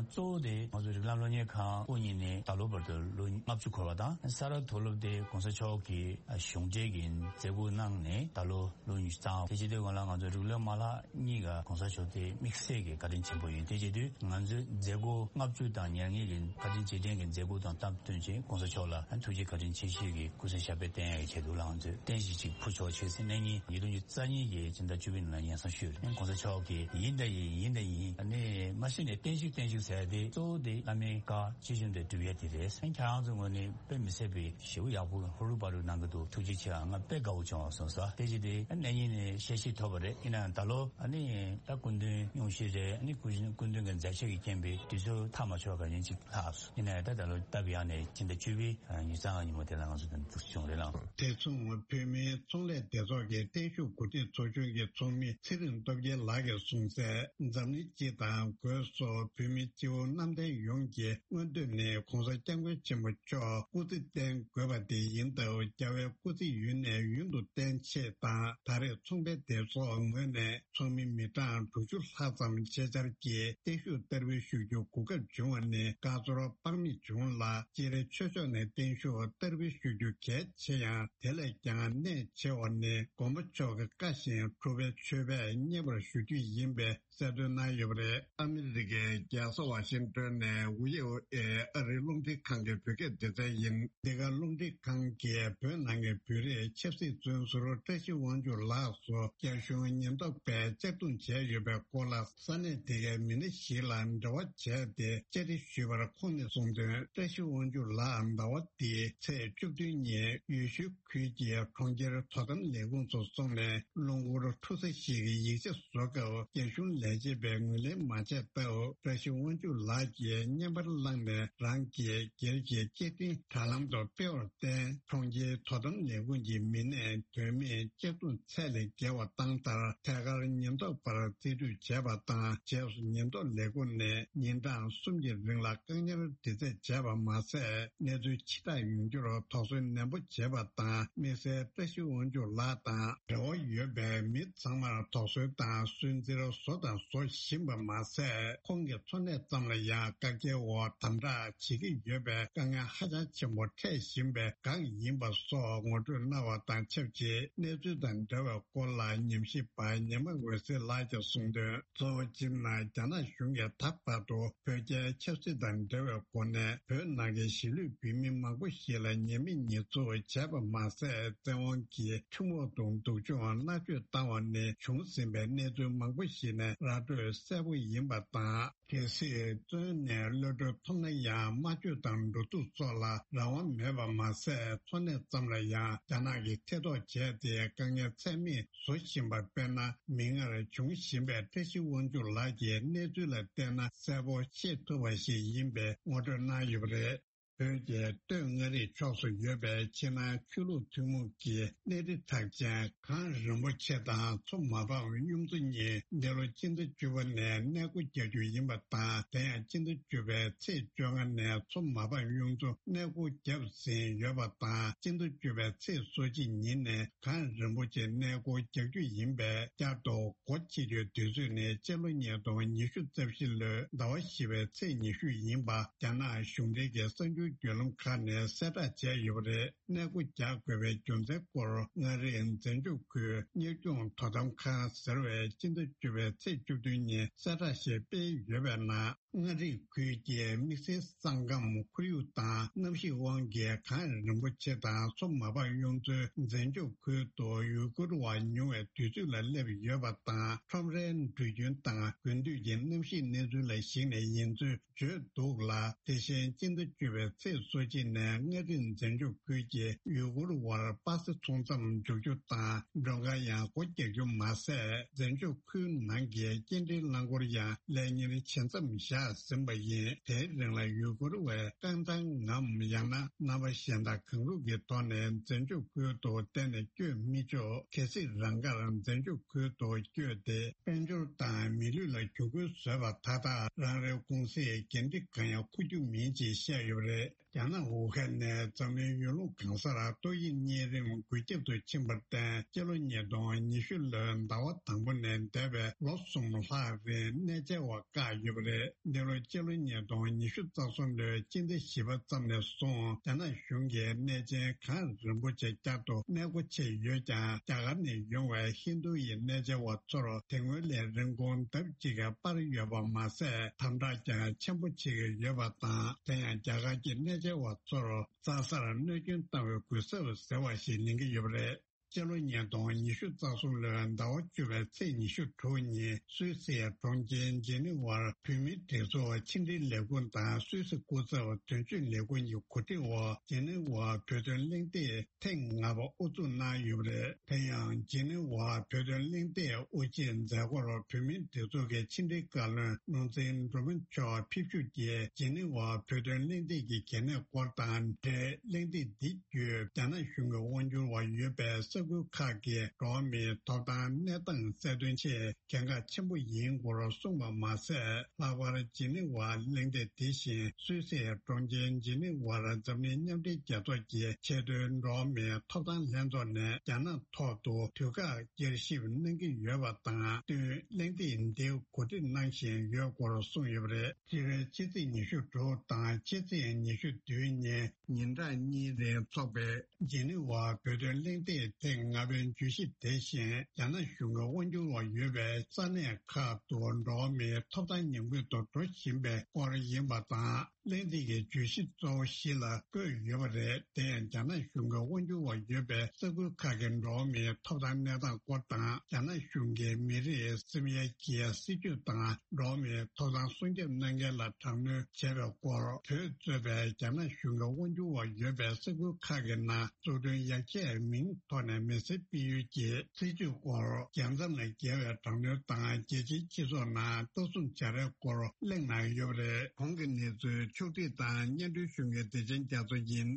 གཙོ་བོ་དེ་ང་ཚོ་རིགས་ལམ་སློབ་གཉེར་ཁང་དབུ་བརྙེས་ནས་ད་ལོ་བར་དུ་ལོ་ལྔ་བཅུ་འཁོར་བ་དང་། ས་རཱ་མཐོ་སློབ་དེ་༸གོང་ས་མཆོག་གིས་གཞུང་འབྲེལ་གྱི་མཛད་སྒོ་གནང་ནས་ད་ལོ་ལོ་ཉི་ཤུ་རྩ་ལྔ། དེ་བྱེད་དུས་སྒང་ལ་ང་ཚོ་རིགས་ལམ་མ་ལག་གཉིས་ཀ་༸གོང་ས་མཆོག་དེ་དམིགས་བསལ་གྱི་བཀའ་དྲིན་ཆེན་པོ་ཡིན། དེ་བྱེད་དུས་ང་ཚོའི་མཛད་སྒོ་ལྔ་བཅུ་དང་ཉེར་ལྔའི་གི་བཀའ་དྲིན་རྗེས་དྲན་གྱི་མཛད་སྒོ་དང་སྟབས་བསྟུན་བྱས་༸གོང་ས་མཆོག་ལ་ཐུགས་རྗེ་བཀའ་དྲིན་ཆེ་ཞུ་གི་སྐུ་ཚེ་ཞབས་པད་བརྟན་ཡག་གི་ཆེད་དུ་ལ་ང་ཚོས་རྟེན་གཞི་གཅིག་ཕུལ་ཆོག་ཆོག་ཟེར་གནང་མཁན་ཉིས་སྟོང་ཉི་ཤུ་རྩ་གཉིས་ཀྱི་སྤྱི་ཟླ་བཅུ་པའི་ནང་ལ་སྙན་སེང་ཞུས་རེད། ༸གོང་ས་མཆོག་གིས་ཡིན་ད་ཡིན་ཡིན་ད་ཡིན། ཨ་ནི་མ་གཞི་ནས་བརྟན་བཞུགས་བརྟན་བཞུགས་ཟེར་ཡ་དེ་གཙོ་བོ་དེ་བླ་མའི་བཀའ་ཇི་བཞིན་དུ་སྒྲུབ་ཡ་དེ་རེད། ཁྱེད་རང་ཚོའི་ངོས་ནས་དཔེ་མི་སྲིད་པའི་ཞེ་པོ་ཡག་པོ་ཧུར་ཧུར་པ་རུ་གནང་གི་འདུག་ཐུགས་རྗེ་ཆེ། ང་དཔེ་དགའ་བོ་བྱུང་བ་སོང་ས། དེ་བཞིན་དེ་གནས་ཉིན་ནས་ཤེས་ཤེས་ཐོབ་པ་རེད། ཡིན་ན་ད་ལོ་ཨ་ནི་ད་སྐུ་མདུན་སྙུང་གཞི་རེད། ཨ་ནི་སྐུ་མདུན་སྐུ་མདུན་གྱི་མཛད་ཆེད་ཀྱི་རྐྱེན་པས་དུས་ཚོད་ཐག་མ་ཆོད་ག་ཉིན་གཅིག་ལྷག་སོང་། ཡིན་ན་ཡང་ད་ད་ལོ་སྟབས་ཡག་ནས་ཕྱི་ཟླ་བཅུ་པའི་ཉི་ཤུ་རྩ་ལྔ་ཉིན་མོ་དེ་ལ་ང་ཚོ་དང་འདུག་བྱུང་རེད་ལགས། དེ་མཚུངས་བོད་མིའི་ཚོང་ལས་སྡེ་ཚོགས་ཀྱི་བརྟན་བཞུགས་གོ་སྒྲིག་ཚོགས་ཆུང་གི་ཚོགས་མི་ཚེ་རིང་སྟོབས་རྒྱལ་ལགས་ཀྱིས་གསུངས་གསལ། འཛམ་གླིང་སྤྱི་དང་སྒོས་སུ་བོད་མི་སྤྱི་བོ་གནམ་བསྟན་ཡོངས་ཀྱི་མངོན་འདོད་ནི་༸གོང་ས་༸སྐྱབས་མགོན་ཆེན་པོ་མཆོག་སྐུ་ཚེ་བརྟན་དགོས་པ་དེ་ཡིན་སྟབས། རྒྱལ་བའི་སྐུ་ཚེ་ཡུན་ནས་ཡུན་དུ་བརྟན་ཆེད་དང་། ད་རེས་ཚོང་པའི་སྡེ་ཚོགས་ངོས་ནས་ཚོགས་མི་མི་གྲངས་དྲུག་ཅུ་ལྷག་ཙམ་ཆེད་བཅར་གྱིས་བརྟན་བཞུགས་བསྟར་འབུལ་ཞུ་རྒྱུ་གོ་སྐབས་བྱུང་བ་ནི་དགའ་ཚོར་དཔག་མེད་བྱུང་ལ། སྤྱིར་ཆོས་ཕྱོགས་ནས་བརྟན་བཞུགས་བསྟར་འབུལ་ཞུ་རྒྱུ་གལ་ཆེ་ཡང་། དེ་ལས་ཀྱང་གནད་ཆེ་བ་ནི་མགོན་པོ་མཆོག་གི་བཀའ་བཞིན་གྲུབ་པའི་མཆོད་པས་མཉེས་པར་ཞུ་རྒྱུ་ཡིན་པའི་གསལ་སྟོན་གནང་ཡོད་པ་རེད། ཨ་མི་རི་ཀའི་རྒྱལ་ས་ཝ་ཤིང་ཏོན་ནས་ཝི་ཨོ་ཨེ་ཨ་རིའི་རླུང་འཕྲིན་ཁང་གི་བོད་སྐད་སྡེ་ཚན་ཡིན། འདི་ག་རླུང་འཕྲིན་ཁང་གིས་བོད་ནང་གི་བོད་རིགས་ཆབ་སྲིད་བཙོན་ཟུར་ བཀྲ་ཤིས་དབང་ཕྱུག་ལགས་སུ་རྒྱ་གཞུང་ཉེན་རྟོག་པས་གཅར་རྡུང་བྱས་ཡོད་པའི་སྐོར་ལ། ས་གནས་དེ་གའི་མི་སྣ་ཞིག་ལ་འབྲེལ་བ་བྱས་ཏེ་བཅར་འདྲི་ཞུས་པར། ཁོང་ནས་གསུངས་དོན། བཀྲ་ཤིས་དབང་ཕྱུག་ལགས་ཟླ་བ་འདིའི་ཚེས་བཅུ་བདུན་ཉིན་ཡུལ་ཤུལ་ཁུལ་གྱི་གྲོང་ཁྱེར་དོ་དམ་ལས་ཁུངས་སུ་སོང་ནས། རླུང་འཁོར་འཁྲུག་ས་ཞིག་གི་ཡིག་ཆ་བཟོ་སྐབས། རྒྱ་གཞུང་ལས་བྱེད་པས་ངོས་ལེན་མ་བྱས་སྟབས། བཀྲ་ཤིས་དབང་ཕྱུག་ལགས་ཀྱིས་བརྙན་པར་བླངས་ནས་རང་གི་སྒེར་གྱི་བཅར་འདྲིའི་དྲ་ལམ་དུ་སྤེལ་བར་བརྟེན། གྲོང་ཁྱེར་དོ་དམ་ལས་ཁུངས་ཀྱི་མི་སྣས་དོན་མེད་གཅར་རྡུང་ཚད་ལས་བརྒལ་བ་བཏང་མཐར། ཐད་ཀར་ཉེན་རྟོག་པར་རྩིས་སྤྲོད་བྱས་པ་དང་། རྗེས་སུ་ཉེན་རྟོག་ལས་ཁུངས་ནས་ཉིན་གྲངས་གསུམ་གྱི་རིང་ལ་བཀག་ཉར་འདྲི་རྩད་བྱས་པ་མ་ཟད། གནས་ཚུལ་ཕྱིར་བསྒྲགས་ཡོང་རྒྱུར་དོགས་ཟོན་ནན་པོ་བྱས་པ་དང་། དམིགས་བསལ་བཀྲ་ཤིས་དབང་ཕྱུག་ལགས་དང་འབྲེལ་བ་ཡོད་པའི་མི་ཚང་མར་དོགས་ཟོན་དང་སུན་གཙེར་བཟོ་དང་བཟོ་བཞིན་པ་མ་ཟད། ཁོང་གི་འཚོ་གནས་ཙམ་ལ་ཡང་བཀག་རྒྱའི་འོག་དམ་དྲག་བྱེད་ཀྱི་ཡོད་པའི་དཀའ་ངལ་ཧ་ཅང་ཆེན་པོ་འཕྲད་བཞིན་པའི་སྒང་ཡིན་པ་སོགས་ངོ་སྤྲོད་གནང་བ་དང་ཆབས་ཅིག་གནས་ཚུལ་དང་འབྲེལ་བའི་སྐོར་ལ་ཉམས་ཞིབ་པ་ཉི་མ་འོད་ཟེར་ལགས་ཀྱིས་གསུངས་དོན། གཙོ་བོ་སྤྱིར་ན་རྒྱ་ནག་གཞུང་གིས་ད་བར་དུ་བོད་རྒྱའི་ཆབ་སྲིད་དང་འབྲེལ་བའི་སྒོ་ནས། བོད་ནང་གི་གཞིས་ལུས་བོད་མི་མང་པོ་ཞིག་ལ་ཉེས་མེད་ཉེས་འཛུགས་བྱས་པ་མ་ཟད། བཙན་དབང་གིས་ཁྲིམས་འོག་ཏུ་སྡུག་སྦྱོང་མནར་གཅོད་བཏང་བ་ནས་བྱུང་ཟིན་པའི་གནས་ཚུལ་མང་པོ་ཞིག་ནས་ར་སྤྲོད་གསལ་པོ་ཡིན་པ་དང་། གལ་སྲིད་བཙོན་ནས་གློད་གྲོལ་ཐོབ་ན་ཡང་། སྨྲ་བརྗོད་དང་འགྲོ་འདུག་སོགས་ལ་རང་དབང་མེད་པ་མ་ཟད། འཚོ་གནས་ཙམ་ལ་ཡང་རྒྱ་ནག་གིས་ཐེ་གཏོགས་བྱས་ཏེ་དཀའ་ངལ་ཚད་མེད་བཟོ་བཞིན་པ། དཔེར་ན། མིག་སྔར་བྱུང་བཞིན་པའི་བཀྲ་ཤིས་དབང་ཕྱུག་ལགས་ཀྱི་གནས་ཚུལ་ལ་བལྟས་ན། གསལ་པོ་ཤེས་ཐུབ་པ་ཞིག་ཡིན་པའི་ངོ་སྤྲོད་གནང་ཡོད་པ་རེད། བོད་ཀྱི་སྟོད་མངའ་རིས་ཕྱོགས་སུ་ཡོད་པའི་ཕྱི་ནང་ཆོས་ལུགས་ཐུན་མོང་གི་གནས་རི་གྲགས་ཅན་གངས་རིན་པོ་ཆེ་དང་མཚོ་མ་ཕམ་གཡུ་མཚོ་གཉིས་འདི་ལོ་སྤྱི་ཟླ་བཅུ་པ་ནས་གནས་སྒོ་རྒྱག་རྒྱུ་ཡིན་པ་དང་། དེ་ཡང་སྤྱི་ཟླ་བཅུ་པའི་ཚེས་བཅོ་ལྔ་ནས་མཚོ་མ་ཕམ་གཡུ་མཚོ་གནས་སྒོ་བརྒྱབ་ཟིན་ཡོད་པ་དང་། སྤྱི་ཟླ་བཅུ་པའི་ཚེས་སོ་གཅིག་ཉིན་ནས་གངས་རིན་པོ་ཆེ་གནས་སྒོ་རྒྱག་རྒྱུ་ཡིན་པས། བསྐྱར་དུ་སྒོ་ཕྱེ་རྒྱུའི་དུས་ཚོད་ནི་སྤྱི་ལོ་ཉིས་སྟོང་ཉི་ཤུ་རྩ་བཞི་ལོའི་ཟླ་བ་བཞི་པའི་ཚེས་ཉི་ཤུ་ཡིན་པ་རྒྱ་ནག་གཞུང་འབྲེལ་གྱི་གསར་འགྱུར་བརྒྱུད་ལམ་ཁག་ནས་གསལ་བསྒྲགས་བྱས་ཡོད་པ་རེད། གནས་སྒོ་རྒྱག་དགོས་པའི་རྒྱུ་མཚན་སྐོར། མངའ་རིས་འཛིན་སྐྱོང་ཁུལ་གཉེར་སྐྱོང་དོ་དམ་ཁང་ཟེར་བས་སྤྱི་ཟླ་བཅུ་པའི་ཚེས་བཅུ་བདུན་ཉིན་གསལ་བསྒྲགས་ཤིག་སྤེལ་ཡོད་པའི་ནང་། མངའ་རིས་ཁུལ་གྱི་དམིགས་བསལ་ས་ཁམས་ཁོར་ཡུག་དང་གནམ་གཤིས་དབང་གིས་གངས་རིན་པོ་ཆེ་དང་མཚོ་མ་ཕམ་གཡུ་མཚོའི་འཛིན་སྐྱོང་ཁུལ་དུ་ཡུལ་སྐོར་བ་ཉུང་བའི་དུས་ཚོད་ལ་སླེབས་ཡོད་པ་དང་། ཁྲོམ་རའི་འགྲུལ་རྒྱུན་དང་དགུན་དུས་ཀྱི་གནམ་གཤིས་གནས་ཚུལ་ལ་གཞིགས་ནས་ཡིན་ཚུལ་བརྗོད་འདུག་ལ། དེ་བཞིན་སྤྱི་ཟླ་བཅུ་པའི་ཚེས་སོ་གཅིག་ནས་མངའ་རིས་འཛིན་སྐྱོང་ཁུལ་གྱི་ཡུལ་སྐོར་བར་པ་སེ་ཚོང་མཚམས་འཇོག་རྒྱུ་དང་མགྲོན་ཁང་ཡང་སྒོ་རྒྱག་རྒྱུ་མ་ཟད། འཛིན་སྐྱོང་ཁུལ་ནང་གི་སྐྱེལ་འདྲེན་རླངས་འཁོར་ཡང་ལས་གཉེར་བྱེད་མཚམས་བཞག་ཟིན་པ་ཡིན། དེའི་རིང་ལ་ཡུལ་སྐོར་བས་རྐང་ཐང་ངམ་ཡང་ན་རྣམ་པ་གཞན་དག་གང་རུང་གི་ཐོག་ནས་འཛིན་སྐྱོང་ཁུལ་དུ་གཏན་ནས་བསྐྱོད་མི་ཆོག་གལ་སྲིད་རང་དགར་འཛིན་སྐྱོང་ཁུལ་དུ་བསྐྱོད་དེ། དཔལ་འབྱོར་དང་མི་ལུས་ལ་གྱོང་གུན་བཟོས་པ་ད་ལྟ་རང་རེའི་ཀུང་སིས་འགན་འཁྲི་གང་ཡང་འཁུར་རྒྱུ་མིན་ཅེས་བཤད་ཡོད་པ་རེད། རྒྱ་ནག་ཝུ་ཧན་ནས་འཛམ་གླིང་ཡུལ་ལུང་གང་སར་ཏོག་དབྱིབས་གཉན་རིམས་འགོས་ཁྱབ་ཏུ་ཕྱིན་པར་བརྟེན། སྤྱི་ལོ་ཉིས་སྟོང་ཉི་ཤུ་ལོའི་ཟླ་བ་དང་པོ་ནས་འདས་པའི་ལོ་གསུམ་ལྷག་རིང་གནས་མཇལ་བ་བཀག་ཡོད་པ་རེད། འདི་ལོ་སྤྱི་ལོ་ཉིས་སྟོང་ཉི་ཤུ་རྩ་གསུམ་ལོའི་སྤྱི་ཟླ་བཞི་པ་ཙམ་ནས་བཟུང་རྒྱ་ནག་གཞུང་གིས་གནས་ཆེན་གངས་རིན་པོ་ཆེ་བསྐྱར་དུ་གནས་སྒོ་ཕྱེ་ཡོད་ཀྱང་། རྒྱ་གར་ནས་ཡོང་བའི་ཧིན་རྡུ་ཡི་གནས་མཇལ་བ་ཚོར་དེ་སྔོན་ལས་རིན་གོང་ལྡབ་གཅིག་གིས་སྤར་ཡོད་པ་མ་ཟད། དམ་དྲག་ཀྱང་ཆེན་པོ་བྱེད་ཀྱི་ཡོད་པ་དང་། དེ་ཡང་རྒྱ་གར་གྱི་གནས་མཇལ་བ་ཚོར་རྩྭ་སར་གནོད་སྐྱོན་བཏང་བའི་གུས་ཞབས་ཟེར་བ་ཞིག་ལེན་གྱི་ཡོད་པ་རེད། སྤྱི་ལོ་ཉིས་སྟོང་ཉི་ཤུ་རྩ་གསུམ་ལོའི་ཟླ་བ་བཅུ་པའི་ཚེས་ཉི་ཤུ་དྲུག་ཉིན་སུད་སིའི་གྲོང་ཁྱེར་ཇི་ནི་ཝར་བོད་མིའི་སྒྲིག་འཛུགས་ཕྱི་འབྲེལ་ལས་ཁུངས་དང་སུད་སི་སྐུ་ཚབ་དོན་གཅོད་ལས་ཁུངས་ཀྱི་གོ་སྒྲིག་འོག་ཇི་ནི་ཝར་བོད་དོན་གླེང་སྟེགས་ཐེངས་ལྔ་པ་དབུ་འཛུགས་གནང་ཡོད་པ་རེད། དེ་ཡང་ཇི་ནི་ཝར་བོད་དོན་གླེང་སྟེགས་དབུ་འབྱེད་མཛད་སྒོར་བོད་མིའི་སྒྲིག་འཛུགས་ཀྱི་ཕྱི་འབྲེལ་བཀའ་བློན་ནོར་འཛིན་འབྲུག་མོ་མཆོག་ཕེབས་བཞུགས་ཀྱིས་ཇི་ནི་ཝར་བོད་དོན་གླེང་སྟེགས་ཀྱི་གལ་གནད་སྐོར་དང་འབྲེལ། གླེང་སྟེགས་འདི་བརྒྱུད་རྒྱ་ནག་གཞུང་གི་དབང་སྒྱུར་བ་ཡོད་པའི་ས་ཁུལ་ཁག་གི་འགྲོ་བ་མིའི་ཐོབ་ཐང་གནས་སྟངས་གསལ་སྟོན་ཆེད་གལ་འགངས་ཆེན་པོ་ཡིན་སྐོར་གསུངས་པ་མ་ཟད། ལྷག་པར་ཇི་ནི་ཝར་གླེང་སྟེགས་དེ་བཞིན་སུད་སིའི་གྲོང་ཁྱེར་ཇི་ནི་ཝར་འཛམ་གླིང་མཉམ་འབྲེལ་རྒྱལ་ཚོགས་ཀྱི་ཆེས་མཐོའི་འགྲོ་བ་མིའི་ཐོབ་ཐང་ལྷན་ཚོགས་ནས་རྒྱ་ནག་ཐོག་ཏུ་དུས་བཀག་བསྐྱར་ཞིབ་གནང་གི་ཡོད་པ་དང་བསྟུན། གླེང་སྟེགས་འདི་གོ་སྒྲིག་གནང་བཞིན་ཡོད་སྐོར་གསུངས་ཡོད་པ་རེད། སྤྱི་ཟླ་ཕྱི་ཚེས་ཉི་ཤུ་དྲུག་དང་ཕྱི་ཚེས་ཉི་ཤུ་བདུན་ཉིན་ཉིན་གྲངས་གཉིས་རིང་འཚོགས་པའི་ཇི་ནི་ཝར་བོད་དོན་གླེང་སྟེགས་ཐེངས་ལྔ་པའི་བརྗོད་གཞི་དེ་བཞིན་རྒྱ་ནག་གཞུང་གི་དབང་སྒྱུར་འོག་ཡོད་པའི་ས་གནས་ཁག་ཏུ་འགྲོ་བ་མིའི་ཐོབ་ཐང་ཉམས་རྒུད་དུ་འགྲོ་བཞིན་པའི་སྐོར་ཡིན་པ་དང་། གླེང་སྟེགས་ཀྱི་བརྗོད་གཞི་གཙོ་བོ་བཞི་ལ་བཀོད་ཡོད་པ་རེད། དེ་ཡང་རྒྱ་ནག་གཞུང་གི་དབང་སྒྱུར་འོག་ཡོད་པའི་ས་ཁུལ་ཁག་གི་འགྲོ་བ་མིའི་ཐོབ་ཐང་གནས་སྟངས་སྐོར་དང་། རྒྱ་ནག་གཞུང་གིས་མི་རིགས་སེམས་ཡས་ཀྱི་སྲིད་ཇུས་དང་། འགྲོ་བ་མིའི་ཐོབ་ཐང་སྲུང་སྐྱོབ་གནང་མཁན་ལ་དྲག་གནོན་བྱས་པའི་སྐོར། བོད་གཙོས་པའི་རྒྱ་ནག་གཞུང་གི་དབང་སྒྱུར་འོག་ཡོད་པའི་ས་ཁུལ་ཁག་གི་ནང་འཛུགས་སྐྲུན་ཡར་རྒྱས་མིང་ཐོག་ནས་མི་སེར་སྤེལ་ཡུལ་གྱི་སྲིད་ཇུས་སྐོར། རྒྱལ་མཚམས་ལ་འགེལ་བའི་དྲག་གནོན་དང་རྒྱལ་སྤྱིའི་སྤྱི་ཚོགས་ནང་ལྟ་སྲུང་བྱ་རེས་སྐོར་གླེང་གནང་ཡོད་པ་རེད། གོང་གི་གནས་ཚུལ་ཕྱོགས་བསྒྲིགས་དང་སྙན་སྒྲོན་ཞུ་མཁན་བདེ་ཆེན་རྒྱ་མཚོ་ཡིན།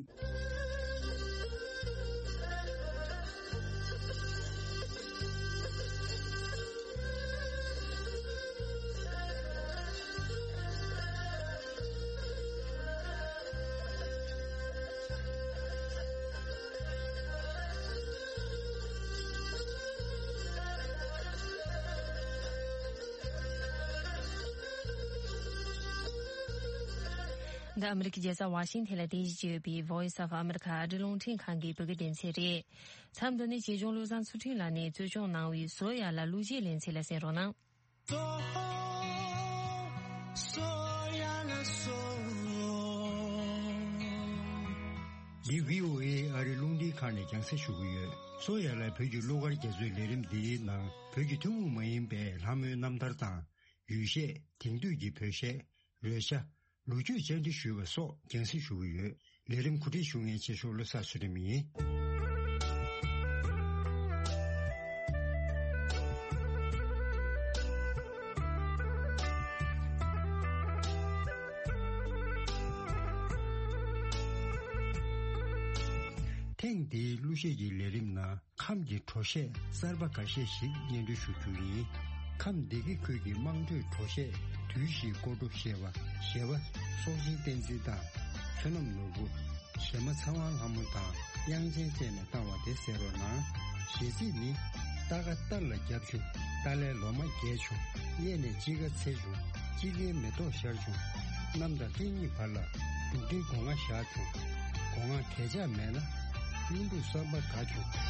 འདི་ཨ་མི་རི་ཀའི་རྒྱལ་ས་ཝ་ཤིང་ཊོན་ལ་རྟེན་གཞི་བྱས་ཡོད་པའི་Voice of America ཨ་རིའི་རླུང་འཕྲིན་ཁང་གི་བོད་སྐད་སྡེ་ཚན་རེད། མཚམས་འདི་ནས་གཅེས་སྐྱོང་བློ་བཟང་ཚུལ་ཁྲིམས་ལགས་ནས་གཙོ་སྐྱོང་གནང་བའི་བཟོ་ཡག་ལ་གླུ་གཞས་ལེན་ཚུལ་ལ་གསན་རོགས་གནང་། འདི་VOA ཨ་རིའི་རླུང་འཕྲིན་ཁང་ནས་རྒྱང་སྲིང་ཞུ་གི་ཡོད། བཟོ་ཡག་ལ་བོད་ཀྱི་གླུ་གར་རྒྱ་མཚོའི་ལས་རིམ་འདིའི་ནང་བོད་ཀྱི་ཐུན་མོང་མ་ཡིན་པའི་ལྷ་མོའི་རྣམ་ཐར་དང་། ཡུལ་གཞས། དེང་དུས་ཀྱི་བོད་གཞས། རོལ་ཆ། ལོ་རྒྱུས་བཅར་འདྲི་ཞུས་པ་སོགས་རྒྱང་སྲིང་ཞུ་གི་ཡོད། ལས་རིམ་གོ་སྒྲིག་ཞུ་མཁན་ཆེ་ཤོས་བློ་བཟང་ཚུལ་ཁྲིམས་ཡིན། ཐེངས་འདིའི་གླུ་གཞས་ཀྱི་ལས་རིམ་ནང་། ཁམས་ཀྱི་བྲོ་གཞས་གསར་པ་འགའ་ཤས་ཤིག་སྙན་སྒྲོན་ཞུ་རྒྱུ་ཡིན། ཁམས་སྡེ་དགེ་ཁུལ་གྱི་དམངས་ཁྲོད་བྲོ་གཞས་དུས་བཞིའི་སྐོར་བྲོ་ཞེས་པ། གཞས་པ་སྲོག་ཤིང་བསྟན་འཛིན་དང་། བསོད་ནམས་ནོར་བུ། གཞས་མ་ཚེ་དབང་ལྷ་མོ་དང་དབྱངས་ཅན་བཅས་ནས་བཏང་བ་དེ་གསན་རོགས་གནང་། གཞས་ཚིག་ནི། རྟ་ཁ་རྟ་ལ་རྒྱབ་བྱུང་། རྟ་ལས་ལོ་མ་རྒྱས་བྱུང་། གཡས་ནས་དཔྱིད་ཀ་ཚེས་བྱུང་། དཔྱིད་ཀའི་མེ་ཏོག་ཤར་བྱུང་། གནམ་དང་སྤྲིན་གཉིས་བར་ལ། འབྲུག་སྒྲའི་སྒོ་ང་བཞག་བྱུང་། སྒོ་ང་གས་ཆག་མེད་ན། གཡུ་འབྲུག་བསམ་པ་དགའ་བྱུང་།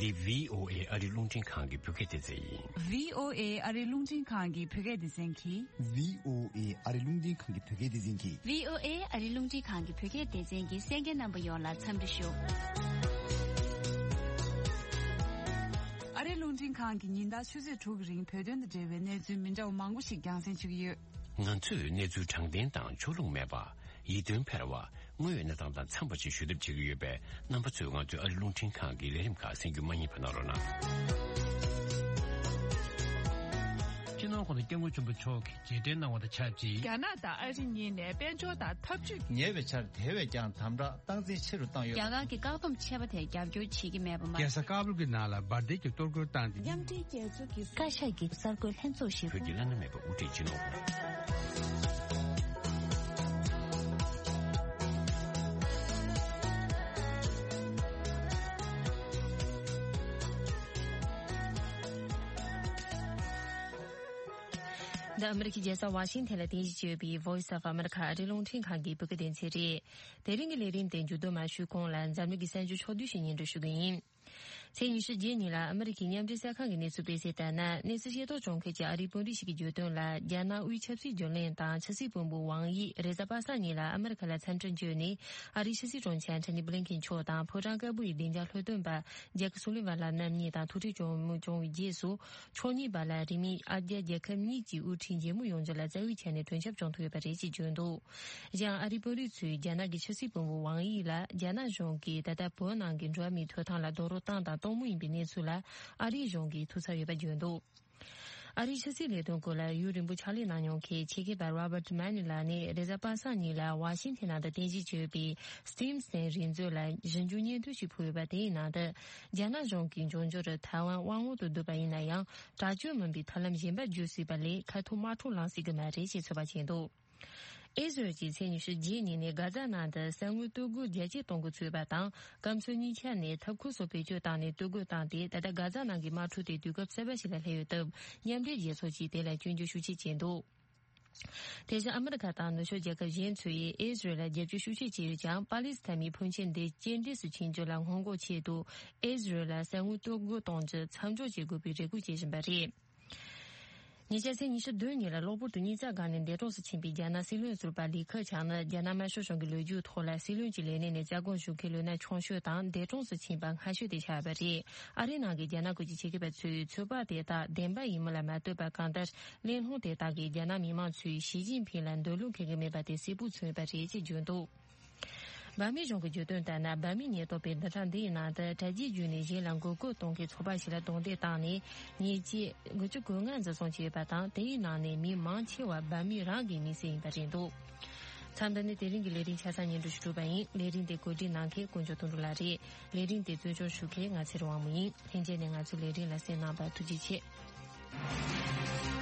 འདི་བྷི་ཨོ་ཨེ་ཨ་རི་རླུང་འཕྲིན་ཁང་གི་བོད་སྐད་སྡེ་ཚན་ཡིན། བྷི་ཨོ་ཨེ་ཨ་རི་རླུང་འཕྲིན་ཁང་གི་བོད་སྐད་སྡེ་ཚན་གྱིས། བྷི་ཨོ་ཨེ་ཨ་རི་རླུང་འཕྲིན་ཁང་གི་བོད་སྐད་སྡེ་ཚན་གྱིས། བྷི་ཨོ་ཨེ་ཨ་རི་རླུང་འཕྲིན་ཁང་གི་བོད་སྐད་སྡེ་ཚན་གྱིས་གསན་མཁན་རྣམ་པ་ཡོངས་ལ་འཚམས་འདྲི་ཞུ། ཨ་རི་རླུང་འཕྲིན་ཁང་གིས་ཉིན་ལྟར་ཆུ་ཚོད་དྲུག་གི་རིང་བོད་དོན་དང་འབྲེལ་བའི་གནས་ཚུལ་མི་འདྲ་བ་མང་པོ་ཞིག་རྒྱང་སྲིང་བྱེད་ཀྱི་ཡོད། ང་ཚོས་གནས་ཚུལ་དྲང་བདེན་དང་ཕྱོགས་ལྷུང་མེད་པ། ཡིད་རྟོན་འཕེར་བ། དངོས་ཡོད་གནས་སྟངས་དང་འཚམས་པ་ཞིག་ཞུ་ཐབས་བྱེད་ཀྱི་ཡོད་པས། རྣམ་པ་ཚོས་ང་ཚོའི་ཨ་རི་རླུང་འཕྲིན་ཁང་གི་ལས་རིམ་ཁག་གསན་རྒྱུ་མ་བསྙེལ་བ་གནང་རོགས་གནང་། སྤྱི་ནོར་༸གོང་ས་༸སྐྱབས་མགོན་ཆེན་པོ་མཆོག་གིས་རྗེས་དྲན་གནང་བ་དང་ཆབས་ཅིག་རྒྱ་ནག་དང་ཨ་རི་གཉིས་ནས་དཔལ་འབྱོར་དང་འཐབ་ཇུས། ཉེ་བའི་ཆར་དེ་བས་ཀྱང་དམ་དྲག་སྟངས་འཛིན་ཆེ་རུ་བཏང་ཡོད། རྒྱ་གར་གྱི་བཀག་སྡོམ་ཆད་པ་དེར་རྒྱབ་སྐྱོར་བྱེད་ཀྱི་མེད་པ་མ་རྒྱལ་ས་ཀ་བུལ་གྱི་ནང་ལ་འབར་མདེལ་གྱི་གཏོར་རྒོལ་བཏང་སྟེ། མཉམ་འབྲེལ་རྒྱལ་ཚོགས་ཀྱི་བཀའ་ཤག་གི་གསར་འགོད་ལྷན་ཚོགས་ཤིག་བོད་ཀྱི་བླ་ན་མེད་པ་དབུ་ཁྲིད་སྤྱི་ནོར། འདི་ཨ་མི་རི་ཀའི་རྒྱལ་ས་ཝ་ཤིང་ཐན་ལ་རྟེན་གཞི་བྱས་ཡོད་པའི་Voice of America ཨ་རིའི་རླུང་འཕྲིན་ཁང་གི་བོད་སྐད་སྡེ་ཚན་རེད། དེ་རིང་གི་ལས་རིམ་དེ་མཇུག་བསྡོམས་མ་ཞུས་གོང་ལ་འཛམ་གླིང་གི་གསར་འགྱུར་ཕྱོགས་བསྡུས་ཤིག་སྙན་སྒྲོན་ཞུ་གི་ཡིན། ཚེས་ཉི་ཤུ་རྗེས་ཉིན་ལ་ཨ་མི་རི་ཀའི་མཉམ་འབྲེལ་གསར་ཁང་གི་གནས་ཚུལ་སྤེལ་གསལ་ལྟར་ན། གནས་ཚུལ་ཤེས་རྟོགས་བྱུང་མཁན་གྱི་ཨ་རིའི་དཔོན་རིགས་ཤིག་གིས་བརྗོད་དོན་ལ། རྒྱ་ནག་དབུས་ཆབ་སྲིད་བརྒྱུད་ལམ་དང་ཕྱི་སྲིད་བློན་པོ་ཝང་དབྱི་རེས་གཟའ་པ་སངས་ཉིན་ལ་ཨ་མི་རི་ཁ་ལ་འཚམས་འདྲིར་འབྱོན་ནས། ཨ་རིའི་ཕྱི་སྲིད་དྲུང་ཆེ་ཨན་ཐོ་ནི་བྷི་ལིན་ཁེན་མཆོག་དང་ཕོ་བྲང་དཀར་པོ་ཡི་བདེ་འཇགས་ལྷོ་སྟོན་པ་ཇེཀ་སུ་ལི་ཝན་ལགས་རྣམ་གཉིས་དང་ཐུག་འཕྲད་བྱུང་བྱུང་བའི་རྗེས་སུ། ཕྱོགས་གཉིས་བར་ལ་རིང་མིན་ཨ་རྒྱ་རྒྱལ་ཁབ་གཉིས་ཀྱི་དབུ་ཁྲིད་མཇལ་མོལ་ཡོང་རྒྱུ་ལ་རྩ་བའི་ཆ་ནས་གྲོས་འཆམ་བྱུང་ཐུབ་ཡོད་པ་རེད་ཅེས་བརྗོད་འདུག་གཞན་ཨ་རིའི་དཔོན་རིགས་ཚོས་རྒྱ་ནག་གི་ཕྱི་སྲིད་བློན་པོ་ཝང་དབྱི་ལ་རྒྱ་ནག་གཞུང་གིས་ད་ལྟ་བོད་ནང་གི་འགྲོ་བ་མིའི་ཐོབ་ཐང་ལ་རྡོག་རོལ་བཏང་དང་གཏོང་མུས་ཡིན་པའི་གནས་ཚུལ་ལ་ཨ་རིའི་གཞུང་གིས་ཐུགས་འཚབ་ཡོད་པ་བརྗོད་འདུག་ཨ་རིའི་ཕྱི་སྲིད་ལས་དོན་སྐོར་ལ་ཡུན་རིང་པོ་ཕྱག་ལས་གནང་མྱོང་མཁན་ཆེད་མཁས་པ་Robert Malley ལགས་ནས་རེས་གཟའ་པ་སངས་ཉིན་ལ་ཝ་ཤིང་ཐན་ནང་དུ་རྟེན་གཞི་བྱས་ཡོད་པའི་Stimson་རིག་མཛོད་ལ་ཞིབ་འཇུག་སྙན་ཐོ་ཞིག་ཕུལ་ཡོད་པ། དེའི་ནང་དུ་རྒྱ་ནག་གཞུང་གིས་འབྱུང་འགྱུར་ཐའེ་ཝན་དབང་འོག་ཏུ་བསྡུས་པ་ཡིན་ན་ཡང་། དྲག་སྤྱོད་མིན་པའི་ཐབས་ལམ་གཞན་པ་བརྒྱུད་སྲིད་པ་ལས་ཁ་ཐུག་དམག་འཁྲུག་ལངས་སྲིད་ཀྱི་མ་རེད་ཅེས་ཚོད་དཔག་བྱས་འདུག་ཨི་ཟི་རལ་གྱིས་ཚེས་ཉི་ཤུ་རྗེས་ཉིན་ནས་གྷ་ཛ་ནང་དུ་གསང་བའི་སྟོད་གོས་རྒྱ་སྐྱེད་གཏོང་འགོ་ཚུད་པ་དང་། སྐམ་སར་གཉིས་ཆ་ནས་ཐབ་ཁུང་སོགས་བེད་སྤྱོད་བཏང་ནས་སྟོད་གོས་བཏང་སྟེ། ད་ལྟ་གྷ་ཛ་ནང་གི་དམག་འཁྲུག་དེ་དུས་སྐབས་གསར་པ་ཞིག་ལ་སླེབས་ཡོད་སྟབས། མཉམ་འབྲེལ་རྒྱལ་ཚོགས་ཀྱིས་དེ་ལ་སྐྱོན་བརྗོད་ཤུགས་ཆེ་བྱས་འདུག་དེ་བཞིན་ཨ་མི་རི་ཁ་དང་ནུབ་ཕྱོགས་རྒྱལ་ཁབ་གཞན་ཚོས་ཨི་ཟི་རལ་ལ་རྒྱབ་སྐྱོར་ཤུགས་ཆེ་བྱས་ཡོད་ཀྱང་། པ་ལི་སི་ཐན་མིའི་ཕོན་ཆེན་དེ་སྐྱེལ་འདྲེན་སུ་ཕྱིན་རྒྱུ་ལ་སྔོན་འགོག་ཆེད་དུ། ཨི་ཟི་རལ་ལ་གསང་བའི་སྟོད་གོས་གཏོང་རྒྱུ་མཚམས་འཇོག་བྱེད་དགོས་པའི་རེ་སྐུལ་བྱེད་བཞིན་པ་རེད། ཉེ་ཆར་ཚེས་ཉི་ཤུ་བདུན་ཉིན་ལ་གློ་བུར་དུ་དབྱིན་ཚབ་སྒང་ནས་འདས་གྲོངས་སུ་ཕྱིན་པའི་རྒྱ་ནག་སྲིད་བློན་ཟུར་པ་ལི་ཁེ་ཆང་ནི། རྒྱ་ནག་དམར་ཤོག་གཞུང་གི་ལོ་རྒྱུས་ཐོག་ལ་སྲིད་བློན་གྱི་ལས་གནས་ནས་བཙག་འགོག་ཞུ་མཁན་ལོ་ན་ཆུང་ཤོས་དང་། འདས་གྲོངས་སུ་ཕྱིན་པ་སྔ་ཤོས་དེ་ཆགས་པ་རེད། ཨ་རིའི་ནང་གི་རྒྱ་ནག་ཁུལ་གྱི་ཆེད་མཁས་པ་ཚོས་ཚོད་དཔག་དེ་དག་བདེན་པ་ཡིན་མིན་ལ་མ་ལྟོས་པར། གང་ལྟར། གླེང་སློང་དེ་དག་གིས་རྒྱ་ནག་མི་མང་ཚོས་ཞི་ཅིན་ཕིང་ལ་འདོད་བློ་འཁེལ་གྱི་མེད་པ་དེ་གསལ་པོ་མཚོན་ཡོད་པ་རེད་ཅེས་བརྗོད་འདུག་བྷ་མི་གཞུང་གི་བརྗོད་དོན་ལྟར་ན། བྷ་མི་ཉེན་རྟོག་པས་བདུན་ཕྲག་འདིའི་ནང་དུ་གྲ་རྒྱས་བརྒྱུད་ནས་གཞན་ལ་མགོ་སྐོར་གཏོང་མཁན་ཚོགས་པ་ཞིག་ལ་རྡུང་རྡེག་བཏང་ནས། ཉེས་ཆད་དགུ་བཅུ་གོ་ལྔ་འཛིན་བཟུང་བྱས་ཡོད་པ་དང་། དེའི་ནང་ནས་མི་མང་ཆེ་བ་བྷ་མི་རང་གི་མི་སེར་ཡིན་པ་རེད་འདུག་མཚམས་འདི་ནས་དེ་རིང་གི་ལས་རིམ་ཆ་ཚང་སྙན་སྒྲོན་ཞུ་གྲུབ་པ་ཡིན། ལས་རིམ་དེ་གོ་སྒྲིག་གནང་མཁན་དཀོན་མཆོག་དོན་གྲུབ་ལགས་རེད། ལས་རིམ་དེ་གཙོ་སྐྱོང་ཞུ་མཁན་ང་ཚེ་རིང་དབང་མོ་ཡིན། ལྷན་རྒྱས་ནས་ང་ཚོའི་ལས་རིམ་ལ་གསན་གནང་བར་ཐུགས་རྗེ་ཆེ།